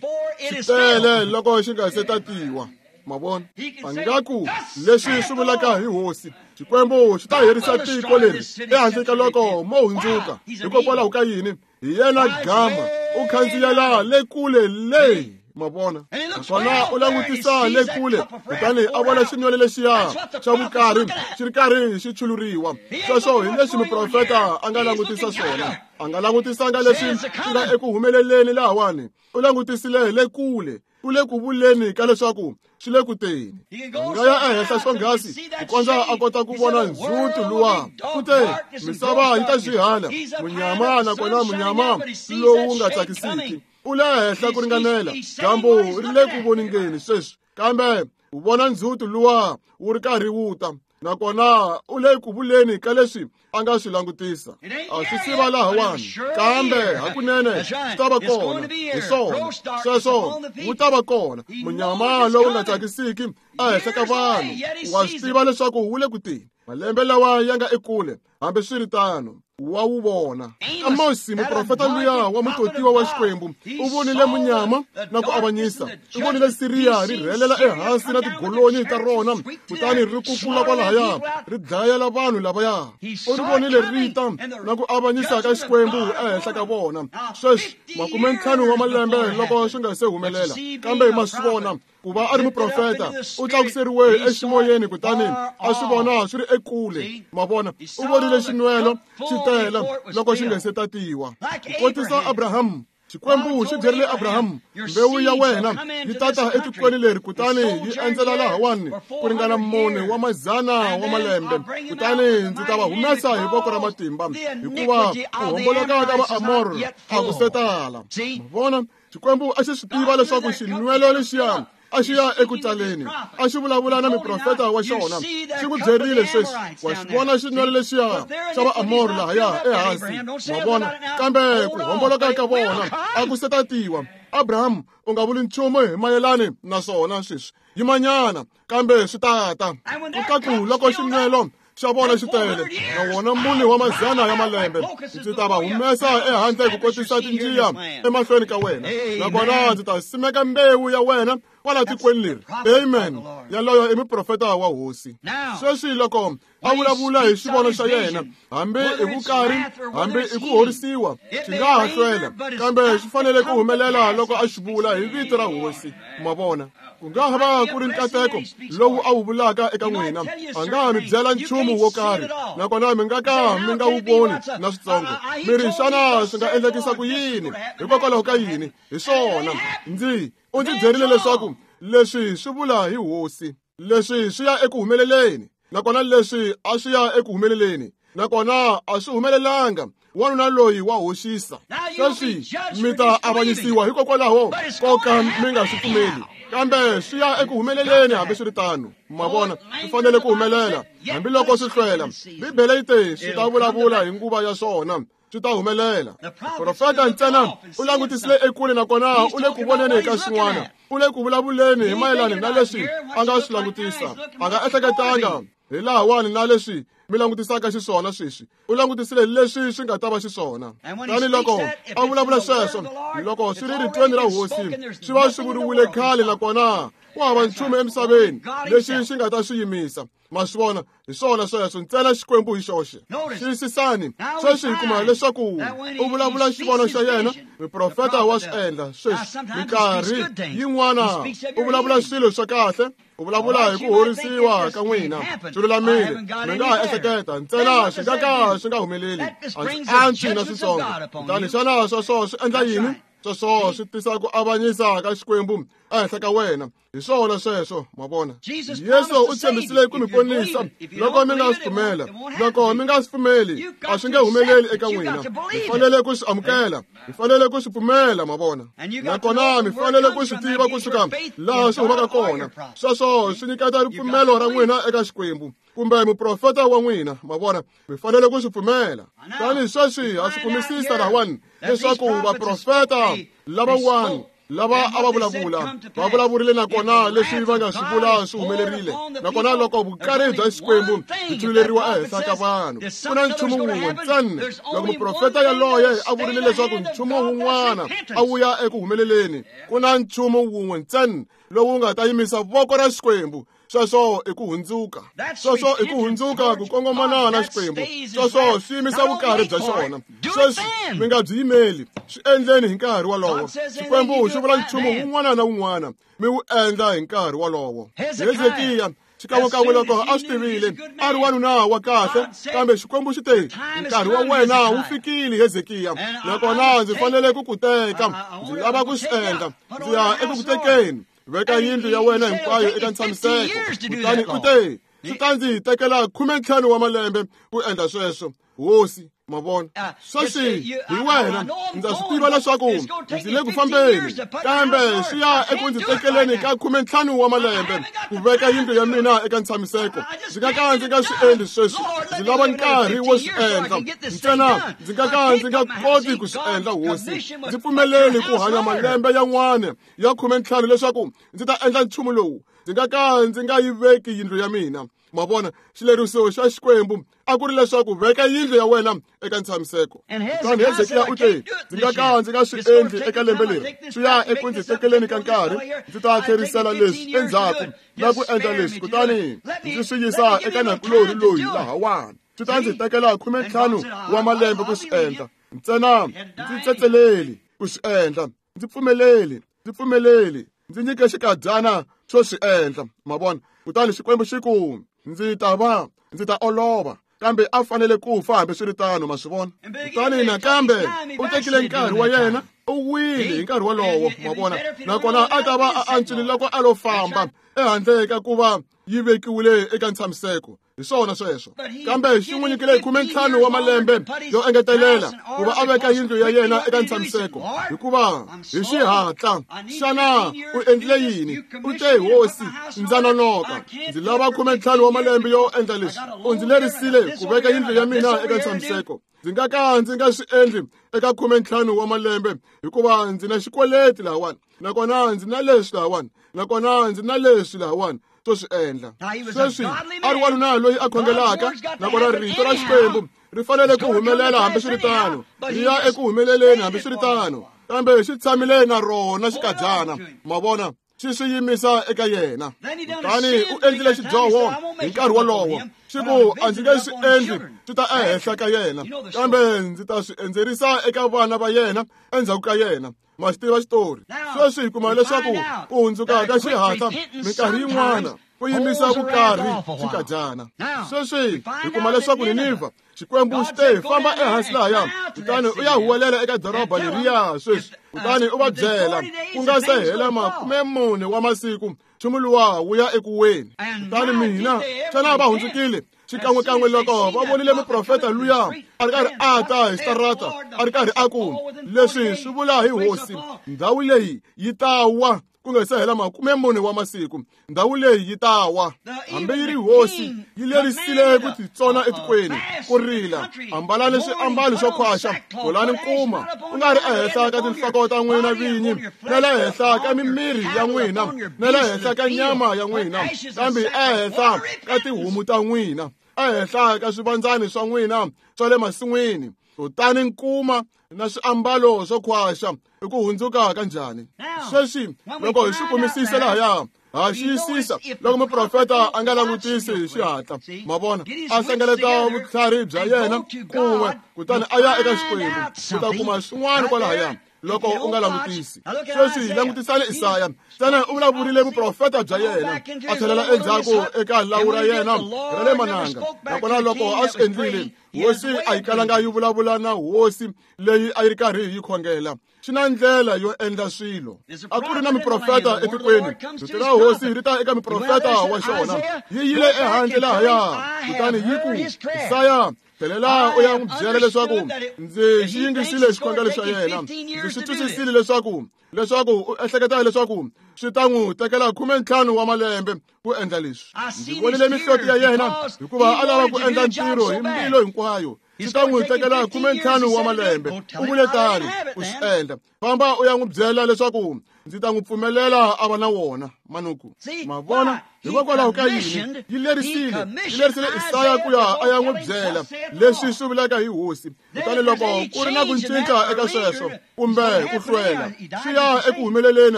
xi tele loko xi nga se tatiwa. Ma vona, a nga ku leswi swi vulaka hi hosi Xikwembu xi ta herisa tiko leri ehansi ka loko mo hundzuka. Hikokwalaho ka yini? Hi yena gama, u khandziyela le kule le. Ma vona, naswona u langutisa le kule, kutani a vona xinwelo lexiya xa vukarhi xi ri karhi xi chuluriwa. Sweswo hi leswi muprofeta a nga langutisa swona. A nga langutisanga leswi swi nga eku humeleleni lahawani, u langutisile le kule, u le ku vuleni ka leswaku swi le ku teni. A nga ya ehenhla swonghasi ku kondza a kota ku vona ndzhuti luwa. U te misava yi ta swihala munyama, nakona munyama lowu nga tsakisiki. U le henhla ku ringanela, dyambu ri le ku voningeni sweswi, kambe u vona ndzhuti luwa wu ri karhi wu ta, nakona u le ku vuleni ka leswi a nga swi langutisa. A swi siva lahawani, kambe hakunene swi ta va kona. Hi swona sweswo, wu ta va kona munyama lowu nga tsakisiki ehenhla ka vanhu. Wa swi tiva leswaku wu le ku teni. Malembe lawa ya nga ekule, hambi swi ri tano, wa wu vona. Amosi muprofeta luya wa mutotiwa wa Xikwembu u vonile munyama na ku avanyisa. U vonile Siriya ri rhelela ehansi na tigolonyi ta rona, kutani ri kukula kwalahaya ri dlayela vanhu lavaya. U ri vonile ri ta na ku avanyisa ka Xikwembu ehenhla ka vona. Sweswi makume ntlhanu wa malembe loko swi nga se humelela, kambe ma swi vona ku va a ri muprofeta u tlakuseriwe eximoyeni, kutani a swi vona swi ri ekule. Ma vona, u vonile xinwelo xi tele loko xi nga se tatiwa. Ku kotisa Abraham Xikwembu xi byerile Abraham, mbewu ya wena yi tata etikweni leri kutani yi endzela lahawani ku ringana mune wa mazana wa malembe, kutani ndzi ta va humesa hi voko ra matimba, hikuva ku homboloka ka Vaamor a ku se tala. Vona, Xikwembu a xi swi tiva leswaku xinwelo lexiya a xi ya eku taleni, a xi vulavula na muprofeta wa xona, xi ku byerile sweswi, wa xi vona xinwelo lexiya xa Vaamor lahaya ehansi, wa vona, kambe ku homboloka ka vona a ku se tatiwa. Abraham, u nga vuli nchumu hi mayelani na swona sweswi, yimanyana, kambe swi tata. Kutaku loko xinwelo xa vona xi tele, na wona mune wa mazana ya malembe, ndzi ta va humesa ehandle ku kotisa tinjiya emahlweni ka wena, nakona ndzi ta simeka mbewu ya wena kwala tikweni leri. Amen. Yaloyo i muprofeta wa hosi. Sweswi loko a vulavula hi xivono xa yena, hambi i vukari, hambi i ku horisiwa, xi nga ha hlwela, kambe xi fanele ku humelela loko a xi vula hi vito ra hosi. Ma vona, ku nga ha va ku ri nkateko lowu a wu vulaka eka n'wina, a nga ha mi byela nchumu wo karhi, nakona mi nga ka mi nga wu voni na switsongo. Mi ri, xana swi nga endlekisa ku yini? Hikokwalaho ka yini? Hi swona, ndzi u ndzi byerile leswaku leswi swi vula hi hosi, leswi swi ya eku humeleleni, nakona leswi a swi ya eku humeleleni, nakona a swi humelelanga. Wanuna loyi wa hoxisa. Sweswi mi ta avanyisiwa hikokwalaho ko ka mi nga swi pfumeli, kambe swi ya eku humeleleni hambiswiritano. Ma vona, swi fanele ku humelela hambiloko swi hlwela. Bibele yi te swi ta vulavula hi nguva ya swona, swi ta humelela. Profeta ntsena u langutisile ekule, nakona u le ku voneni ka swin'wana, u le ku vulavuleni hi mayelana na leswi a nga swi langutisa. A nga ehleketanga hi lahawani na leswi mi langutisaka xiswona sweswi, u langutisile leswi swi nga ta va xiswona. Tani loko a vulavula sweswo, loko swi ri ritweni ra hosi, swi va swi vuriwile khale, nakona ku hava nchumu emisaveni lexi xi nga ta swi yimisa. Ma swi vona, hi swona sweswo, ntsena Xikwembu hi xoxe. Xiyisisani, sweswi hi kuma leswaku u vulavula xivono xa yena, muprofeta wa swi endla sweswi. Minkarhi yin'wana u vulavula swilo swa kahle, u vulavula hi ku horisiwa ka n'wina, swi lulamile, mi nga ha ehleketa ntsena swi nga ka swi nga humeleli, a swi antswi na switsongo. Kutani xana sweswo swi endla yini? Sweswo swi tisa ku avanyisa ka Xikwembu ehenhla ka wena. Hi swona sweswo, ma vona. Yesu u tshembisile ku mi ponisa loko mi nga swi pfumela. Loko mi nga swi pfumeli, a swi nge humeleli eka n'wina. Mi fanele ku swi amukela, mi fanele ku swi pfumela, ma vona. Nakona mi fanele ku swi tiva kusuka laha swi humaka kona. Sweswo swi nyiketa ripfumelo ra n'wina eka Xikwembu kumbe muprofeta wa n'wina, ma vona. Mi fanele ku swi pfumela. Tani sweswi ha swi kumisisa lahawani leswaku vaprofeta lavan'wana lava a va vulavula va vulavurile, nakona leswi va nga swi vula swi humelerile. Nakona loko vukari bya Xikwembu byi thululeriwa ehenhla ka vanhu, ku na nchumu wun'we ntsena. Loko muprofeta yaloye a vurile leswaku nchumu wun'wana a wu ya eku humeleleni, ku na nchumu wun'we ntsena lowu nga ta yimisa voko ra Xikwembu. Sweswo i ku hundzuka. Sweswo i ku hundzuka ku kongomana na Xikwembu. Sweswo swi yimisa vukari bya xona. Sweswi mi nga byi yimeli, swi endleni hi nkarhi wolowo. Xikwembu xi vula nchumu wun'wana na wun'wana, mi wu endla hi nkarhi wolowo. Hezekiya xikan'wekan'we loko a swi tivile, a ri wanuna wa kahle, kambe Xikwembu xi te, nkarhi wa wena wu fikile, Hezekiya, nakona ndzi fanele ku ku teka, ndzi lava ku swi endla, ndzi ya eku ku tekeni. Veka yindlu ya wena hinkwayo eka ntshamiseko. Kutani u te, swi ta ndzi tekela khume ntlhanu wa malembe ku endla sweswo, hosi. Ma vona, sweswi hi wena, ndza swi tiva leswaku ndzi le ku fambeni, kambe swi ya eku ndzi tekeleni ka khume ntlhanu wa malembe ku veka yindlu ya mina eka ntshamiseko. Ndzi nga ka ndzi nga swi endli sweswi, ndzi lava nkarhi wo swi endla ntsena. Ndzi nga ka ndzi nga koti ku swi endla, hosi. Ndzi pfumeleli ku hanya malembe yan'wana ya khume ntlhanu leswaku ndzi ta endla nchumu lowu. Ndzi nga ka ndzi nga yi veki yindlu ya mina. Ma vona, xileriso xa Xikwembu a ku ri leswaku veka yindlu ya wena eka ntshamiseko. Kutani Hezekiya u te, ndzi nga ka ndzi nga swi endli eka lembe leri, swi ya eku ndzi tekeleni ka nkarhi, ndzi ta tlherisela leswi endzhaku na ku endla leswi, kutani ndzi swi yisa eka nakulorhi loyi lahawani. Swi ta ndzi tekela khume ntlhanu wa malembe ku swi endla ntsena. Ndzi tsetseleli ku swi endla, ndzi pfumeleli, ndzi pfumeleli, ndzi nyike xikadyana xo swi endla. Ma vona, kutani Xikwembu xi ku, ndzi ta va, ndzi ta olova, kambe a fanele ku fa hambiswiritano. Ma swi vona. Kutani nakambe u tekile nkarhi wa yena, U wile hi nkarhi wolowo, ma vona. Nakona a ta va a antswile loko a lo famba ehandle ka ku va yi vekiwile eka ntshamiseko. Hi swona sweswo. Kambe xi n'wi nyikile khume ntlhanu wa malembe yo engetelela ku va a veka yindlu ya yena eka ntshamiseko. Hikuva hi xihatla, xana u endlile yini? U te, Hosi, ndza nonoka. Ndzi lava khume ntlhanu wa malembe yo endla leswi. U ndzi lerisile ku veka yindlu ya mina eka ntshamiseko. Ndzi nga ka ndzi nga swi endli eka khume ntlhanu wa malembe hikuva ndzi na xikweleti lahawani, nakona ndzi na leswi lahawani, nakona ndzi na leswi lahawani swo swi endla. Sweswi a ri wanuna loyi a khongelaka, nakona rito ra Xikwembu ri fanele ku humelela hambiswiritano, ri ya eku humeleleni hambiswiritano, kambe xi tshamile na rona xikadyana, ma vona, xi swi yimisa eka yena. Kutani u endlile xidyoho hi nkarhi wolowo. Xi ku, a ndzi nge swi endli swi ta ehenhla ka yena, kambe ndzi ta swi endzerisa eka vana va yena endzhaku ka yena. Ma xi tiva xitori. Sweswi hi kuma leswaku ku hundzuka ka xihatla minkarhi yin'wana ku yimisa vukarhi xikadyana. Sweswi hi kuma leswaku Ninivha, Xikwembu xi te, famba ehansi lahaya, kutani u ya huwelela eka doroba leriya sweswi, kutani u va byela ku nga se hela makume mune wa masiku nchumu luwa wu ya eku weni. Kutani mina, xana va hundzukile? Xikan'wekan'we loko va vonile muprofeta luya a ri karhi a ta hi xitarata, a ri karhi a ku, leswi swi vula hi Hosi, ndhawu leyi yi ta wa ku nga se hela makume mune wa masiku, ndhawu leyi yi ta wa. Hambi yi ri hosi yi lerisile ku titsona etikweni, ku rila, ambalani swiambalo swo khwaxa, bolani nkuma, ku nga ri ehenhla ka tinhloko ta n'wina vinyi, na le henhla ka mimiri ya n'wina, na le henhla ka nyama ya n'wina, kambe ehenhla ka tihomu ta n'wina, ehenhla ka swivandzani swa n'wina swa le masin'wini. Kutani nkuma na swiambalo swo khwaxa i ku hundzuka ka njhani? Sweswi loko hi swi kumisisa lahaya, ha xiyisisa loko muprofeta a nga langutisi hi xihatla, ma vona, a hlengeleta vutlhari bya yena kun'we, kutani a ya eka Xikwembu ku ta kuma swin'wana kwalahaya loko u nga langutisi. Sweswi langutisani Isaya. Xana u vulavurile vuprofeta bya yena, a tlhelela endzhaku eka lawu ra yena ra le mananga. Nakona loko a swi endlile, hosi a yi kalanga yi vulavula na hosi leyi a yi ri karhi yi khongela. Xi na ndlela yo endla swilo. A ku ri na muprofeta etikweni. Rito ra hosi ri ta eka muprofeta wa xona. Yi yile ehandle lahaya, kutani yi ku, Isaya, tlhelela u ya n'wi byela leswaku ndzi xi yingisile xikhongelo xa yena. Ndzi swi twisisile leswaku leswaku u ehleketa leswaku swi ta n'wi tekela khume ntlhanu wa malembe ku endla leswi. Ndzi vonile mihloti ya yena hikuva a lava ku endla ntirho hi mbilu hinkwayo. Swi ta n'wi tekela khume ntlhanu wa malembe. U vule tano, u swi endla. Famba u ya n'wi byela leswaku ndzi ta n'wi pfumelela a va na wona manuku. Ma vona, hikokwalaho ka yini yi lerisile, yi lerisile Isaya ku ya a ya n'wi byela leswi swi vulaka hi hosi. Kutani loko ku ri na ku cinca eka sweswo kumbe ku hlwela, swi ya eku humeleleni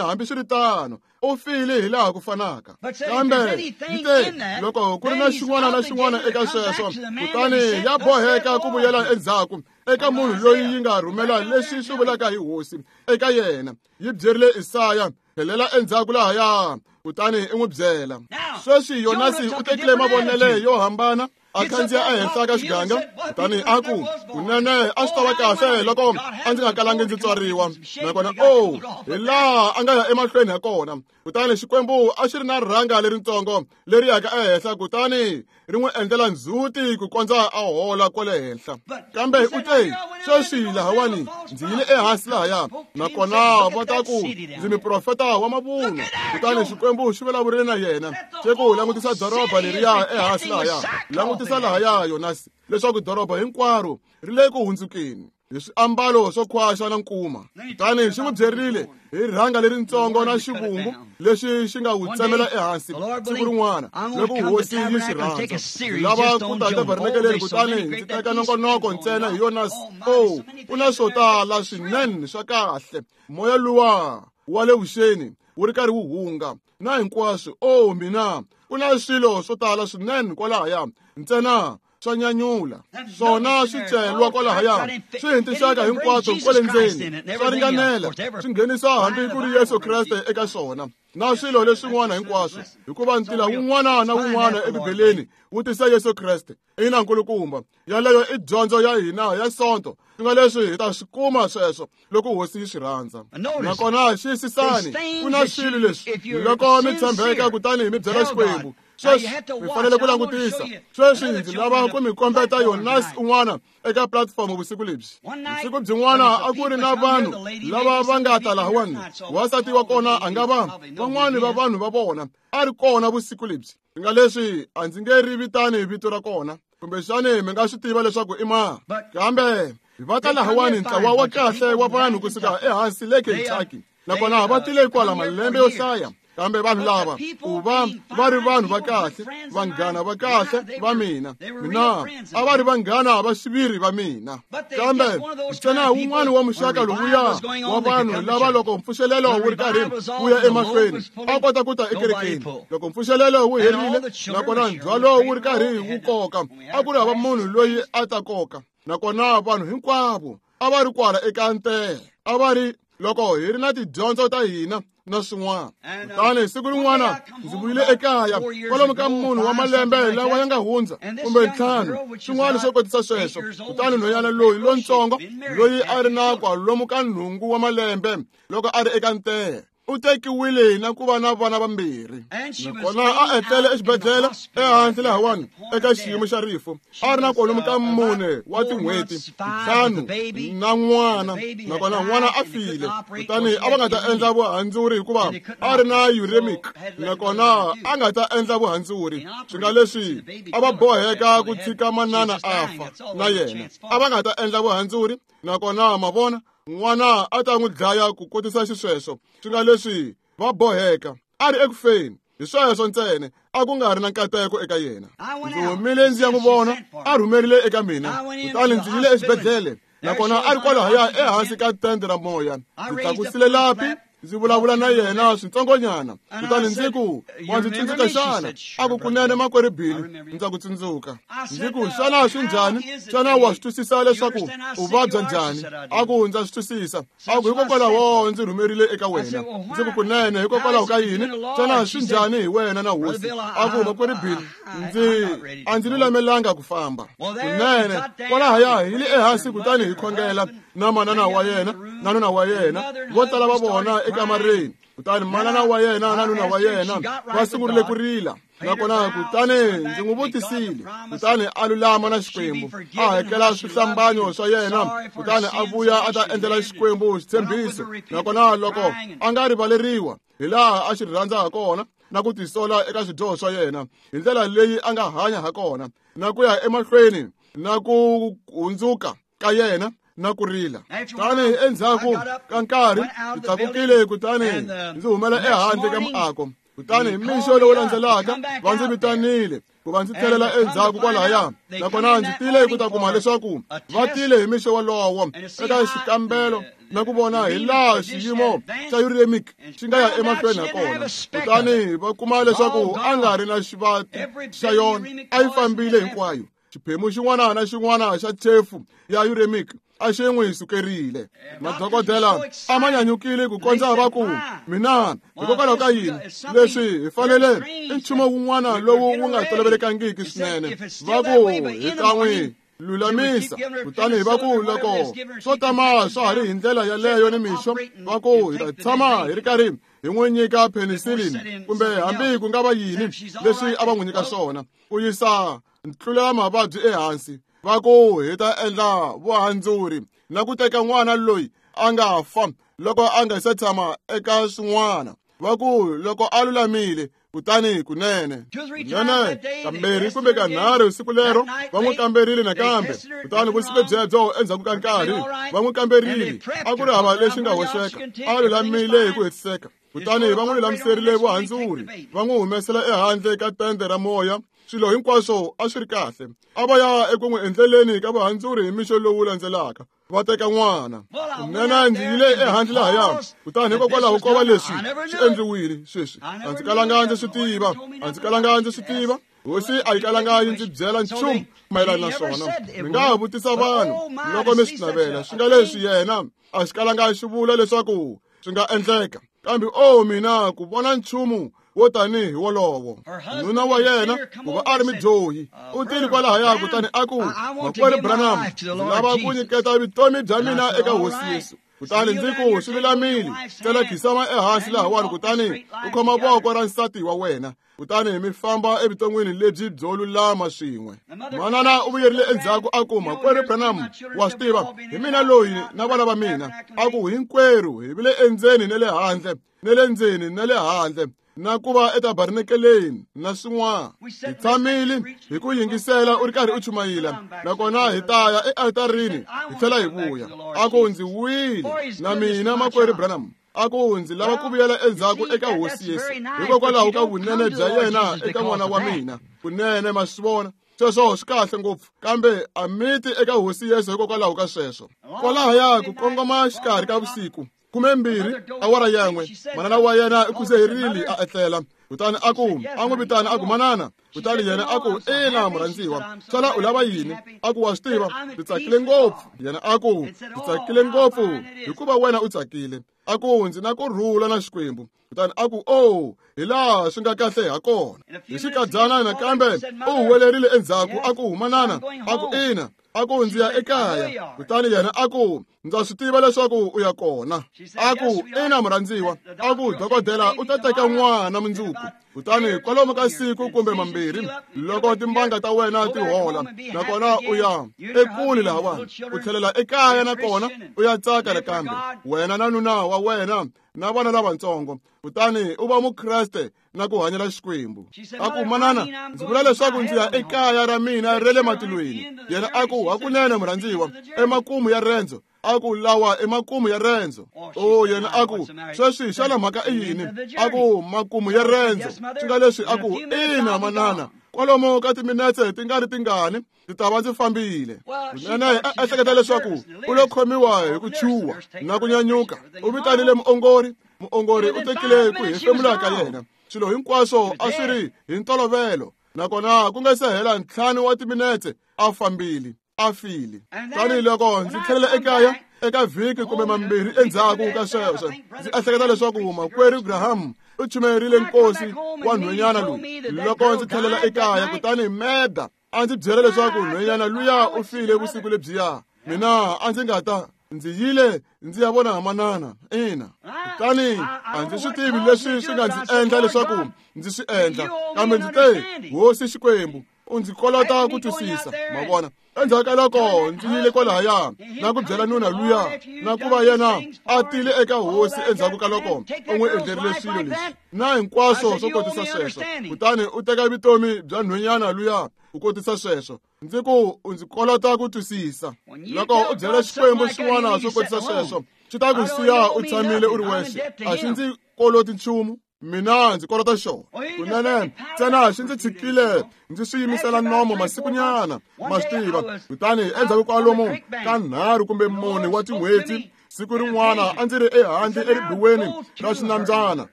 hambiswiritano. U file hi laha ku fanaka. Kambe yi te, loko ku ri na xin'wana na xin'wana eka sweswo, kutani ya boheka ku vuyela endzhaku eka munhu loyi yi nga rhumela leswi swi vulaka hi hosi eka yena. Yi byerile Isaya, tlhelela endzhaku lahaya, kutani i n'wi byela. Sweswi Yonasi u tekile mavonele yo hambana, a khandziya ehenhla ka xiganga, kutani a ku, kunene a swi ta va kahle loko a ndzi nga kalangi ndzi tswariwa. Nakona o, hi laha a nga ya emahlweni ha kona. Kutani Xikwembu a xi ri na rhanga leritsongo leri yaka ehenhla, kutani ri n'wi endlela ndzhuti ku kondza a hola kwale henhla. Kambe u te, sweswi lahawani ndzi yile ehansi lahaya, nakona va ta ku ndzi muprofeta wa mavunwa. Kutani Xikwembu xi vulavurile na yena, xi ku, langutisa doroba leriya ehansi lahaya, langutisa lahaya Yonasi, leswaku doroba hinkwaro ri le ku hundzukeni hi swiambalo swo khwaxa na nkuma. Kutani xi n'wi byerile hi rhanga leritsongo na xivungu lexi xi nga wu tsemela ehansi siku rin'wana loko hosi yi xi rhandza. Ndzi lava ku ta tabernakeleni kutani ndzi teka nongonoko ntsena hi Yonasi. O, ku na swo tala swinene swa kahle. Moya luwa wa le vuxeni wu ri karhi wu hunga na hinkwaswo. O mina, ku na swilo swo tala swinene kwalahaya ntsena swa nyanyula. Swona swi celwa kwalahaya, swi hi tinxaka hinkwato kwale ndzeni, swa ringanela, swi nghenisa hambi ku ri Yesu Kreste eka swona. na swilo leswin'wana hinkwaswo, hikuva ntila wun'wana na wun'wana eBibeleni wu tisa Yesu Kreste. Ina nkulukumba, yaleyo i dyondzo ya hina ya Sonto. Swi nga leswi hi ta swi kuma sweswo loko Hosi yi swi rhandza. Nakona xiyisisani, ku na swilo leswi loko mi tshembeka kutani mi byela Xikwembu. Sweswi mi fanele ku langutisa. Sweswi ndzi lava ku mi kombeta Yonas un'wana eka platform vusiku lebyi. Vusiku byin'wana a ku ri na vanhu lava va nga ta lahawani. Wansati wa kona a nga va van'wani va vanhu va vona a ri kona vusiku lebyi. Swi nga leswi a ndzi nge ri vitani vito ra kona, kumbexani mi nga swi tiva leswaku i mani. Kambe va ta lahawani ntlawa wa kahle wa vanhu kusuka ehansi le Kentucky, nakona va tile kwala malembe yo hlaya. Kambe vanhu lava ku va va ri vanhu va kahle, vanghana va kahle va mina, mina a va ri vanghana va xiviri va mina. Kambe ntsena wun'wana wa muxaka lowuya wa vanhu lava loko mpfuxelelo wu ri karhi wu ya emahlweni a kota ku ta ekerekeni. Loko mpfuxelelo wu herile nakona ndzhwalo wu ri karhi wu koka, a ku ri hava munhu loyi a ta koka. Nakona vanhu hinkwavo a va ri kwala eka ntele, a va ri loko hi ri na tidyondzo ta hina na swin'wana. Kutani siku rin'wana ndzi vuyile ekaya kwalomu ka munhu wa malembe lawa ya nga hundza kumbe ntlhanu, swin'wana swo kotisa sweswo. Kutani nhwanyana loyi lontsongo loyi a ri na kwalomu ka nhungu wa malembe loko a ri eka ntele, u tekiwile na ku va na vana vambirhi. Nakona a etlele exibedhlele ehansi lahawani eka xiyimo xa rifu, a ri na kwalomu ka mune wa tin'hweti, ntlhanu na n'wana. Nakona n'wana a file. Kutani a va nga ta endla vuhandzuri hikuva a ri na uremic, nakona a nga ta endla vuhandzuri. Swi nga leswi a va boheka ku tshika manana a fa na yena, a va nga ta endla vuhandzuri. Nakona ma vona, n'wana a ta n'wi dlaya ku kotisa xisweswo. Swi nga leswi va boheka, a ri ekufeni. Hi sweswo ntsena, a ku nga ri na nkateko eka yena. Ndzi humile ndzi ya n'wi vona, a rhumerile eka mina. Kutani ndzi yile exibedhlele, nakona a ri kwalahaya ehansi ka tende ra moya. Ndzi tlakusile lapi, ndzi vulavula na yena switsongonyana. Kutani ndzi ku, wa ndzi tsundzuka xana? A ku, kunene makwerhu Billy, ndza ku tsundzuka. Ndzi ku, xana swi njhani? Xana wa swi twisisa leswaku u vabya njhani? A ku, ndza swi twisisa. A ku, hikokwalaho ndzi rhumerile eka wena. Ndzi ku, kunene, hikokwalaho ka yini? Xana swi njhani hi wena na Hosi? A ku, makwerhu Billy, ndzi a ndzi lulamelanga ku famba. Kunene, kwalahaya hi le ehansi kutani hi khongela na manana wa yena na nuna wa yena, vo tala va vona ekamareni. Kutani manana wa yena na nuna wa yena va sungurile ku rila. Nakona kutani ndzi n'wi vutisile, kutani a lulama na Xikwembu, a hakela swihlambanyo swa yena, kutani a vuya a ta endlela Xikwembu xitshembiso. Nakona loko a nga rivaleriwa hi laha a xi rhandza ha kona na ku tisola eka swidyoho swa yena hi ndlela leyi a nga hanya ha kona na ku ya emahlweni na ku hundzuka ka yena na ku rila. Kutani endzhaku ka nkarhi ndzi tlakukile, kutani ndzi humela ehandle ka muako. Kutani hi mixo lowu landzelaka va ndzi vitanile ku va ndzi tlhelela endzhaku kwalahaya. Nakona ndzi tile ku ta kuma leswaku va tile hi mixo wolowo eka xikambelo na ku vona hi laha xiyimo xa uremic xi nga ya emahlweni ha kona. Kutani va kuma leswaku a nga ri na xivati xa yona, a yi fambile hinkwayo. Xiphemu xin'wana na xin'wana xa chefu ya uremic a xi n'wi sukerile. Madokodela a ma nyanyukile ku kondza va ku, mina hikokwalaho ka yini leswi hi fanele i nchumu wun'wana lowu wu nga tolovelekangiki swinene. Va ku hi ta n'wi lulamisa. Kutani va ku loko swo tama swa ha ri hi ndlela yaleyo ni mixo, va ku hi ta tshama hi ri karhi hi n'wi nyika penicillin kumbe hambi ku nga va yini leswi a va n'wi nyika swona ku yisa ntlulela mavabyi ehansi. Va ku hi ta endla vuhandzuri na ku teka n'wana loyi a nga fa loko a nga se tshama eka swin'wana. Va ku loko a lulamile, kutani kunene kunene kambirhi kumbe kanharhu siku lero va n'wi kamberile nakambe. Kutani vusiku byebyo endzhaku ka nkarhi va n'wi kamberile, a ku ri hava lexi nga hoxeka, a lulamile hi ku hetiseka. Kutani va n'wi lulamiserile vuhandzuri, va n'wi humesela ehandle ka tende ra moya. Swilo hinkwaswo a swi ri kahle. A va ya eku n'wi endleleni ka vuhandzuri hi mixo lowu landzelaka, va teka n'wana. Kunene ndzi yile ehandle lahaya, kutani hikokwalaho ko va leswi swi endliwile sweswi, a ndzi kalanga ndzi swi tiva, a ndzi kalanga ndzi swi tiva. Hosi a yi kalanga yi ndzi byela nchumu mayelana na swona. Mi nga ha vutisa vanhu loko mi swi navela. Swi nga leswi yena a xi kalanga xi vula leswaku swi nga endleka. Kambe o mina ku vona nchumu wo tanihi wolowo. Nuna wa yena ku va a ri mudyohi u tile kwalahaya kutani a ku, Makwerhu Branham, ndzi lava ku nyiketa vutomi bya mina eka Hosi Yesu. Kutani ndzi ku, swi lulamile, tsela khisama ehansi lahawani kutani u khoma voko ra nsati wa wena, kutani mi famba evuton'wini lebyi byo lulama swin'we. Manana u vuyerile endzhaku a ku, Makwerhu Branham, wa swi tiva, hi mina loyi na vana va mina. A ku, hinkwerhu hi vile endzeni na le handle, na le ndzeni na le handle, na ku va etabernakeleni na swin'wana. Hi tshamile hi ku yingisela u ri karhi u chumayela, nakona hi ta ya ealtarini hi tlhela hi vuya. A ku, ndzi wile na mina, Makwerhu Branham. A ku, ndzi lava ku vuyela endzhaku eka Hosi Yesu hikokwalaho ka vunene bya yena eka n'wana wa mina. Kunene ma swi vona, sweswo swi kahle ngopfu, kambe a mi ti eka Hosi Yesu hikokwalaho ka sweswo. Kwalahaya ku kongoma xikarhi ka vusiku, khume mbirhi awara yan'we, manana wa yena u khuzeherile a etlela. Kutani a ku, a n'wi vitana a ku, manana. Kutani yena a ku, ina murhandziwa, xana u lava yini? A ku, wa swi tiva, ndzi tsakile ngopfu. Yena a ku, ndzi tsakile ngopfu hikuva wena u tsakile. A ku, ndzi na ku rhula na Xikwembu. Kutani a ku, o, hi laha swi nga kahle ha kona. Hi xikadyana nakambe u huwelerile endzhaku a ku, manana. A ku, ina. A ku, ndzi ya ekaya. Kutani yena a ku, ndza swi tiva leswaku u ya kona. A ku, ina murhandziwa. A ku, dokodela u ta teka n'wana mundzuku. Kutani kwalomu ka siku kumbe mambirhi, loko timbanga ta wena ti hola, nakona u ya ekule lahawani, u tlhelela ekaya nakona u ya tsaka nakambe, wena na nuna wa wena na vana lavatsongo, kutani u va mukreste na ku hanyela Xikwembu. A ku, manana, ndzi vula leswaku ndzi ya ekaya ra mina ra le matilweni. Yena a ku, hakunene murhandziwa, emakumu ya rendzo. A ku, lawa emakumu ya rendzo. O, yena a ku, sweswi xana mhaka i yini? A ku, makumu ya rendzo. Swi nga leswi a ku, ina manana, kwalomu ka timinetse ti nga ri tingani ndzi ta va ndzi fambile. Kunene a ehleketa leswaku u lo khomiwa hi ku chuha na ku nyanyuka. U vitanile muongori. Muongori u tekile ku hefemula ka yena. Swilo hinkwaswo a swi ri hi ntolovelo, nakona ku nga se hela ntlhanu wa timinetse a fambile, a file. Tanihiloko ndzi tlhelela ekaya eka vhiki kumbe mambirhi endzhaku ka sweswo, ndzi ehleketa leswaku Makwerhu Graham u chumayerile nkosi wa nhwenyana loyi. Loko ndzi tlhelela ekaya, kutani Meda a ndzi byela leswaku nhwenyana luya u file vusiku lebyiya. Mina a ndzi nga ta, ndzi yile ndzi ya vona manana. Ina, kutani a ndzi swi tivi leswi swi nga ndzi endla leswaku ndzi swi endla, kambe ndzi te, Hosi Xikwembu, u ndzi kolota ku twisisa. Ma vona, endzhaku ka loko ndzi yile kwalahaya na ku byela nuna luya, na ku va yena a tile eka Hosi endzhaku ka loko u n'wi endlerile swilo leswi na hinkwaswo swo kotisa sweswo, kutani u teka vutomi bya nhwenyana luya u kotisa sweswo. Ndzi ku, u ndzi kolota ku twisisa. Loko u byela Xikwembu xin'wana swo kotisa sweswo, xi ta ku siya u tshamile u ri wexe. A xi ndzi koloti nchumu, mina ndzi kolota xona. Kunene ntsena xi ndzi tshikile ndzi swi yimisela nomo masikunyana, ma swi tiva. Kutani endzhaku kwalomu ka nharhu kumbe mune wa tin'hweti, siku rin'wana a ndzi ri ehandle eribuweni ra xinambyana,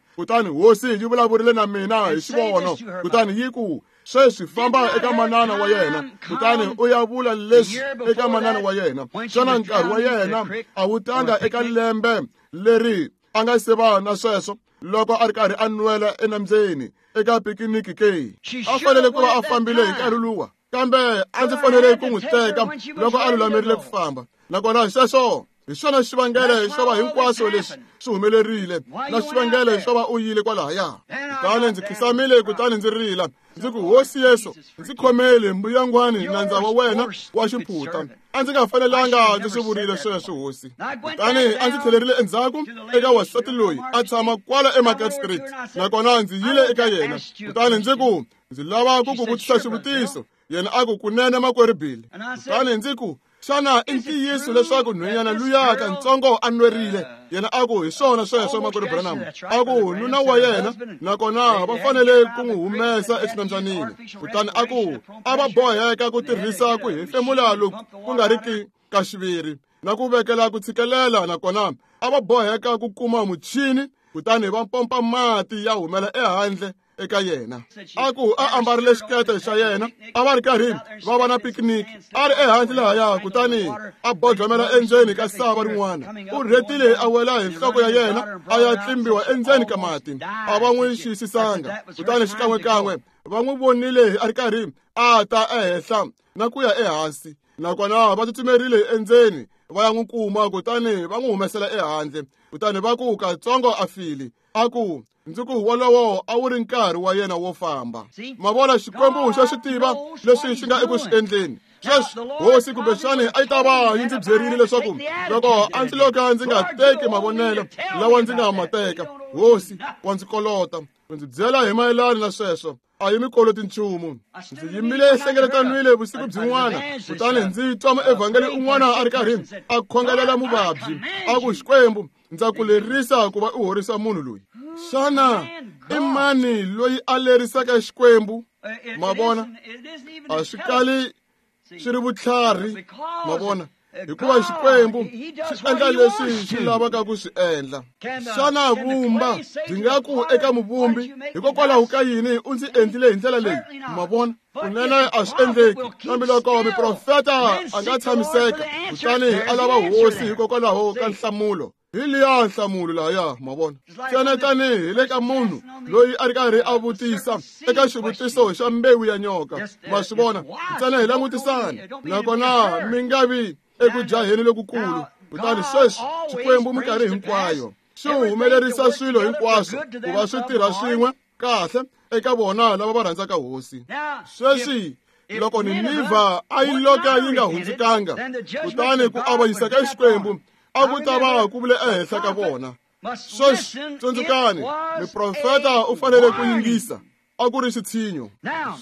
kutani Hosi yi vulavurile na mina hi xivono, kutani yi ku, sweswi famba eka manana wa yena, kutani u ya vula leswi eka manana wa yena. Xana nkarhi wa yena a wu tanga eka lembe leri a nga se va na sweswo, loko a ri karhi a nwela enambyeni eka pikiniki ke? A fanele ku va a fambile hi nkarhi luwa, kambe a ndzi fanele ku n'wi teka loko a lulamerile ku famba. Nakona sweswo hi xona xivangelo xo va hinkwaswo leswi swi humelerile, na xivangelo xo va u yile kwalahaya. Kutani ndzi khisamile, kutani ndzi rila, ndzi ku, Hosi Yesu, ndzi khomele mbuyangwani nandza wa wena wa xiphutha. A ndzi nga fanelanga ndzi swi vurile sweswo, Hosi. Kutani a ndzi tlhelerile endzhaku eka wansati loyi a tshama kwala eMarket Street, nakona ndzi yile eka yena. Kutani ndzi ku, ndzi lava ku ku vutisa xivutiso. Yena a ku, kunene Makwerhu Bill. Kutani ndzi ku, xana i ntiyiso leswaku nhwenyana luya kantsongo a nwerile? Yena a ku, hi swona sweswo, Makwerhu Branham. A ku, nuna wa yena nakona va fanele ku n'wi humesa exinambyanini. Kutani a ku, a va boheka ku tirhisa ku hefemula loku ku nga riki ka xiviri na ku vekela ku tshikelela, nakona a va boheka ku kuma muchini, kutani va pompa mati ya humela ehandle eka yena. A ku a ambarile xikete xa yena, a va ri karhi va va na picnic, a ri ehandle lahaya, kutani a bodlomela endzeni ka sava rin'wana. U rhetile a wela hi nhloko ya yena, a ya tlimbiwa endzeni ka mati. A va n'wi xiyisisanga, kutani xikan'wekan'we va n'wi vonile a ri karhi a ta ehenhla na ku ya ehansi, nakona va tsutsumerile endzeni va ya n'wi kuma, kutani va n'wi humesela ehandle. Kutani va ku katsongo a file. A ku ndzi ku wolowo a wu ri nkarhi wa yena wo famba. Ma vona, Xikwembu xa swi tiva leswi xi nga eku swi endleni. Sweswi hosi kumbexani a yi ta va yi ndzi byerile leswaku loko a ndzi loka ndzi nga teki mavonelo lawa ndzi nga ma teka, hosi wa ndzi kolota. U ndzi byela hi mayelana na sweswo, a yi mi koloti nchumu. Ndzi yimile ehlengeletanwile vusiku byin'wana, kutani ndzi twa muevhangeli un'wana a ri karhi a khongelela muvabyi, a ku Xikwembu ndza ku lerisa ku va u horisa munhu loyi. Xana i mani loyi a lerisaka Xikwembu? Ma vona, a swi kali swi ri vutlhari, ma vona, hikuva Xikwembu xi endla leswi xi lavaka ku swi endla. Xana vumba byi nga ku eka muvumbi, hikokwalaho ka yini u ndzi endlile hi ndlela leyi? Ma vona, kunene a swi endleki. Kambe loko muprofeta a nga tshamiseka, kutani a lava hosi hikokwalaho ka nhlamulo, hi liya nhlamulo lahaya, ma vona. Ntsena tanihi le ka munhu loyi a ri karhi a vutisa eka xivutiso xa mbewu ya nyoka, ma swi vona, ntsena hi langutisana, nakona mi nga vi eku jaheni lokukulu. Kutani sweswi Xikwembu minkarhi hinkwayo xi humelerisa swilo hinkwaswo ku va swi tirha swin'we kahle eka vona lava va rhandzaka hosi. Sweswi loko Ninivha a yi loka yi nga hundzukanga, kutani ku avanyisa ka Xikwembu a ku ta va ku vule ehenhla ka vona. Sweswi tsundzukani, muprofeta u fanele ku yingisa. A ku ri xitshinyo.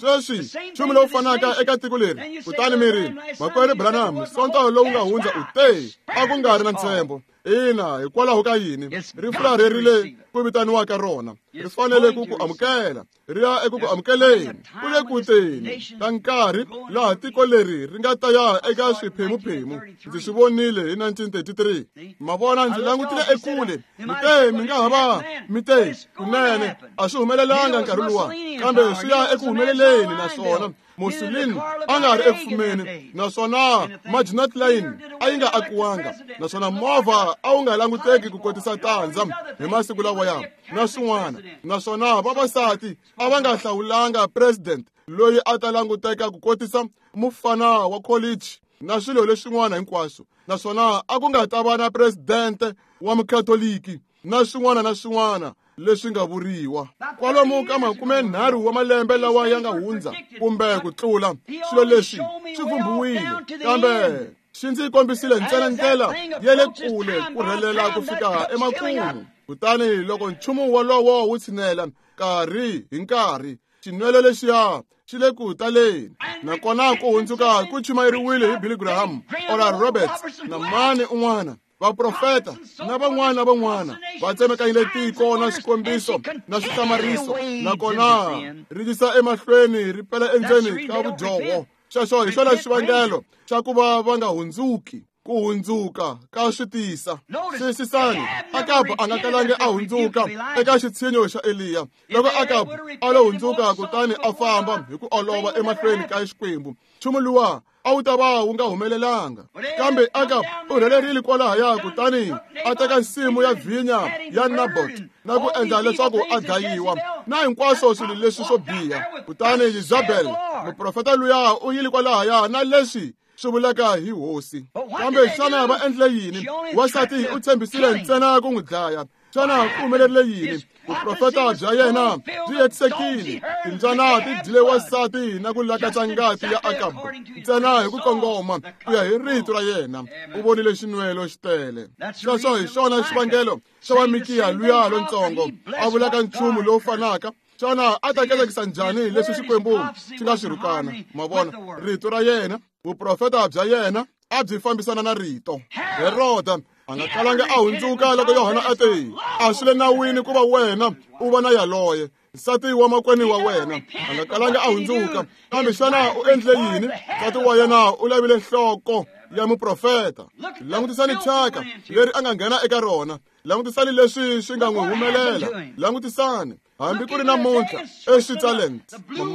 Sweswi nchumu lowu fanaka eka tiko leri. Kutani mi ri, makwerhu Branham, sonto lowu nga hundza u te a ku nga ri na ntshembo. Ina, hikwalaho ka yini? Ri fularherile ku vitaniwaka rona. Ri fanele ku ku amukela, ri ya eku ku amukeleni. Ku le ku teni ka nkarhi laha tiko leri ri nga ta ya eka swiphemuphemu. Ndzi swi vonile hi nineteen thirty-three. Ma vona, ndzi langutile ekule. Mi te mi nga ha va mi te kunene a swi humelelanga nkarhi luwa, kambe swi ya eku humeleleni. Naswona Mussolini a nga ri eku fumeni, naswona Maginot Line a yi nga akiwanga, naswona movha a wu nga languteki ku kotisa tandza hi masiku lawaya na swin'wana, naswona vavasati a va nga hlawulanga president loyi a ta languteka ku kotisa mufana wa college na swilo leswin'wana hinkwaswo, naswona a ku nga ta va na president wa mukatoliki na swin'wana na swin'wana leswi nga vuriwa. Kwalomu ka makume nharhu wa malembe lawa ya nga hundza kumbe ku tlula, swilo leswi swi vumbiwile, kambe xi ndzi kombisile ntsena ndlela ya le kule ku rhelela ku fika emakumu. Kutani loko nchumu wolowo wu tshinela nkarhi hi nkarhi, xinwelo lexiya xi le ku taleni. Nakona ku hundzuka ku chumayeriwile hi Billy Graham, Oral Roberts na mani un'wana, vaprofeta na van'wana van'wana va tsemekanyile tiko na swikombiso na swihlamariso, nakona ri yisa emahlweni ri pela endzeni ka vudyoho. Xexo hi xona xivangelo xa ku va va nga hundzuki. Ku hundzuka ka swi tisa. Xiyisisani, Akabu a nga kalangi a hundzuka eka xitshinyo xa Eliya. Loko Akabu a lo hundzuka kutani a famba hi ku olova emahlweni ka Xikwembu, nchumu luwa a wu ta va wu nga humelelanga. Kambe Akabu u rhelerile kwalahaya, kutani a teka nsimu ya vhinya ya Nabot na ku endla leswaku a dlayiwa na hinkwaswo swilo leswi swo biha. Kutani Jezebel muprofeta luya u yile kwalahaya na leswi swi vulaka hi hosi. Kambe xana va endle yini? Wansati u tshembisile ntsena ku n'wi dlaya. Xana ku humelerile yini? Vuprofeta bya yena byi hetisekile. Timbyana ti dyile wansati na ku lakatsa ngati ya Akabu ntsena hi ku kongoma ku ya hi rito ra yena. U vonile xinwelo xi tele. Xexo hi xona xivangelo xa wa Mikiya luya lontsongo a vulaka nchumu lowu fanaka. Xana a ta katekisa njhani leswi Xikwembu xi nga swi rhukana? Ma vona, rito ra yena, vuprofeta bya yena a byi fambisana na rito. Heroda a nga kalanga a hundzuka loko Yohana a te, a swi le nawini ku va wena u va na yaloye nsati wa makwenu wa wena. A nga kalanga a hundzuka. Kambe xana u endle yini? Nsati wa yena u lavile nhloko ya muprofeta. Langutisani thyaka leri a nga nghena eka rona. Langutisani leswi swi nga n'wi humelela. Langutisani hambi ku ri namuntlha eSwitzerland,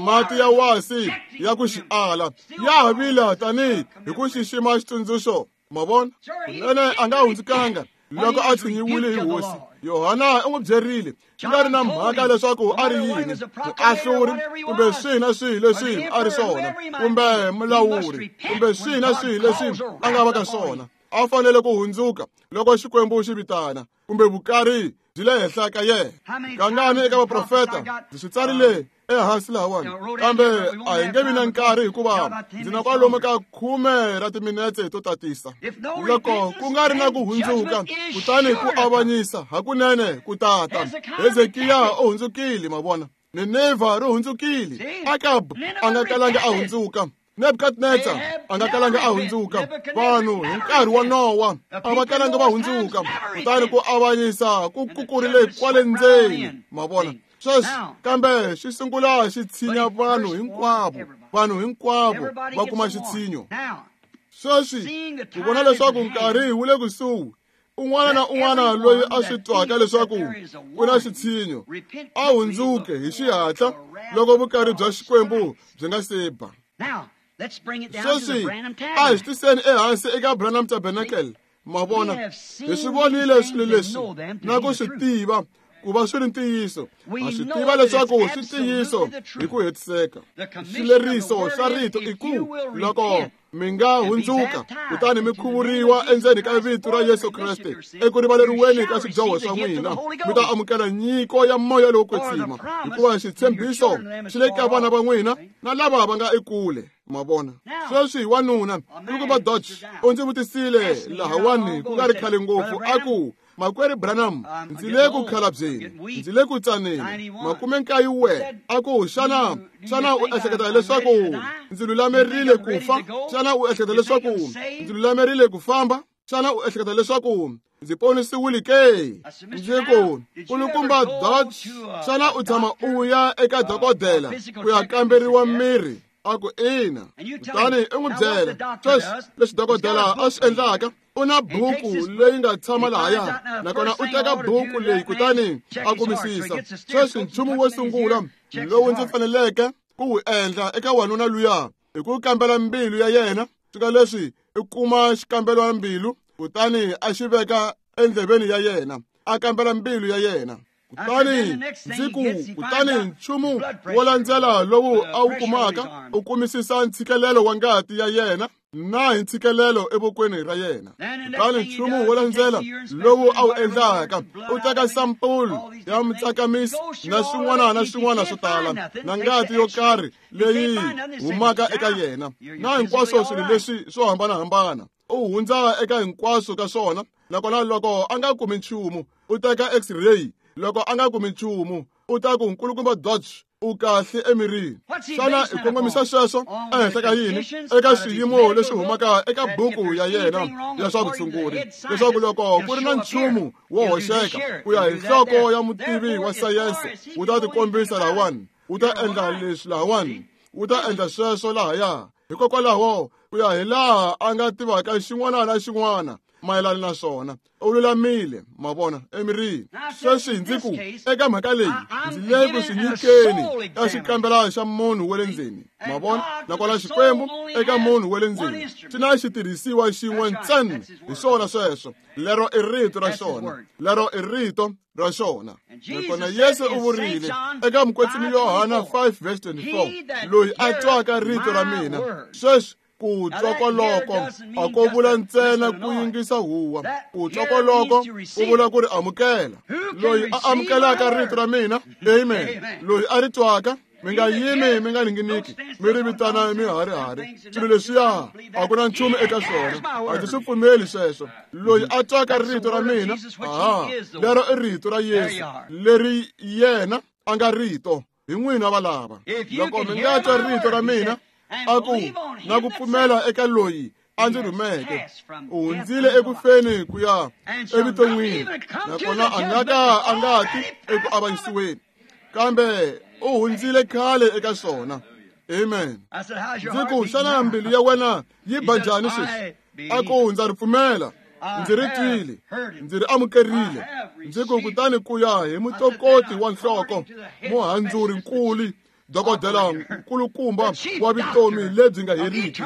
mati ya wasi ya ku xiala ya ha vila tanihi hi ku xixima xitsundzuxo. Ma vona, kunene a nga hundzukanga loko a tshinyiwile hi hosi. Yohana u n'wi byerile swi nga ri na mhaka leswaku a ri yini, muahluri kumbe swihi na swihi leswi a ri swona, kumbe mulawuri kumbe swihi na swihi leswi a nga va ka swona, a fanele ku hundzuka loko Xikwembu xi vitana kumbe vukari byi le henhla ka yena. Kangani eka vaprofeta ndzi swi tsarile ehansi lahawani, kambe a hi nge vi na nkarhi hikuva ndzi na kwalomu ka khume ra timinetse to tatisa. Loko ku nga ri na ku hundzuka, kutani ku avanyisa hakunene ku tata. Hezekiya u hundzukile, ma vona. Ninevha ri hundzukile. Akab a nga kalanga a hundzuka. Nebukadnezar a nga kalanga a hundzuka. Vanhu hi nkarhi wa Nowa a va kalanga va hundzuka, kutani ku avanyisa ku kukurile kwale ndzeni, ma vona. Sweswi kambe xi sungula xi tshinya vanhu hinkwavo, vanhu hinkwavo va kuma xitshinyo. Sweswi ku vona leswaku nkarhi wu le kusuhi, un'wana na un'wana loyi a swi twaka leswaku ku na xitshinyo a hundzuke hi xihatla loko vukari bya Xikwembu byi nga se ba. Sweswi a hi swi tiseni ehansi eka Branham Tabernacle. Ma vona, hi swi vonile swilo leswi na ku swi tiva ku va swi ri ntiyiso. Ha swi tiva leswaku swi ntiyiso hi ku hetiseka. Xileriso xa rito i ku loko mi nga hundzuka kutani mi khuvuriwa endzeni ka vito ra Yesu Kreste eku rivaleriweni ka swidyoho swa n'wina, mi ta amukela nyiko ya moya lowo kwetsima, hikuva xitshembiso xi le ka vana va n'wina na lava va nga ekule. Ma vona. Sweswi wanuna Nkulukumba Dodge u ndzi vutisile lahawani ku nga ri khale ngopfu, a ku, Makwerhu Branham, ndzi le ku khalabyeni, ndzi le ku tsaneni, makume nkaye we. A ku, xana xana u ehleketa leswaku ndzi lulamerile ku fa? Xana u ehleketa leswaku ndzi lulamerile ku famba? Xana u ehleketa leswaku ndzi ponisiwile ke? Ndzi ku, Nkulukumba Dodge, xana u tshama u ya eka dokodela ku ya kamberiwa miri? A ku, ina. Kutani u n'wi byela sweswi leswi dokodela a swi endlaka. U na buku leyi nga tshama lahaya, nakona u teka buku leyi kutani a kumisisa. Sweswi nchumu wo sungula lowu ndzi faneleke ku wu endla eka wanuna luya i ku kambela mbilu ya yena. Swika leswi i kuma xikambelo mbilu, kutani a xi veka endleveni ya yena, a kambela mbilu ya yena. Kutani ndzi ku, kutani nchumu wo landzela lowu a wu kumaka u kumisisa ntshikelelo wa ngati ya yena na hi ntshikelelo evokweni ra yena. Kutani nchumu wo landzela lowu a wu endlaka u teka sampulu ya mutsakamisi na swin'wana na swin'wana swo tala na ngati yo karhi leyi humaka eka yena na hinkwaswo swilo leswi swo hambanahambana. U hundza eka hinkwaswo ka swona, nakona loko a nga kumi nchumu u teka X-ray. Loko a nga kumi nchumu u ta ku, Nkulukumba Dodge, u kahle emirini. Xana i kongomisa sweswo ehenhla ka yini? Eka swiyimo leswi humaka eka buku ya yena ya swa vutshunguri, leswaku loko ku ri na nchumu wo hoxeka ku ya hi nhloko ya mutivi wa sayense, wu ta tikombisa lahawani, wu ta endla leswi lahawani, wu ta endla sweswo lahaya. Hikokwalaho ku ya hi laha a nga tivaka xin'wana na xin'wana mayelana na swona, u lulamile, ma vona, emirini. Sweswi ndzi ku eka mhaka leyi ndzi le ku swi nyikeni ka xikambela xa munhu wa le ndzeni, ma vona. Nakona Xikwembu eka munhu wa le ndzeni xi na xitirhisiwa xin'we ntsena, hi swona sweswo. Lero i rito ra xona, lero i rito ra xona. Nakona Yesu u vurile eka Mukwetsimi Yohana five verse twenty-four, loyi a twaka rito ra mina. Sweswi ku twa koloko a ko vula ntsena ku yingisa huwa, ku twa koloko ku vula ku ri amukela. Loyi a amukelaka rito ra mina, amen, loyi a ri twaka, mi nga yimi mi nga ninginiki mi ri vitana miharihari swilo leswiya a ku na nchumu eka swona, a ndzi swi pfumeli sweswo. Loyi a twaka rito ra mina, aha, lero i rito ra Yesu leri yena a nga rito. Hi n'wina valava, loko mi nga twa rito ra mina, a ku na ku pfumela eka loyi a ndzi rhumeke, u hundzile eku feni ku ya evuton'wini, nakona a nga ka a nga ti eku avanyisiweni, kambe u hundzile khale eka swona. Amen. Ndzi ku, xana mbilu ya wena yi ba njhani sweswi? A ku ndza ri pfumela, ndzi ri twile, ndzi ri amukerile. Ndzi ku kutani ku ya hi mutokoti wa nhloko, muhandzuri nkulu, dokodela nkulukumba wa vutomi lebyi nga heriki,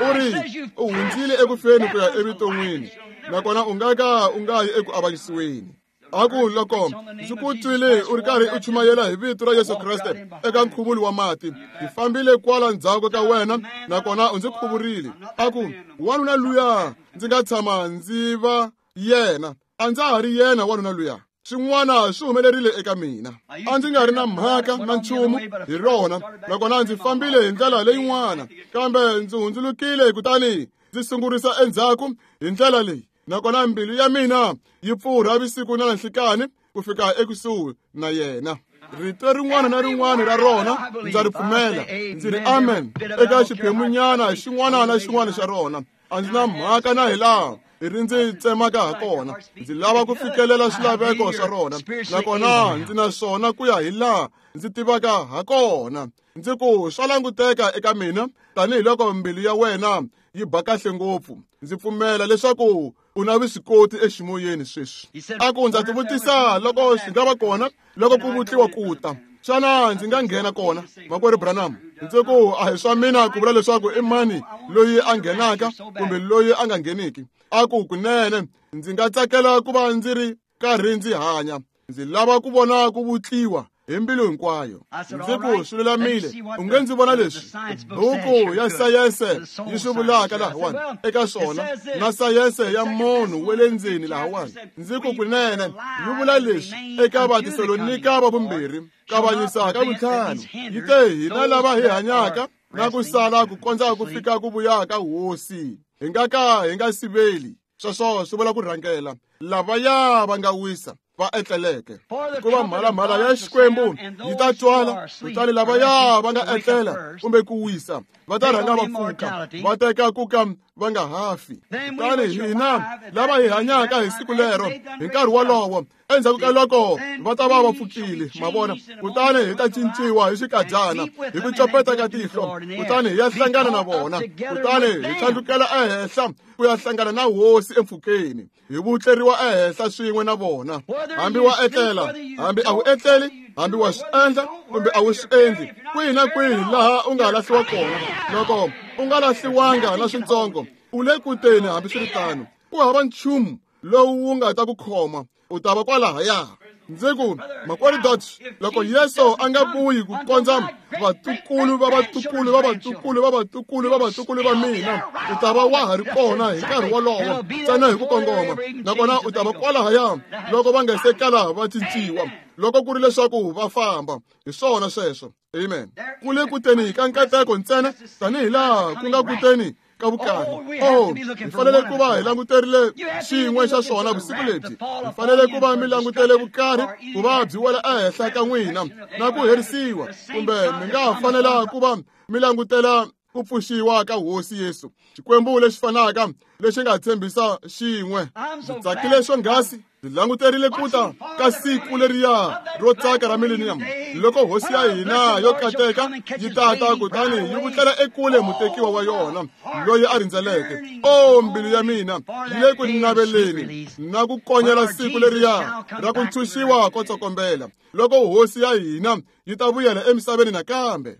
u ri u hundzile ekufeni ku ya evuton'wini, nakona u nga ka u nga yi eku avanyisiweni. A ku loko ndzi ku twile u ri karhi u chumayela hi vito ra Yesu Kreste eka nkhuvulo wa mati, ndzi fambile kwala ndzhaku ka wena nakona u ndzi khuvurile. A ku wanuna luya ndzi nga tshama ndzi va yena, a ndza ha ri yena wanuna luya. Swin'wana swi humelerile eka mina, a ndzi nga ri na mhaka na nchumu hi rona, nakona ndzi fambile hi ndlela leyin'wana, kambe ndzi hundzulukile kutani ndzi sungurisa endzhaku hi ndlela leyi, nakona mbilu ya mina yi pfurha vusiku na nhlikani ku fika ekusuhi na yena. Rito rin'wana na rin'wana ra rona ndza ri pfumela, ndzi ri amen eka xiphemunyana xin'wana na xin'wana xa rona. A ndzi na mhaka na hi laha ri ndzi tsemaka ha kona, ndzi lava ku fikelela swilaveko swa rona, nakona ndzi na swona ku ya hi laha ndzi tivaka ha kona. Ndzi ku swa languteka eka mina tanihiloko mbilu ya wena yi ba kahle ngopfu, ndzi pfumela leswaku u na vuswikoti eximoyeni sweswi. A ku ndza tivutisa loko swi nga va kona loko ku vutliwa ku ta, xana ndzi nga nghena kona, makwerhu Branham? Ndzi ku a hi swa mina ku vula leswaku i mani loyi a nghenaka kumbe loyi a nga ngheniki. A ku kunene ndzi nga tsakela ku va ndzi ri karhi ndzi hanya, ndzi lava ku vona ku vutliwa hi mbilu hinkwayo. Ndzi ku swi lulamile, u nge ndzi vona leswi buku ya sayense yi swi vulaka lahawani eka swona, na sayense ya munhu wa le ndzeni lahawani. Ndzi ku kunene yi vula leswi eka Vatesalonika va vumbirhi kavanyisa ka vuntlhanu, yi te hina lava hi hanyaka na ku sala ku kondza ku fika ku vuya ka Hosi, hi nga ka hi nga siveli. Sweswo swi vula ku rhangela lavaya va nga wisa va etleleke, hikuva mhalamhala ya Xikwembu yi ta twala, kutani lavaya va nga etlela kumbe ku wisa va ta rhanga va pfuka, va teka ku ka va nga ha fi. Kutani hina lava hi hanyaka hi siku lero, hi nkarhi wolowo, endzhaku ka loko va ta va va pfukile, ma vona, kutani hi ta cinciwa hi xikadyana, hi ku copeta ka tihlo, kutani hi ya hlangana na vona, kutani hi tlhandlukela ehenhla ku ya hlangana na Hosi empfhukeni, hi vutleriwa ehenhla swin'we na vona. Hambi wa etlela, hambi a wu etleli, hambi wa swi endla kumbe a wu swi endli, kwihi na kwihi laha u nga lahliwa kona, loko u nga lahliwanga na swintsongo, u le kuteni. Hambiswiritano, ku hava nchumu lowu wu nga ta ku khoma, u ta va kwalahaya. Ndzi ku makwerhu Dodge, loko Yesu a nga vuyi ku kondza vatukulu va vatukulu va vatukulu va vatukulu va vatukulu va mina, u ta va wa ha ri kona hi nkarhi wolowo ntsena hi ku kongoma, nakona u ta va kwalahaya loko va nga se kala va cinciwa, loko ku ri leswaku va famba. Hi swona sweswo. Amen. Ku le kuteni ka nkateko ntsena tanihi laha ku nga kuteni ka vukarhi. Oh, hi fanele ku va hi languterile xin'we xa swona vusiku lebyi. Hi fanele ku va mi langutele vukarhi ku va byi wela ehenhla ka n'wina na ku herisiwa, kumbe mi nga fanela ku va mi langutela ku pfuxiwa ka Hosi Yesu, Xikwembu lexi fanaka lexi nga tshembisa xin'we. Ndzi tsakile swonghasi, ndzi languterile ku ta ka siku leriya ro tsaka ra millennium, loko Hosi ya hina yo kateka yi tata kutani yi vutlela ekule mutekiwa wa yona loyi a rindzeleke. O mbilu ya mina yi le ku naveleni na ku konyela siku leriya ra ku ntshunxiwa ko tsokombela, loko Hosi ya hina yi ta vuyela emisaveni nakambe.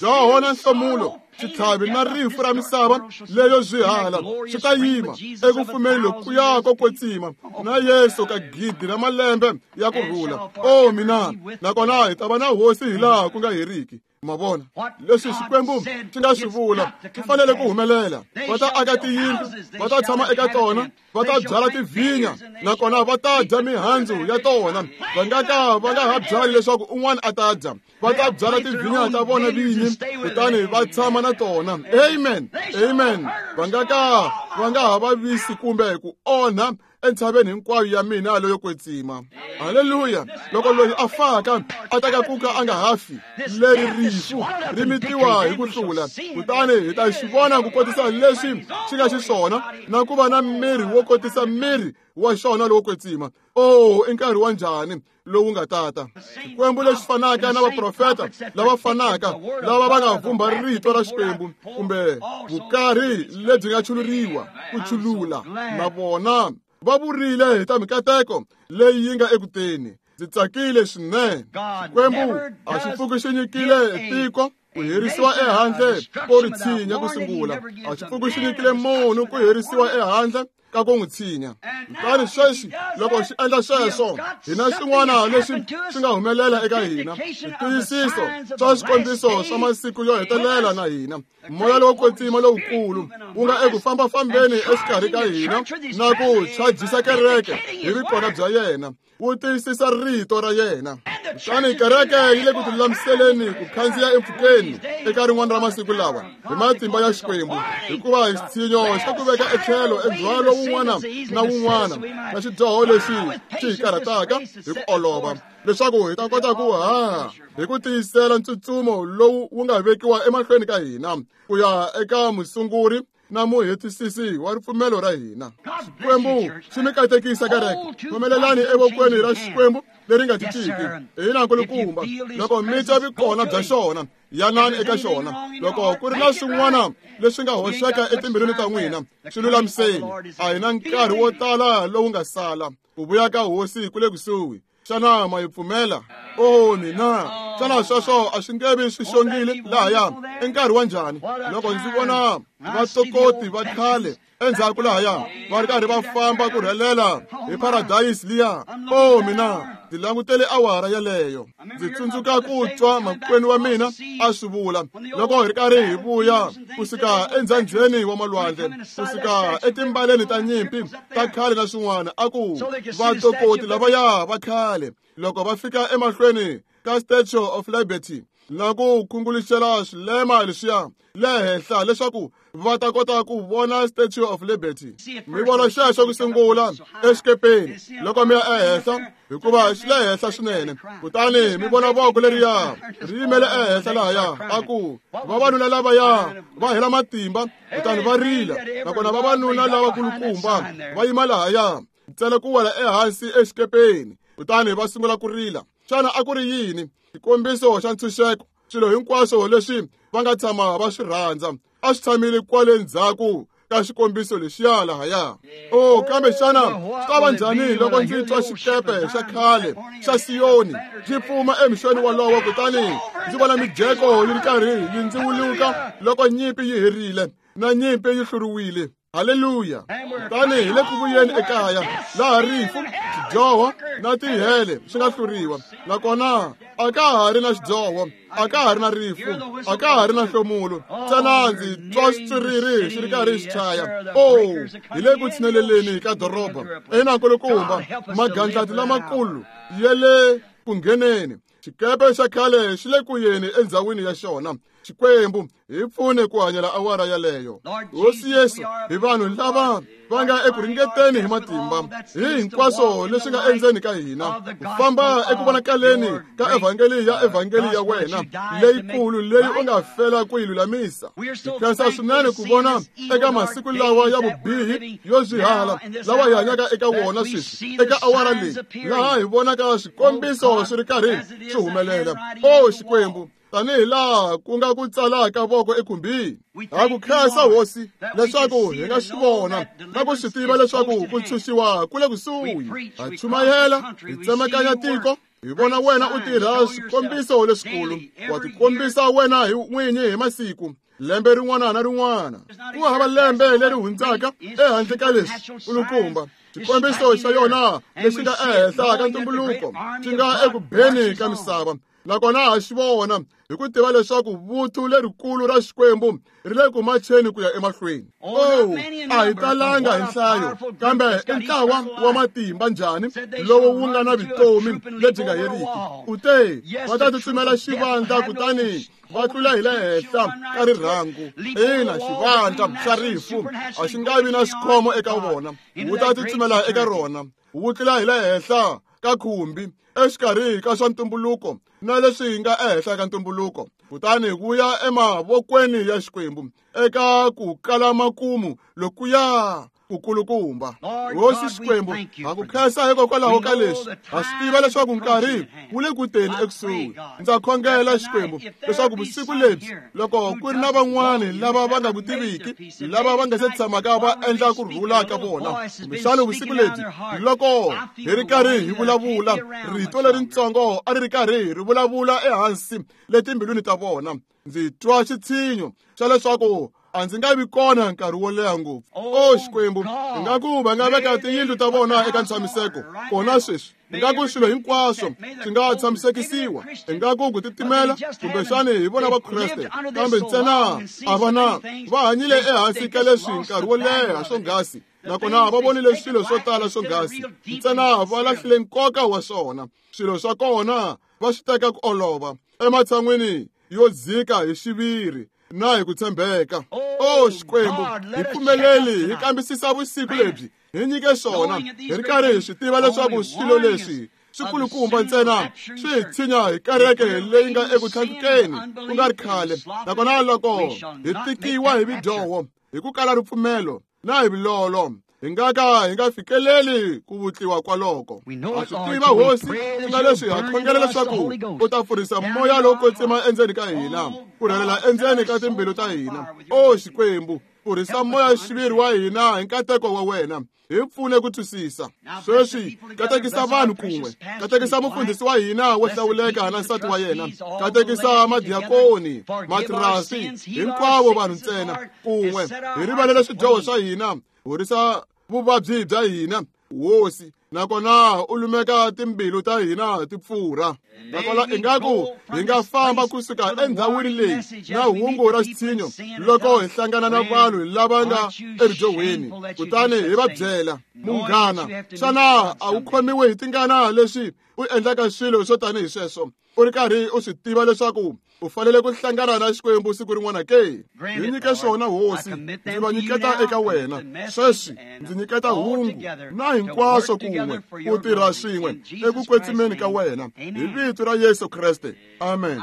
Dyoho na nhlomulo, xitlhavi na rifu ra misava leyo zwihala swi ta yima eku fumeni lokuya ko kwetsima na Yesu ka gidi ra malembe ya ku rhula. O mina, nakona hi ta va na Hosi hi laha ku nga heriki. Ma vona leswi Xikwembu xi nga swi vula swi fanele ku humelela. Va ta aka tiyindlu, va ta tshama eka tona, va ta byala tivhinya, nakona va ta dya mihandzu ya tona. Va nga ka va nga ha byali leswaku un'wana a ta dya, va ta byala tivhinya ta vona vinyi, kutani va tshama na tona. Amen, amen. Va nga ka va nga ha vavisi kumbe ku onha entshaveni hinkwayo ya mina leyo kwetsima. Haleluya! Loko loyi a faka a ta ka kuka a nga ha fi, leri rifu ri mitiwa hi ku hlula. Kutani hi ta xi vona ku kotisa leswi xi nga xiswona na ku va na miri wo kotisa miri wa xona lowo kwetsima. Oh, i nkarhi wa njhani lowu nga tata. Xikwembu lexi fanaka na vaprofeta lava fanaka lava va nga vumba rito ra Xikwembu kumbe vukarhi lebyi nga chuluriwa ku chulula na vona va vurile hi ta mikateko leyi yi nga ekuteni. Ndzi tsakile swinene. Xikwembu a xi pfuki xi nyikile tiko ku herisiwa ehandle ko ri tshinya ku sungula. A xi pfuki xi nyikile munhu ku herisiwa ehandle ka ku n'wi tshinya. Kutani sweswi loko xi endla sweswo, hi na xin'wana lexi xi nga humelela eka hina, switiyisiso swa swikombiso swa masiku yo hetelela na hina. Moya lowo kwetsima lowukulu wu nga eku fambafambeni exikarhi ka hina na ku chajisa kereke hi vikona bya yena, wu tiyisisa rito ra yena. Kutani kereke yi le ku tilulamiseleni ku khandziya empfhukeni eka rin'wana ra masiku lawa hi matimba ya Xikwembu, hikuva xitshinyo xa ku veka etlhelo endzhwalo wun'wana na wun'wana na xidyoho lexi xi hi karhataka hi ku olova, leswaku hi ta kota ku haha hi ku tiyisela ntsutsumo lowu wu nga vekiwa emahlweni ka hina ku ya eka musunguri na muhetisisi wa ripfumelo ra hina. Xikwembu xi mi katekisa kereke. Pfumelelani evokweni ra Xikwembu leri nga cinciki. Hina nkulukumba, loko mi twa vikona bya xona, yanani eka xona. Loko ku ri na swin'wana leswi nga hoxeka etimbilwini ta n'wina, swi lulamiseni. A hi na nkarhi wo tala lowu nga sala. Ku vuya ka Hosi ku le kusuhi. Xana ma yi pfumela? Oh, mina, xana sweswo a swi nge vi swi xongile lahaya? I nkarhi wa njhani loko ndzi vona vatokoti va khale endzhaku lahaya va ri karhi va famba ku rhelela hi paradise liya? Oh, mina, ndzi langutele awara yeleyo. Ndzi tsundzuka ku twa makwenu wa mina a swi vula loko hi ri karhi hi vuya kusuka endzhandzheni wa malwandle, kusuka etimbaleni ta nyimpi ta khale na swin'wana, a ku vatokoti lavaya va khale loko va fika emahlweni ka Statue of Liberty na ku khunguluxela swilema leswiya le henhla leswaku va ta kota ku vona Statue of Liberty. Mi vona xexo ku sungula exikepeni loko mi ya ehenhla, hikuva xi le henhla swinene. Kutani mi vona voko leriya ri yimele ehenhla lahaya, a ku vavanuna lavaya va hela matimba kutani va rila, nakona vavanuna lavakulukumba va yima lahaya ntsena ku wela ehansi exikepeni kutani va sungula ku rila. Xana a ku ri yini? Xikombiso xa ntshunxeko. Swilo hinkwaswo leswi va nga tshama va swi rhandza a swi tshamile kwale ndzhaku ka xikombiso lexiya lahaya. Oh, kambe xana swi ta va njhani loko ndzi twa xikepe xa khale xa Siyoni xi pfuma emixweni wolowo, kutani ndzi vona mijeko yi ri karhi yi ndziwuluka loko nyimpi yi herile na nyimpi yi hluriwile? Haleluya! Kutani hi le ku vuyeni ekaya laha rifu, xidyoho na tihele swi nga hluriwa, nakona a ka ha ri na xidyoho, a ka ha ri na rifu, a ka ha ri na nhlomulo. Ntsena ndzi twa xitswiriri xi ri karhi xi chaya. Oh, hi le ku tshineleleni ka doroba. Ina nkulukumba, magandlati lamakulu ya le ku ngheneni. Xikepe xa khale xi le ku yeni endzhawini ya xona. Xikwembu hi pfune ku hanyela awara yaleyo. Hosi Yesu, hi vanhu lava va nga eku ringeteni hi matimba hi hinkwaswo leswi nga endzeni ka hina, ku famba eku vonakaleni ka evhangeli ya evhangeli ya wena leyikulu leyi u nga fela ku yi lulamisa. Hi khensa swinene ku vona eka masiku lawa ya vubihi yo zwihala lawa hi hanyaka eka wona sweswi, eka awara leyi laha hi vonaka swikombiso swi ri karhi swi humelela. O Xikwembu, tanihi laha ku nga ku tsalaka voko ekhumbini, ha ku khensa Hosi leswaku hi nga swi vona na ku swi tiva leswaku ku ntshunxiwa ku le kusuhi. Ha chumayela, hi tsemakanya tiko, hi vona wena u tirha swikombiso leswikulu. Wa tikombisa wena hi n'winyi hi masiku, lembe rin'wana na rin'wana. Ku hava lembe leri hundzaka ehandle ka leswi nkulukumba. Xikombiso xa yona lexi nga ehenhla ka ntumbuluko xi nga eku beni ka misava, nakona ha xi vona hi ku tiva leswaku vuthu lerikulu ra Xikwembu ri le ku macheni ku ya emahlweni. Oh, a hi talanga hi nhlayo, kambe i ntlawa wa matimba njhani lowu wu nga na vutomi lebyi nga heriki. U te va ta tsutsumela xivandla kutani Va tlula hi le henhla ka rirhangu. Ina, xivandla xa rifu a xi nga vi na xikhomo eka vona. Wu ta tsutsumela eka rona. Wu tlula hi le henhla ka khumbi, exikarhi ka swa ntumbuluko na leswi nga ehenhla ka ntumbuluko. Kutani wu ya emavokweni ya Xikwembu eka ku kala makumu lokuya kukulukumba. Hosi Xikwembu, ha ku khensa hikokwalaho ka leswi. Ha swi tiva leswaku nkarhi wu le ku teni ekusuhi. Ndza khongela Xikwembu leswaku vusiku lebyi, loko ku ri na van'wani lava va nga ku tiviki, lava va nga se tshamaka va endla ku rhula ka vona, kumbexana vusiku lebyi, loko hi ri karhi hi vulavula, rito leritsongo a ri ri karhi ri vulavula ehansi le timbilwini ta vona. Ndzi twa xitshinyo xa leswaku a ndzi nga vi kona nkarhi wo leha ngopfu. O Xikwembu, ingaku va nga veka tiyindlu ta vona eka ntshamiseko kona sweswi. Ingaku swilo hinkwaswo swi nga tshamisekisiwa. Ingaku ku titimela kumbexani hi vona va Kreste, kambe ntsena a va na va hanyile ehansi ka leswi nkarhi wo leha swonghasi, nakona va vonile swilo swo tala swonghasi, ntsena va lahlile nkoka wa swona. Swilo swa kona va swi teka ku olova ematshan'wini yo dzika hi xiviri na hi ku tshembeka. O Xikwembu, hi pfumeleli hi kambisisa vusiku lebyi, hi nyike swona, hi ri karhi hi swi tiva leswaku swilo leswi swikulukumba ntsena swi hi tshinya hi kereke leyi nga eku tlhandlukeni ku nga ri khale. Nakona loko hi tikiwa hi vidyoho, hi ku kala ripfumelo na hi vulolo, hi nga ka hi nga fikeleli ku vutliwa kwaloko. Ha swi tiva Hosi, ku nga leswi ha khongela leswaku u ta pfurisa moya lowo kwetsima endzeni ka hina, ku rhelela endzeni ka timbilu ta hina. O Xikwembu, pfurisa moya xiviri wa hina hi nkateko wa wena, hi pfune ku twisisa. Sweswi katekisa vanhu kun'we, katekisa mufundhisi wa hina wo hlawuleka na nsati wa yena, katekisa madiakoni, matirasi, hinkwavo vanhu ntsena kun'we. Hi rivalele swidyoho swa hina, horisa vuvabyi bya hina, Hosi, nakona u lumeka timbilu ta hina ti pfurha. Nakona ingaku hi nga famba kusuka endhawini leyi na hungu ra xitshinyo loko hi hlangana na vanhu lava nga eridyohweni, kutani hi va byela, munghana, xana a wu khomiwi hi tingana leswi u endlaka swilo swo tanihi sweswo, u ri karhi u swi tiva leswaku u fanele ku hlangana na Xikwembu siku rin'wana ke? Hi nyike swona Hosi, ndzi va nyiketa eka wena sweswi. Ndzi nyiketa hungu na hinkwaswo kun'we ku tirha swin'we eku kwetsimeni ka wena, hi vito ra Yesu Kreste, amen.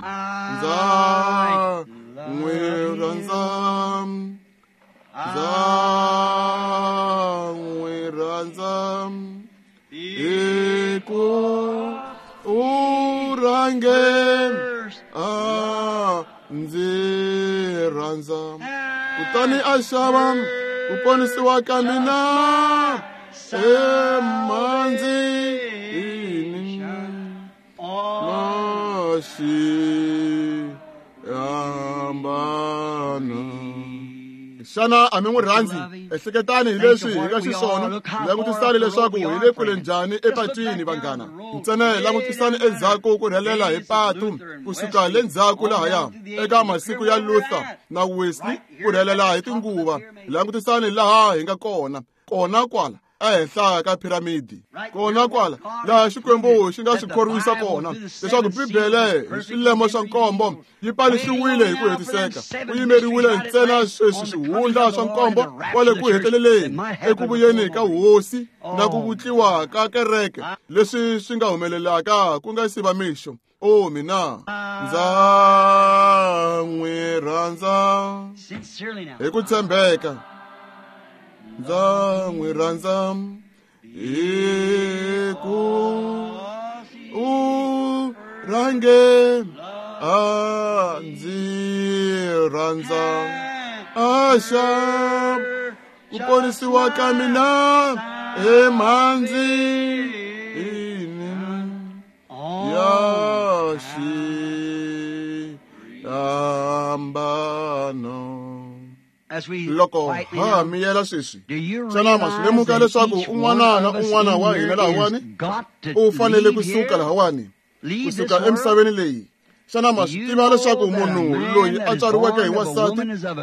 Ndza n'wi rhandza, ndza n'wi rhandza, hi ku u rhange a ndzi rhandza, kutani a xava ku ponisiwa ka mina emanzini na xihambano. Xana a mi n'wi rhandzi? Ehleketani hi leswi hi nga xiswona. Langutisani leswaku hi le kule njhani epatwini, vanghana. Ntsena langutisani endzhaku ku rhelela hi patu kusuka le ndzhaku lahaya eka masiku ya Luther na Wesley, ku rhelela hi tinguva. Langutisani laha hi nga kona, kona kwala ehenhla ka piramidi, kona kwala laha Xikwembu xi nga swi khorwisa kona leswaku Bibele hi swilemo swa nkombo yi paluxiwile hi ku hetiseka. Ku yimeriwile ntsena sweswi swihundla swa nkombo kwale ku heteleleni eku vuyeni ka Hosi na ku vutliwa ka kereke, leswi swi nga humelelaka ku nga si va mixo. O mina ndza n'wi rhandza hi ku tshembeka, ndza n'wi rhandza hi ku u rhange a ndzi rhandza, a xa ku ponisiwa ka mina emanzini ya xihambano. Loko ha miyela sweswi, xana ma swi lemuka leswaku un'wana na un'wana wa hina lahawani u fanele ku suka lahawani, kusuka emisaveni leyi, Xana ma swi tiva leswaku munhu loyi a tswariweke hi wansati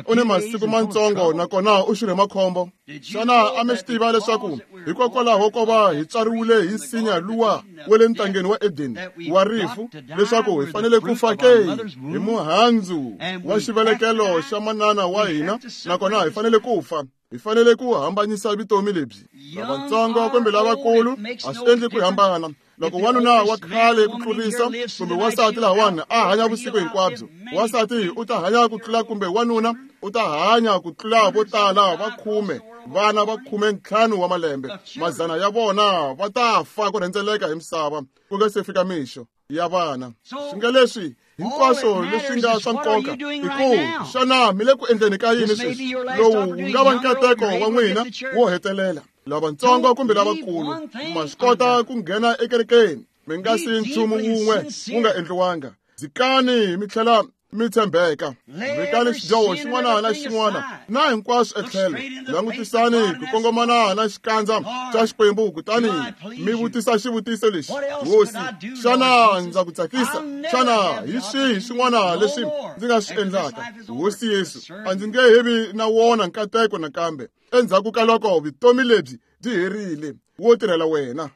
u ni masiku mantsongo nakona u xirhe makhombo? Xana a mi swi tiva leswaku hikokwalaho ko va hi tswariwile hi nsinya luwa wa le ntangeni wa Edeni wa rifu, leswaku hi fanele ku fa ke hi muhandzu wa xivelekelo xa manana wa hina, nakona hi fanele ku fa? Hi fanele ku hambanyisa vutomi lebyi. Lavatsongo kumbe lavakulu a swi endli ku hambana. Loko wanuna wa khale ku tlurisa kumbe wansati lahawani a hanya vusiku hinkwabyo, wansati u ta hanya ku tlula kumbe wanuna u ta hanya ku tlula vo tala va khume, vana va khume ntlhanu wa malembe. Mazana ya vona va ta fa ku rhendzeleka hi misava ku nga se fika mixo ya vana. Swi nga leswi hinkwaswo leswi nga swa nkoka i ku xana mi le ku endleni ka yini sweswi? Lowu wu nga va nkateko wa n'wina wo hetelela. Lavatsongo kumbe lavakulu, ma swi kota ku nghena ekerekeni mi nga si nchumu wun'we wu nga endliwanga. Dzikani mi tlhela mi tshembeka, vekani xidyoho xin'wana na xin'wana na hinkwaswo etlhelo. Langutisani ku kongomana na xikandza xa Xikwembu, kutani mi vutisa xivutiso lexi: Hosi, xana ndza ku tsakisa? Xana hi swihi swin'wana leswi ndzi nga swi endlaka? Hosi Yesu, a ndzi nge he vi na wona nkateko nakambe endzhaku ka loko vutomi lebyi byi herile wo tirhela wena.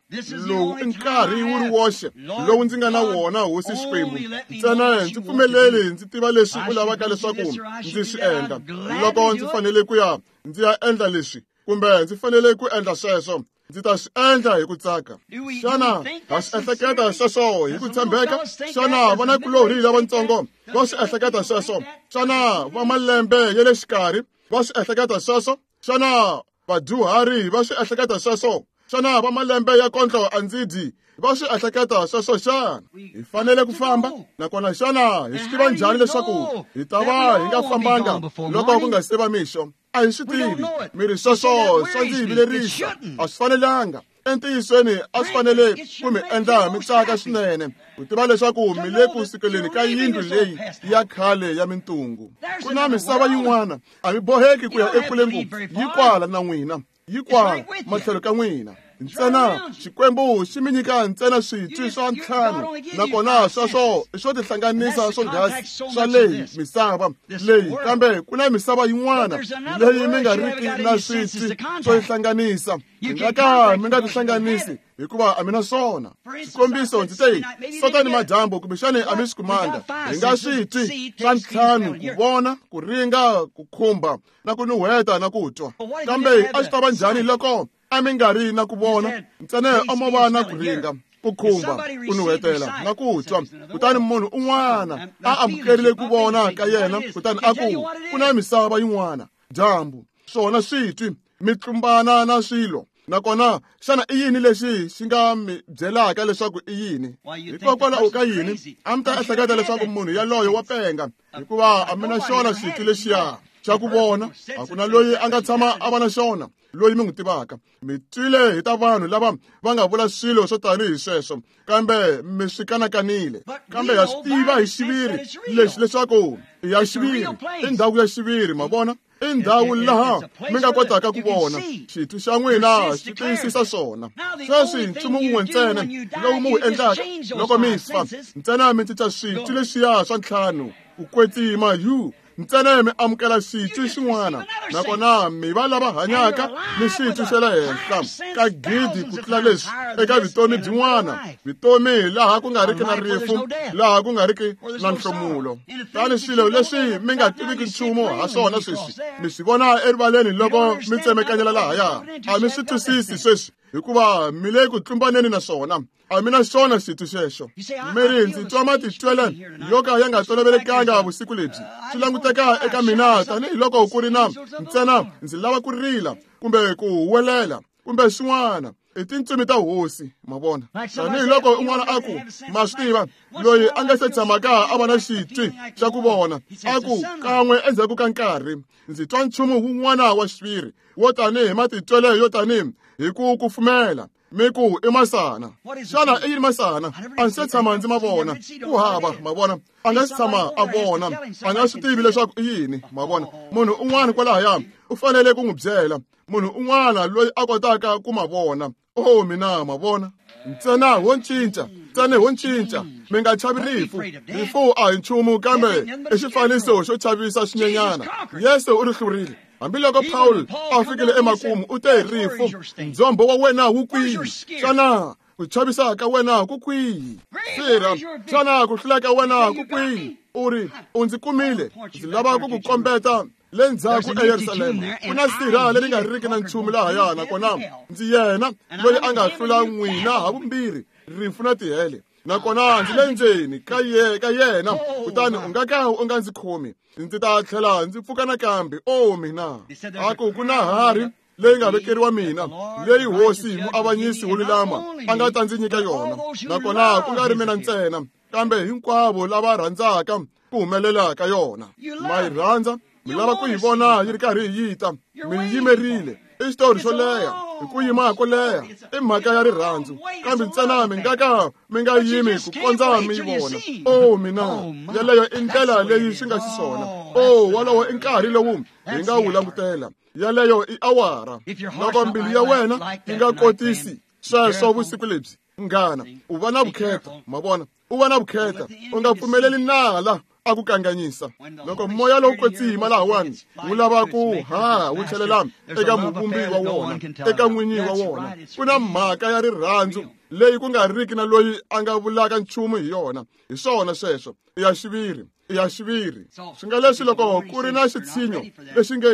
Lowu i nkarhi wu ri woxe lowu ndzi nga na wona, Hosi Xikwembu. Ntsena ndzi pfumeleli ndzi tiva leswi u lavaka leswaku ndzi swi endla. Loko ndzi fanele ku ya ndzi ya endla leswi kumbe ndzi fanele ku endla sweswo, ndzi ta swi endla hi ku tsaka. Xana ha swi ehleketa sweswo hi ku tshembeka? Xana vanakulorhi lavatsongo va swi ehleketa sweswo? Xana va malembe ya le xikarhi va swi ehleketa sweswo? Xana vadyuhari va swi ehleketa sweswo? Xana va malembe ya kondlo a ndzi dyi va swi ehleketa sweswo xana? Hi fanele ku famba, nakona xana hi swi tiva njhani leswaku hi ta va hi nga fambanga loko ku nga se va mixo? A hi swi tivi. Mi ri sweswo swa ndzi vilerisa, a swi fanelanga. Entiyisweni a swi fanele ku mi endla mi tsaka swinene ku tiva leswaku mi le ku sukeleni ka yindlu leyi ya khale ya mintungu. Ku na misava yin'wana, a mi boheki ku ya ekule ngopfu, yi kwala na n'wina, yi kwala matlhelo ka n'wina. Ntsena Xikwembu xi mi nyika ntsena switwi swa ntlhanu, nakona sweswo i swo tihlanganisa swonghasi swa leyi misava leyi, kambe ku na misava yin'wana leyi mi nga riki na switwi swo yi hlanganisa. Mi nga ka mi nga tihlanganisi hikuva a mi na swona. Xikombiso, ndzi te sota ni madyambu, kumbexani a mi swi kumanga. Hi nga switwi swa ntlhanu: ku vona, ku ringa, ku khumba, na ku nuheta na ku twa. Kambe a swi ta va njhani loko a mi nga ri na ku vona ntsena a mo va na ku ringa, ku khumba, ku nuhetela na ku twa? Kutani munhu un'wana a amukerile ku vona ka yena, kutani a ku ku na misava yin'wana, dyambu, swona switwi mi tlumbana na swilo. Nakona xana i yini lexi xi nga mi byelaka leswaku i yini? Hikokwalaho ka yini a mi ta ehleketa leswaku munhu yaloye wa penga? Hikuva a mi na xona xitwi lexiya xa ku vona, a ku na loyi a nga tshama a va na xona loyi mi n'wi tivaka. Mi twile hi ta vanhu lava va nga vula swilo swo tanihi sweswo, kambe mi swi kanakanile. Kambe ha swi tiva hi xiviri lexi leswaku i ya xiviri, i ndhawu ya xiviri, ma vona? I ndhawu laha mi nga kotaka ku vona. Xitwi xa n'wina xi tiyisisa swona. Sweswi nchumu wun'we ntsena lowu mi wu endlaka loko mi fa, ntsena mi cinca switwi leswiya swa ntlhanu ku kwetsima yu, ntsena mi amukela xitwi xin'wana, nakona mi va lava hanyaka ni xitwi xa le henhla ka gidi ku tlula leswi eka vutomi byin'wana, vutomi laha ku nga riki na rifu, laha ku nga riki na nhlomulo. Tani swilo leswi mi nga tiviki nchumu ha swona sweswi mi swi vona erivaleni loko mi tsemekanyela lahaya. A mi swi twisisi sweswi hikuva mi le ku tlumbaneni na swona. A mi na xona xitwi xexo. Mi ri ndzi twa matitwele yo ka ya nga tolovelekanga vusiku lebyi. Swi languteka eka mina tanihiloko ku ri na ntsena ndzi lava ku rila kumbe ku huwelela kumbe swin'wana. I tintsumi ta Hosi, ma vona? Tanihiloko un'wana a ku, ma swi tiva, loyi a nga se tshamaka a va na xitwi xa ku vona, a ku kan'we endzhaku ka nkarhi ndzi twa nchumu wun'wana wa xiviri wo tanihi matitwele yo tanihi hi ku kufumela. Mi ku i masana. Xana i yini masana? A ndzi se tshama ndzi ma vona. Ku hava, ma vona? A nga si tshama a vona, a nga swi tivi leswaku i yini, ma vona? Munhu un'wana kwalahaya u fanele ku n'wi byela, munhu un'wana loyi a kotaka ku ma vona. Oh mina ma vona ntsena wo cinca ntsena wo cinca mi nga chavi rifu rifu a hi nchumu kambe i xifaniso xo chavisa swinyenyana Yesu u ri hlurile hambiloko Paul a fikile emakumu u te rifu ndzombo wa wena wu kwihi xana ku chavisa ka wena ku kwihi sirha xana ku hlula ka wena ku kwihi u ri u ndzi kumile ndzi lava ku ku kombeta le ndzhaku eYerusalema ku na sirha leri nga riki na nchumu lahaya nakona ndzi yena loyi a nga hlula n'wina ha vumbirhi rifu na tihele nakona ndzi le ndzeni ka ye ka yena kutani u nga ka u nga ndzi khomi ndzi ta tlhela ndzi pfuka nakambe o mina a ku ku na harhi leyi nga vekeriwa mina leyi hosi muavanyisi wo lulama a nga ta ndzi nyika yona nakona ku nga ri mina ntsena kambe hinkwavo lava rhandzaka ku humelela ka yona ma yi rhandza mi lava ku yi vona yi ri karhi yi ta mi yimerile i xitori xo leha hi ku yima ko leha i mhaka ya rirhandzu kambe ntsena mi nga ka mi nga yimi ku kondza mi yi vona o mina yeleyo i ndlela leyi swi nga xiswona o wolowo i nkarhi lowu hi nga wu langutela yeleyo i awara loko mbilu ya wena yi nga kotisi sweswo vusiku lebyi munghana u va na vukheta ma vona u va na vukheta u nga pfumeleli nala a ku kanganyisa loko moya lowu kwetsima lahawani wu lava ku ha wu tlhelela eka muvumbi wa wona eka n'winyi wa wona ku na mhaka ya rirhandzu leyi ku nga riki na loyi a nga vulaka nchumu hi yona hi swona sweswo i ya xiviri i ya xiviri swi nga leswi loko ku ri na xitshinyo lexi nge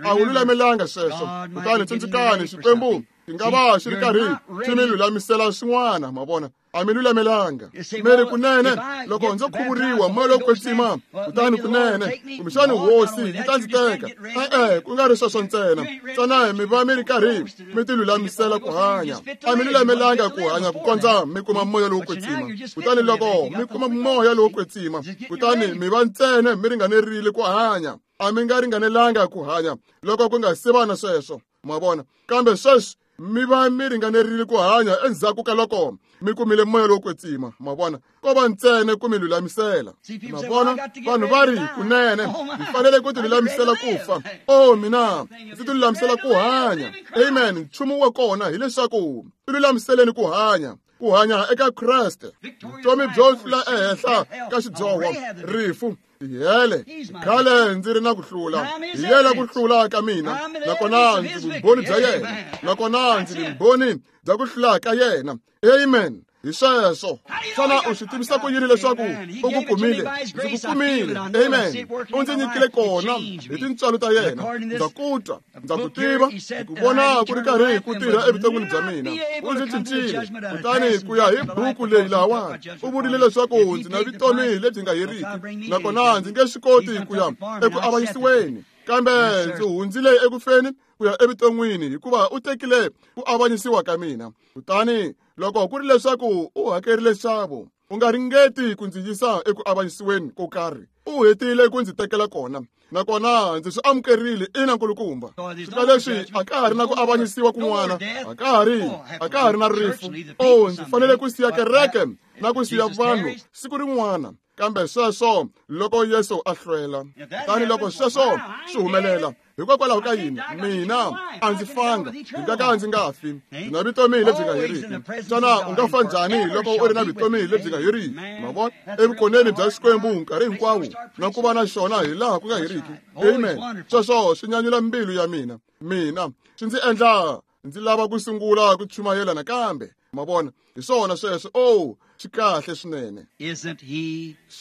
a wu lulamelanga sweswo kutani tsundzukani Xikwembu xi nga va xi ri karhi xi mi lulamisela swin'wana ma vona a mi lulamelanga mi ri kunene loko ndzo khuvuriwa moya lowo kwetsima kutani kunene kumbexani hosi yi ta ndzi teka e-e ku nga ri sweswo ntsena ntsena mi va mi ri karhi mi ti lulamisela ku hanya a mi lulamelanga ku hanya ku kondza mi kuma moya lowo kwetsima kutani loko mi kuma moya lowo kwetsima kutani mi va ntsena mi ringanerile ku hanya a mi nga ringanelanga ku hanya loko ku nga se va na sweswo ma vona kambe sweswi mi va mi ringanerile ku hanya endzhaku ka loko mi kumile moya lowo kwetsima ma vona ko va ntsena ku mi lulamisela ma vona vanhu va ri kunene mi fanele ku ti lulamisela ku fa o mina ndzi ti lulamisela ku hanya amen nchumu wa kona hileswaku ti lulamiseleni ku hanya ku hanya eka Kreste vutomi byo hlula ehenhla ka xidyoho rifu tihele khale ndzi ri na ku hlula hi yena ku hlula ka mina nakona ndzi vumbhoni bya yena nakona ndzi vumbhoni bya ku hlula ka yena amen hi sweswo xana u swi tivisa ku yini leswaku u ku kumile ndzi ku kumile amen u ndzi nyikile kona hi tintswalo ta yena ndza ku twa ndza ku tiva hi ku vona ku ri karhi ku tirha evuton'wini bya mina u ndzi cincile kutani ku ya hi buku leyi lahawani u vurile leswaku ndzi na vutomi lebyi nga heriki nakona ndzi nge swi koti ku ya eku avanyisiweni kambe ndzi hundzile ekufeni ku ya evuton'wini hikuva u tekile ku avanyisiwa ka mina kutani loko ku ri leswaku u hakerile nxavo u nga ringeti ku ndzi yisa eku avanyisiweni ko karhi u hetile ku ndzi tekela kona nakona ndzi swi amukerile ina nkulukumba swi nga leswi a ka ha ri na ku avanyisiwa kun'wana a ka ha ri a ka ha ri na rifu o ndzi fanele ku siya kereke na ku siya vanhu siku rin'wana kambe sweswo loko Yesu a hlwela kutani loko sweswo swi humelela hikokwalaho ka yini mina a ndzi fanga ndzi nga ka ndzi nga fi ndzi na vutomi lebyi nga heriki xana u nga fa njhani loko u ri na vutomi lebyi nga heriki ma vona evukoneni bya Xikwembu nkarhi hinkwawo na ku va na xona hi laha ku nga heriki amen sweswo swi nyanyula mbilu ya mina mina swi ndzi endla ndzi lava ku sungula ku chumayela nakambe ma vona hi swona sweswo o swi kahle swinene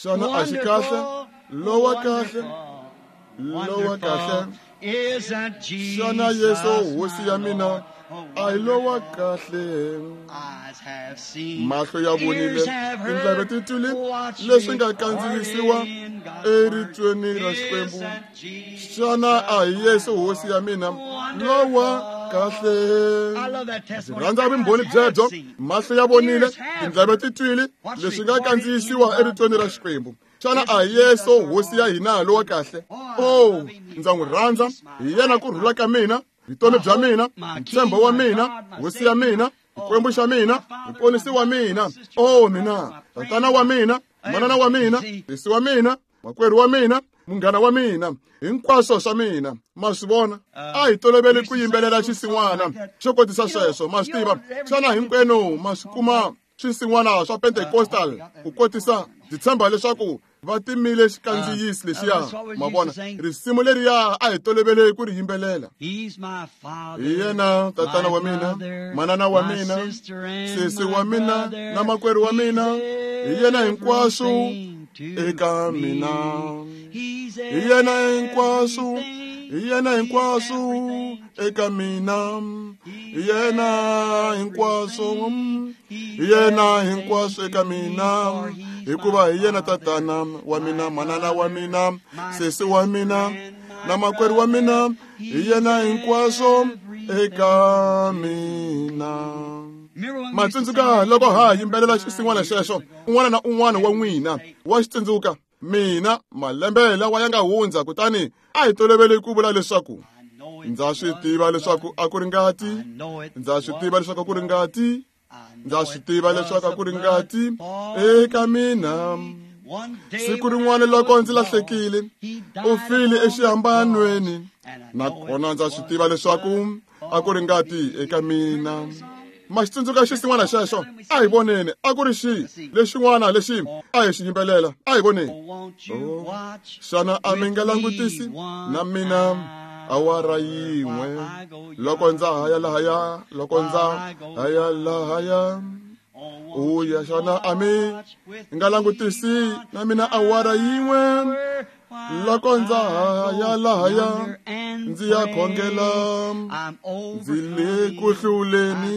xana a xi kahle lowa kahle lowa kahle xana Yesu hosi ya mina a hi lowa kahle mahlo ya vonile tindleve ti twile leswi nga kandziyisiwa eritweni ra Xikwembu xana a hi Yesu hosi ya mina lowa kahle ndzi rhandza vumbhoni byebyo mahlo ya vonile tindleve ti twile leswi nga kandziyisiwa eritweni ra Xikwembu xana a hi Yesu hosi ya hina lowa kahle o ndza n'wi rhandza hi yena ku rhula ka mina vutomi bya mina ntshembo wa mina hosi ya mina Xikwembu xa mina muponisi wa mina o mina tatana wa mina manana wa mina sesi wa mina makwerhu wa mina munghana wa mina, hinkwaswo swa mina. Ma swi vona? A hi tolovele ku yimbelela xinsin'wana xo kotisa sweswo, ma swi tiva. Xana hinkwenu ma swi kuma swinsin'wana swa Pentecostal ku kotisa? Ndzi tshemba leswaku va timile xikandziyisi lexiya. Ma vona, risimu leriya a hi tolovele ku ri yimbelela. Hi yena tatana wa mina, manana wa mina, sesi wa mina na makwerhu wa mina. Hi yena hinkwaswo eka mina. Hi yena hinkwaswo, hi yena hinkwaswo eka mina. Hi yena hinkwaswo, hi yena hinkwaswo eka mina. Hikuva hi yena tatana wa mina, manana wa mina, sesi wa mina na makwerhu wa mina. Hi yena hinkwaswo eka mina. Ma tsundzuka loko ha yimbelela xinsin'wana xexo, un'wana na un'wana wa n'wina wa xi tsundzuka. Mina malembe lawa ya nga hundza, kutani a hi tolovele ku vula leswaku ndza swi tiva leswaku a ku ri ngati, ndza swi tiva leswaku a ku ri ngati, ndza swi tiva leswaku a ku ri ngati eka mina. Siku rin'wana loko ndzi lahlekile, u file exihambanweni, nakona ndza swi tiva leswaku a ku ri ngati eka mina. Ma xi tsundzuka xinsin'wana xexo? A hi voneni, a ku ri xi lexin'wana lexi a hi xi yimbelela. A hi voneni. Xana a mi nga langutisi na mina awara yin'we loko ndza haya lahaya, loko ndza haya lahaya? Uya, xana a mi nga langutisi na mina awara yin'we loko ndza haya lahaya, ndzi ya khongela? Ndzi le ku hluleni,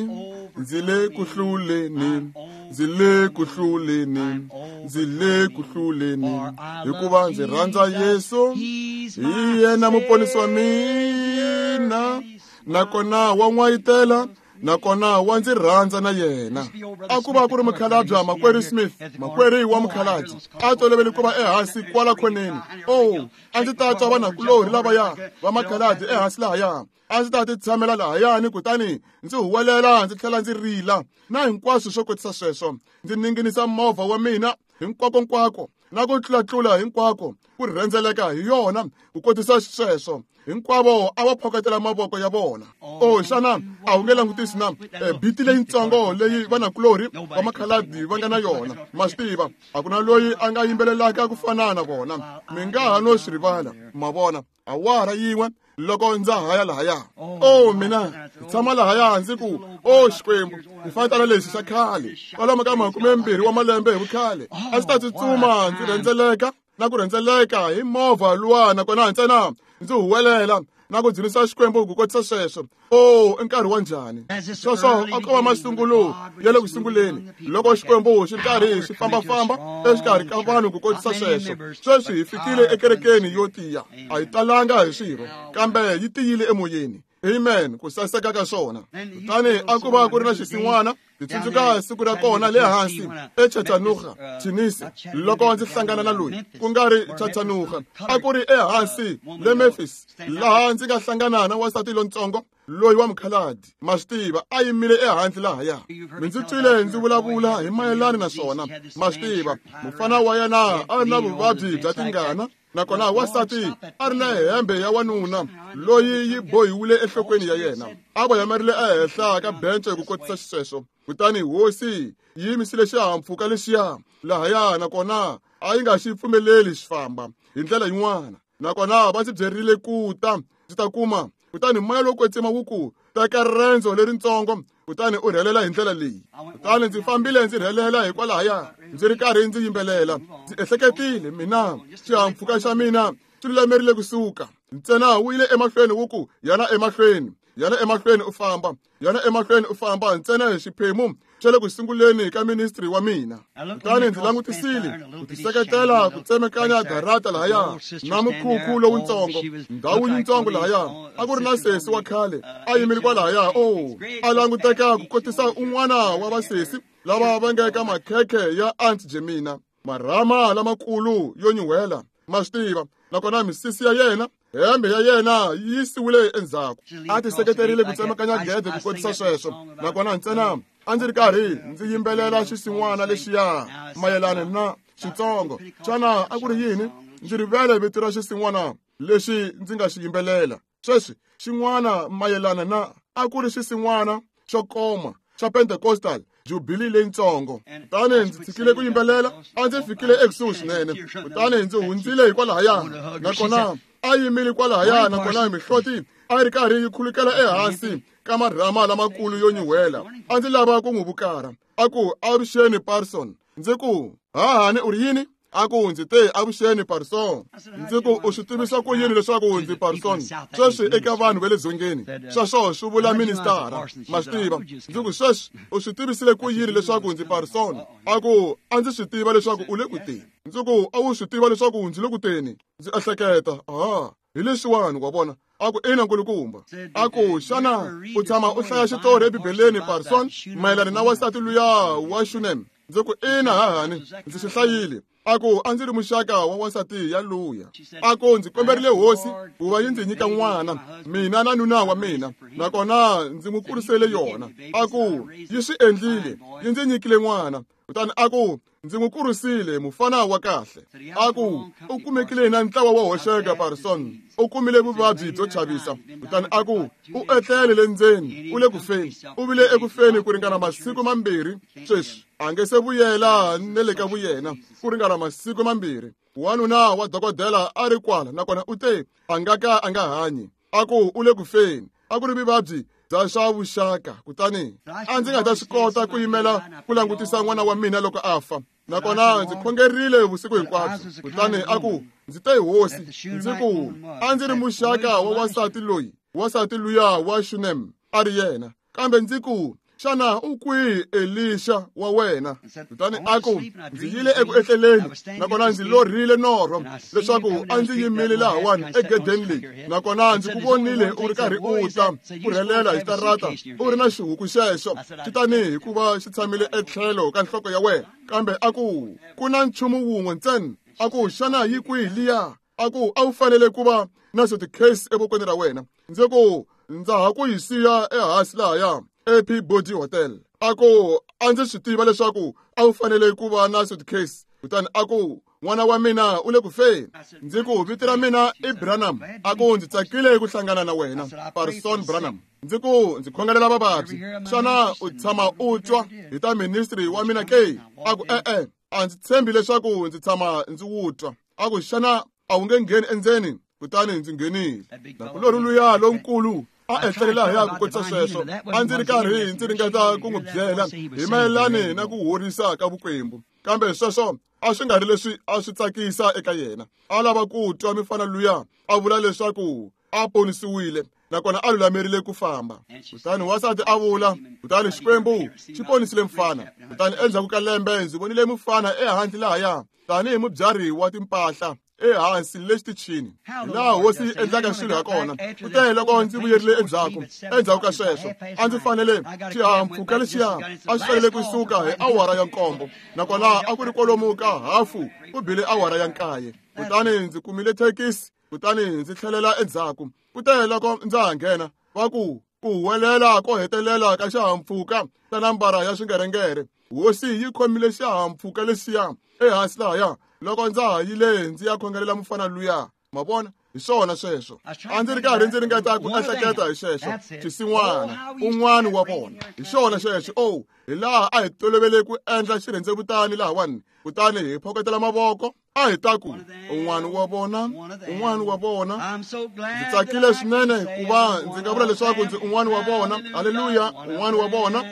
ndzi le ku hluleni, ndzi le ku hluleni, ndzi le ku hluleni, hikuva ndzi rhandza Yesu. Hi yena muponisi wa mina, nakona wa n'wayitela, nakona wa ndzi rhandza na yena. A ku va ku ri mukhalabye makwerhu Smith, makwerhu wa mukhalabye, a tolovele ku va ehansi kwala khoneni. Oh, a ndzi ta twa vanakulorhi lavaya va makhalabye ehansi lahaya. A ndzi ta ti tshamela lahayani, kutani ndzi huwelela ndzi tlhela ndzi rila na hinkwaswo swo kotisa sweswo. Ndzi ninginisa movha wa mina hinkwakonkwako na ku tlulatlula hinkwako ku rhendzeleka hi yona ku kotisa sweswo. Hinkwavo a va phokotela mavoko ya vona. Oh, xana a wu nge langutisi na biti leyitsongo leyi vanakulorhi va makhaladi va nga na yona? Ma swi tiva, a ku na loyi a nga yimbelelaka ku fana na vona. Mi nga ha no swi rivala. Ma vona, awara yin'we loko ndza haya lahaya. Oh, mina tshama lahaya ndzi ku, oh Xikwembu, xifatana lexi xa khale, kwalomu ka makumembirhi wa malembe hi vukhale, a ndzi ta tsutsuma ndzi rhendzeleka na ku rhendzeleka hi movha luwa, nakona ntsena ndzi huwelela na ku dzunisa Xikwembu ku kotisa sweswo. Oh, i nkarhi wa njhani? Sweswo a ko va masungulo ya le ku sunguleni, loko Xikwembu xi ri karhi xi fambafamba exikarhi ka vanhu ku kotisa sweswo. Sweswi hi fikile ekerekeni yo tiya. A yi talanga hi swirho, kambe yi tiyile emoyeni. Amen, ku saseka ka swona. Kutani a ku va ku ri na xinsin'wana. Ndzi tsundzuka siku ra kona le hansi eChattanooga, Tennessee, loko ndzi hlangana na loyi ku nga ri Chattanooga, a ku ri ehansi le Memphis, laha ndzi nga hlangana na wansati lontsongo loyi wa mukhaladi. Ma swi tiva, a yimile ehandle lahaya. Mi ndzi twile ndzi vulavula hi mayelana na swona. Ma swi tiva, mufana wa yena a ri na vuvabyi bya tingana, nakona wansati a ri na hembe ya wanuna loyi yi bohiwile enhlokweni ya yena. A voyamerile ehenhla ka bence ku kotisa xisweswo. Kutani hosi yi yimisile xihahampfhuka lexiya lahaya, nakona a yi nga xi pfumeleli xi famba hi ndlela yin'wana. Nakona va ndzi byerile ku ta ndzi ta kuma. Kutani moya lowo kwetsima wu ku, teka rendzo leritsongo kutani u rhelela hi ndlela leyi. Kutani ndzi fambile ndzi rhelela hikwalahaya, ndzi ri karhi ndzi yimbelela. Ndzi ehleketile, mina xihahampfhuka xa mina xi lulamerile kusuka. Ntsena wu yile emahlweni wu ku, yana emahlweni, yana emahlweni u famba, yana emahlweni u famba, ntsena hi xiphemu xa le ku sunguleni ka ministry wa mina. Kutani ndzi langutisile ku tiseketela ku tsemekanya darata lahaya na mukhukhu lowutsongo, ndhawu yitsongo lahaya. A ku ri na sesi wa khale a yimile kwalahaya. Oh, a languteka ku kotisa un'wana wa vasesi lava va nga eka makhekhe ya Aunt Jemina, marhama lamakulu yo nyuhela, ma swi tiva. Nakona misisi ya yena, hembe ya yena yi yisiwile endzhaku. A tiseketerile ku tsemakanya gede ku kotisa sweswo. Nakona ntsena a ndzi ri karhi ndzi yimbelela xisin'wana lexiya mayelana na xitsongo. Xana a ku ri yini? Ndzi rivele vito ra xisin'wana lexi ndzi nga xi yimbelela. Sweswi xin'wana mayelana na a ku ri xisin'wana xo koma xa Pentecostal Jubilee leyitsongo. Kutani ndzi tshikile ku yimbelela, a ndzi fikile ekusuhi swinene. Kutani ndzi hundzile hikwalahaya, nakona a yimile kwalahaya, nakona mihloti a yi ri karhi yi khulukela ehansi ka marhama lamakulu yo nyuhela. A ndzi lava ku n'wi vukara. A ku, avuxeni Parson. Ndzi ku, hahani u ri yini? A ku, ndzi te avuxeni Parson. Ndzi ku, u swi tivisa ku yini leswaku ndzi Parson? Sweswi eka vanhu va le dzongeni, sweswo swi vula ministara, ma swi tiva. Ndzi ku, sweswi u swi tivisile ku yini leswaku ndzi Parson? A ku, a ndzi swi tiva leswaku u le ku teni. Ndzi ku, a wu swi tiva leswaku ndzi le ku teni? Ndzi ehleketa, aha, hi leswiwani wa vona. A ku, ina nkulukumba. A ku, xana u tshama u hlaya xitori eBibeleni Parson mayelana na wansati luya wa Shunem? Ndzi ku, ina hahani, ndzi swi hlayile. A ku, a ndzi ri muxaka wa wansati ya luya. A ku, ndzi komberile hosi ku va yi ndzi nyika n'wana, mina na nuna wa mina, nakona ndzi n'wi kurisele yona. A ku, yi swi endlile, yi ndzi nyikile n'wana. Kutani a ku, ndzi n'wi kurisile mufana wa kahle. A ku, u kumekile na ntlawa wo hoxeka Parson, u kumile vuvabyi byo chavisa. Kutani a ku, u etlele le ndzeni, u le ku feni, u vile eku feni ku ringana masiku mambirhi. Sweswi a nge se vuyela ne le ka vuyena ku ringana masiku mambirhi. Wanuna wa dokodela a ri kwala, nakona u te a nga ka a nga hanyi. A ku, u le ku feni. A ku ri vuvabyi bya swa vuxaka. Kutani a ndzi nga ta swi kota ku yimela ku langutisa n'wana wa mina loko a fa, nakona ndzi khongerile vusiku hinkwabyo. Kutani a ku, ndzi te hosi, ndzi ku, a ndzi ri muxaka wa wansati loyi, wansati luya wa Shunem a ri yena. Kambe ndzi ku, xana u kwihi Elisha wa wena? Kutani a ku, ndzi yile eku etleleni, nakona ndzi lorhile norho leswaku a ndzi yimile lahawani egedeni leyi, nakona ndzi ku vonile u ri karhi u ta ku rhelela hi xitarata u ri na xihuku xexo xi tanihi hikuva xi tshamile etlhelo ka nhloko ya wena. Kambe a ku, ku na nchumu wun'we ntsena. A ku, xana yi kwihi liya? A ku, a wu fanele ku va na suitcase evokweni ra wena. Ndzi ku, ndza ha ku yi siya ehansi lahaya A P Body Hotel. A ku, a ndzi swi tiva leswaku a wu fanele ku va na suitcase. Kutani a ku, n'wana wa mina u le ku feni. Ndzi ku, vito ra mina i Branham. A ku, ndzi tsakile ku hlangana na wena, Parson Branham. Ndzi ku, ndzi khongelela vavabyi. Xana u tshama u twa hi ta ministry wa mina ke? A ku, e-e, a ndzi tshembi leswaku ndzi tshama ndzi wu twa. A ku, xana a wu nge ngheni endzeni? Kutani ndzi nghenile. Nakulorhi luya lonkulu a etlelela hi ya ku kotisa sweswo. A ndzi ri karhi ndzi ringeta ku n'wi byela hi mayelani na ku horisa ka vukwembu, kambe sweswo a swi nga ri leswi a swi tsakisa eka yena. A lava ku twa mifana luya a vula leswaku a ponisiwile, nakona a lulamerile ku famba. Kutani wansati a vula, kutani Xikwembu xi ponisile mfana. Kutani endzhaku ka lembe ndzi vonile mufana ehandle lahaya tanihi mubyari wa timpahla ehansi le xitichini, laha hosi yi endlaka swilo ha kona. Kute loko ndzi vuyerile endzhaku, endzhaku ka sweswo a ndzi fanele xihahampfhuka lexiya a xi fanele kusuka hi awara ya nkombo, nakona a ku ri kwalomu ka hafu ku bile awara ya nkaye. Kutani ndzi kumile thekisi, kutani ndzi tlhelela endzhaku. Kute loko ndza ha nghena, va ku ku huwelela ko hetelela ka xihahampfhuka xa nambara ya swingerengere. Hosi yi khomile xihahampfhuka lexiya ehansi lahaya loko ndza ha yile ndzi ya khongelela mufana luya. Ma vona, hi swona sweswo. A ndzi ri karhi ndzi ringeta ku ehleketa hi xexo xisin'wana, un'wana wa vona. Hi xona xexo. Oh, hi laha a hi tolovele ku endla xirhendzevutani lahawani, kutani hi phokotela mavoko. A hi ta ku, un'wana wa vona, un'wana wa vona. Ndzi tsakile swinene hikuva ndzi nga vula leswaku ndzi un'wana wa vona. Haleluya, un'wana wa vona.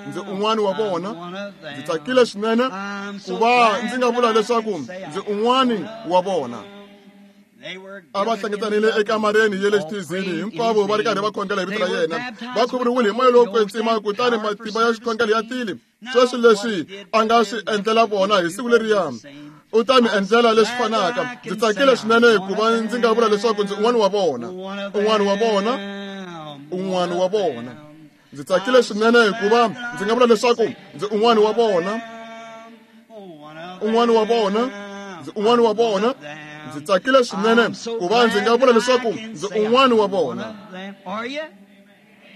Ndzi un'wana wa vona. Ndzi tsakile swinene ku va ndzi nga vula leswaku ndzi un'wana wa vona. A va hlengetanile ekamareni ya le xithezini, hinkwavo va ri karhi va khongela hi vito ra yena. Va khuvuriwile hi moya lowo kwetsima, kutani matimba ya xikhongelo ya tile. Sweswi leswi a nga swi endlela vona hi siku leriya, u ta mi endlela leswi fanaka. Ndzi tsakile swinene hikuva ndzi nga vula leswaku ndzi un'wana wa vona, un'wana wa vona, un'wana wa vona. Ndzi tsakile swinene hikuva ndzi nga vula leswaku ndzi un'wana wa vona, un'wana wa vona, ndzi un'wana wa vona. Ndzi tsakile swinene ku va ndzi nga vula leswaku ndzi un'wana wa vona.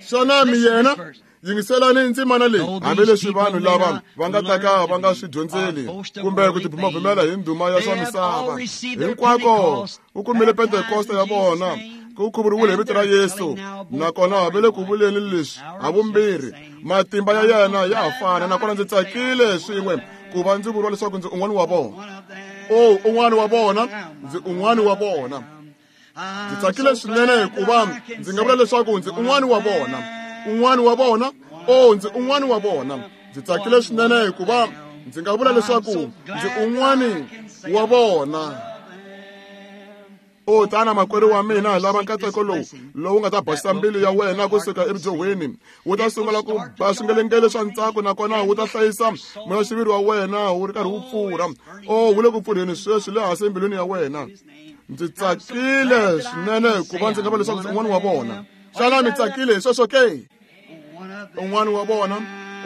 Xana mi yena? Yingiselani ndzimana leyi, hambileswi vanhu lava va nga ta ka va nga swi dyondzeli kumbe ku tibumabumela hi ndhuma ya swa misava. Hinkwako u kumile Pentekosta ya vona, ku khuvuriwile hi vito ra Yesu, nakona va le ku vuleni leswi havumbirhi. Matimba ya yena ya ha fana, nakona ndzi tsakile swin'we ku va ndzi vuriwa leswaku ndzi un'wana wa vona. O, un'wana wa vona, ndzi un'wana wa vona. Ndzi tsakile swinene ku va ndzi nga vula leswaku ndzi un'wana wa vona. Un'wana wa vona, o, ndzi un'wana wa vona. Ndzi tsakile swinene ku va ndzi nga vula leswaku ndzi un'wana wa vona. O, tana makwerhu wa mina, lava nkateko lowu lowu nga ta basisa mbilu ya wena kusuka evujohweni. Wu ta sungula ku ba swingelengele swa ntsako, nakona wu ta hlayisa moya-xiviri wa wena wu ri karhi wu pfurha. O, wu le ku pfurheni sweswi le hansi embilwini ya wena. Ndzi tsakile swinene ku va ndzi nga vula leswaku ndzi un'wana wa vona. Xana mi tsakile hi sweswo ke? Un'wana wa vona,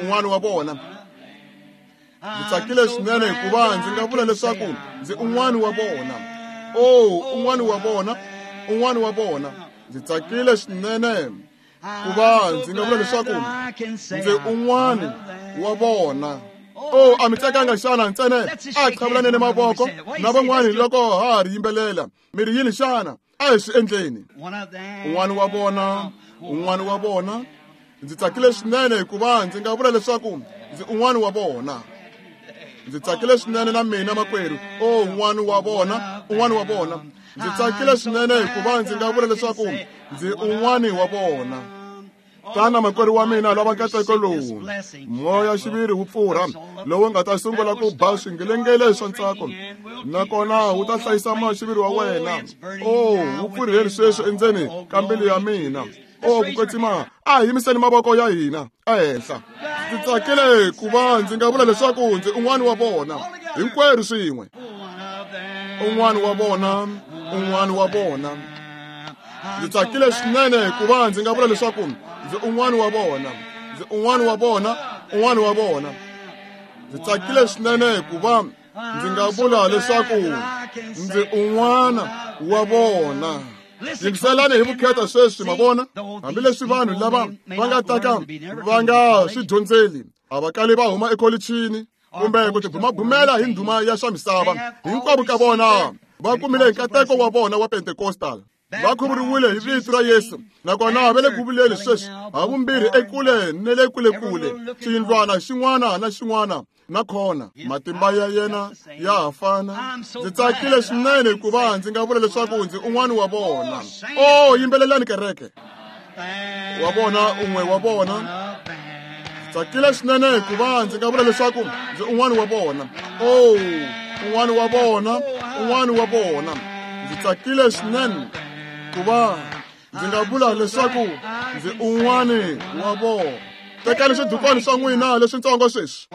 un'wana wa vona. Ndzi tsakile swinene ku va ndzi nga vula leswaku ndzi un'wana wa vona. O, un'wana wa vona, un'wana wa vona. Ndzi tsakile swinene ku va ndzi nga vula leswaku ndzi un'wana wa vona. O, a mi tsakanga xana ntsena a qhavulaneni mavoko na van'wani loko ha ha ri yimbelela. Mi ri yini xana? A hi swi endleni. Un'wana wa vona, un'wana wa vona. Ndzi tsakile swinene ku va ndzi nga vula leswaku ndzi un'wana wa vona. Ndzi tsakile swinene na mina makwerhu. O, un'wana wa vona, un'wana wa vona. Ndzi tsakile swinene ku va ndzi nga vula leswaku ndzi un'wana wa vona. Tana makwerhu wa mina, lava nkateko lowu moya-xiviri wu pfurha lowu nga ta sungula ku ba swingelengele swa ntsako, nakona wu ta hlayisa moya-xiviri wa wena. O, wu pfurheni sweswi endzeni ka mbilu ya mina. O, ku kwetsima, a hi yimiseni mavoko ya hina ehenhla. Ndzi tsakile ku va ndzi nga vula leswaku ndzi un'wana wa vona. Hinkwerhu swin'we. Un'wana wa vona, un'wana wa vona. Ndzi tsakile swinene ku va ndzi nga vula leswaku ndzi un'wana wa vona. Ndzi un'wana wa vona, un'wana wa vona. Ndzi tsakile swinene ku va ndzi nga vula leswaku ndzi un'wana wa vona. Yingiselani hi vukheta sweswi, ma vona. Hambileswi vanhu lava va nga ta ka va nga swi dyondzeli, a va kali va huma ekholichini kumbe ku tibumabumela hi ndhuma ya swa misava. Hinkwavo ka vona va kumile nkateko wa vona wa Pentecostal. Va khuvuriwile hi vito ra Yesu, nakona va le ku vuleni sweswi havumbirhi ekule ne le kulekule, xiyindlwana xin'wana na xin'wana na khona. Matimba ya yena ya ha fana. Ndzi tsakile swinene ku va ndzi nga vula leswaku ndzi un'wana wa vona. O, yimbelelani kereke. Wa vona, un'we wa vona. Ndzi tsakile swinene ku va ndzi nga vula leswaku ndzi un'wana wa vona. O, un'wana wa vona, un'wana wa vona. Ndzi tsakile swinene ku va ndzi nga vula leswaku ndzi un'wana wa vona. Tekani swidukwana swa n'wina leswitsongo sweswi.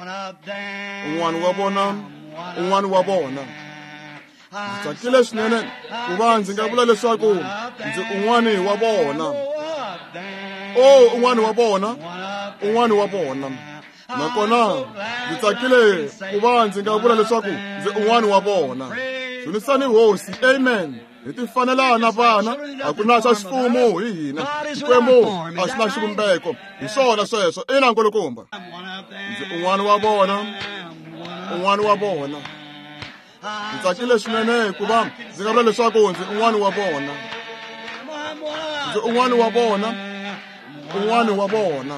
Un'wana wa vona, un'wana wa vona. Ndzi tsakile swinene ku va ndzi nga vula leswaku ndzi un'wana wa vona. O, un'wana wa vona, un'wana wa vona. Nakona ndzi tsakile ku va ndzi nga vula leswaku ndzi un'wana wa vona. Dzunisani Hosi, amen. Hi ti fanela na vana, a ku na xa xifumo hi hina. Xikwembu a xi na xivumbeko. Hi swona sweswo, ina nkulukumba. Ndzi un'wana wa vona, un'wana wa vona. Ndzi tsakile swinene ku va ndzi nga vula leswaku ndzi un'wana wa vona. Ndzi un'wana wa vona, un'wana wa vona.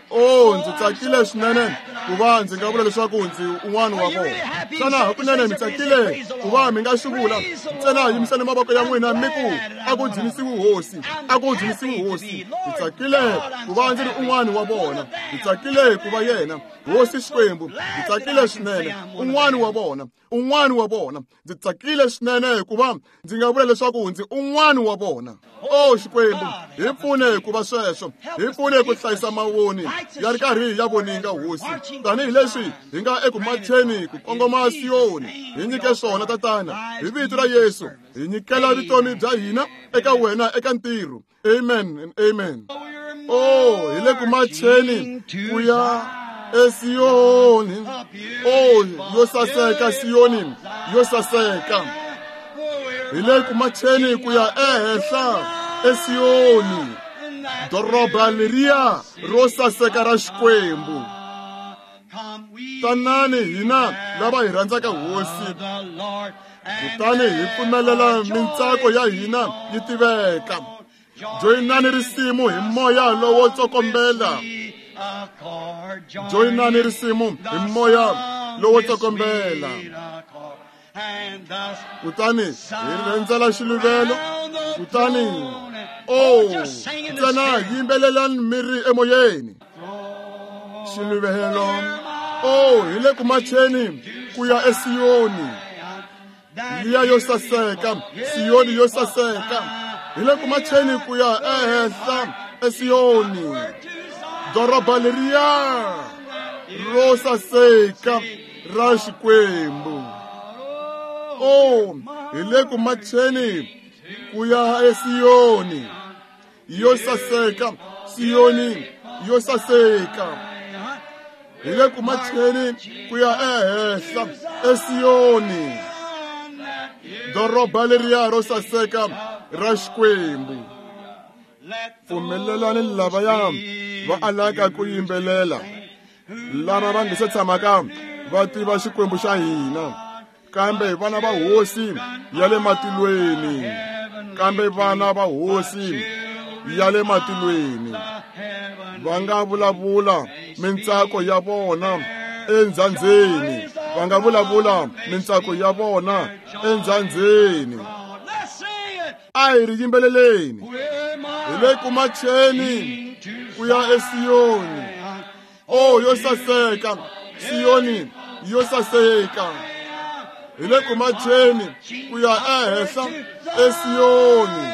O, ndzi tsakile swinene ku va ndzi nga vula leswaku ndzi un'wana wa vona. Xana hakunene mi tsakile ku va mi nga swi vula? Ntsena yimisani mavoko ya n'wina mi ku, a ku dzunisiwi Hosi, a ku dzunisiwi Hosi. Ndzi tsakile ku va ndzi ri un'wana wa vona. Ndzi tsakile ku va yena Hosi Xikwembu. Ndzi tsakile swinene, un'wana wa vona, un'wana wa vona. Ndzi tsakile swinene ku va ndzi nga vula leswaku ndzi un'wana wa vona. O Xikwembu, hi pfune ku va sweswo, hi pfune ku hlayisa mavoni ya ri karhi ya voninga Hosi, tanihileswi hi nga eku macheni ku kongoma Siyoni. Hi nyike swona Tatana, hi vito ra Yesu, hi nyikela vutomi bya hina eka wena eka ntirho. Amen and amen. O, hi le ku macheni ku ya eSiyoni. O, yo saseka Siyoni, yo saseka. Hi le ku macheni ku ya ehenhla eSiyoni. Doroba leriya ro saseka ra Xikwembu. Tanani hina lava hi rhandzaka Hosi, kutani hi pfumelela mintsako ya hina yi tiveka. Joyinani risimu hi moya lowo tsokombela. Joyinani risimu hi moya lowo tsokombela. Kutani hi rhendzela xiluvelo. Kutani oh, ntsena yimbelelani mi ri emoyeni. Xiluvelo, oh, hi le ku macheni ku ya eSiyoni. Liya yo saseka, Siyoni yo saseka. Hi le ku macheni ku ya ehenhla eSiyoni. Doroba leriya ro saseka ra Xikwembu. Oh, hi le ku macheni ku ya eSiyoni. Yo saseka, Siyoni yo saseka. Hi le ku macheni ku ya ehenhla eSiyoni. Doroba leriya ro saseka ra Xikwembu. Pfumelelani lavaya va alaka ku yimbelela, lava va nga se tshamaka va tiva Xikwembu xa hina, kambe vana va Hosi ya le matilweni, kambe vana va Hosi ya le matilweni va nga vulavula mintsako ya vona endzandzeni, va nga vulavula mintsako ya vona endzandzeni. A hi ri yimbeleleni. Hi le ku macheni ku ya eSiyoni. Oh, yo saseka, Siyoni yo saseka. Hi le ku macheni ku ya ehenhla eSiyoni.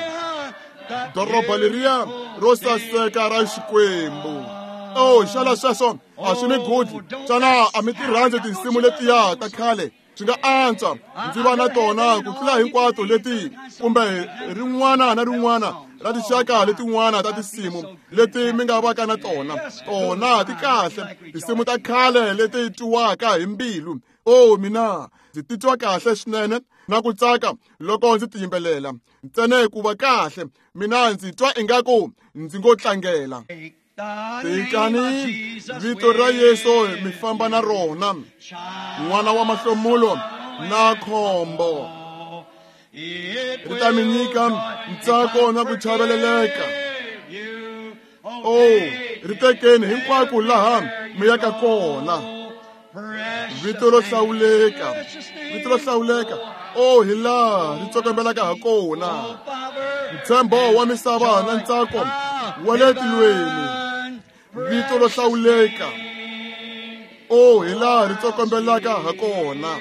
Doroba leriya ro saseka ra Xikwembu. Oh, xana sweswo a swi mi gudli? Xana a mi ti rhandzi tinsimu letiya ta khale? Swi nga antswa ndzi va na tona ku tlula hinkwato leti, kumbe rin'wana na rin'wana ra tinxaka letin'wana ta tinsimu leti mi nga vaka na tona. Tona ti kahle, tinsimu ta khale leti twiwaka hi mbilu. Oh, mina ndzi titwa kahle swinene na ku tsaka loko ndzi ti yimbelela. Ntsena ku va kahle, mina ndzi twa ingaku ndzi ngo tlangela. Tekani vito ra Yesu mi famba na rona, n'wana wa mahlomulo na khombo. Ri ta mi nyika ntsako na ku chaveleleka. Oh, ri tekeni hinkwako laha mi yaka kona. Vito ro hlawuleka, vito ro hlawuleka. Oh, hi laha ri tsokombelaka ha kona. Ntshembo wa misava na ntsako wa le tilweni. Vito ro hlawuleka. Oh, hi laha ri tsokombelaka ha kona.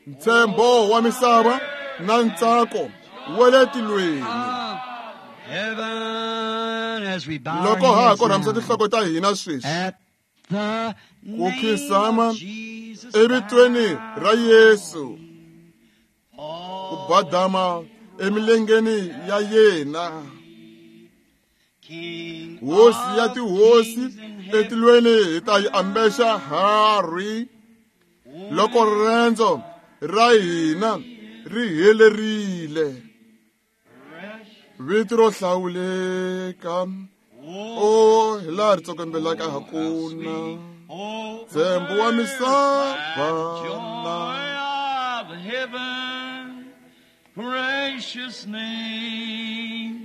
Ntshembo wa misava na ntsako wa le tilweni. Loko ha ha korhamisa tinhloko ta hina sweswi, ku khinsama evitweni ra Yesu, ku badama emilengeni ya yena. Hosi ya tihosi etilweni hi ta yi ambexa harhi loko riendzo ra hina ri helerile. Vito ro hlawuleka, oh, hi laha ri tsokombelaka ha kona. Ntshembo wa misava na precious name.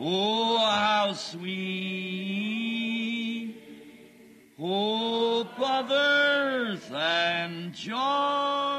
Oh, how sweet, hope of earth and joy.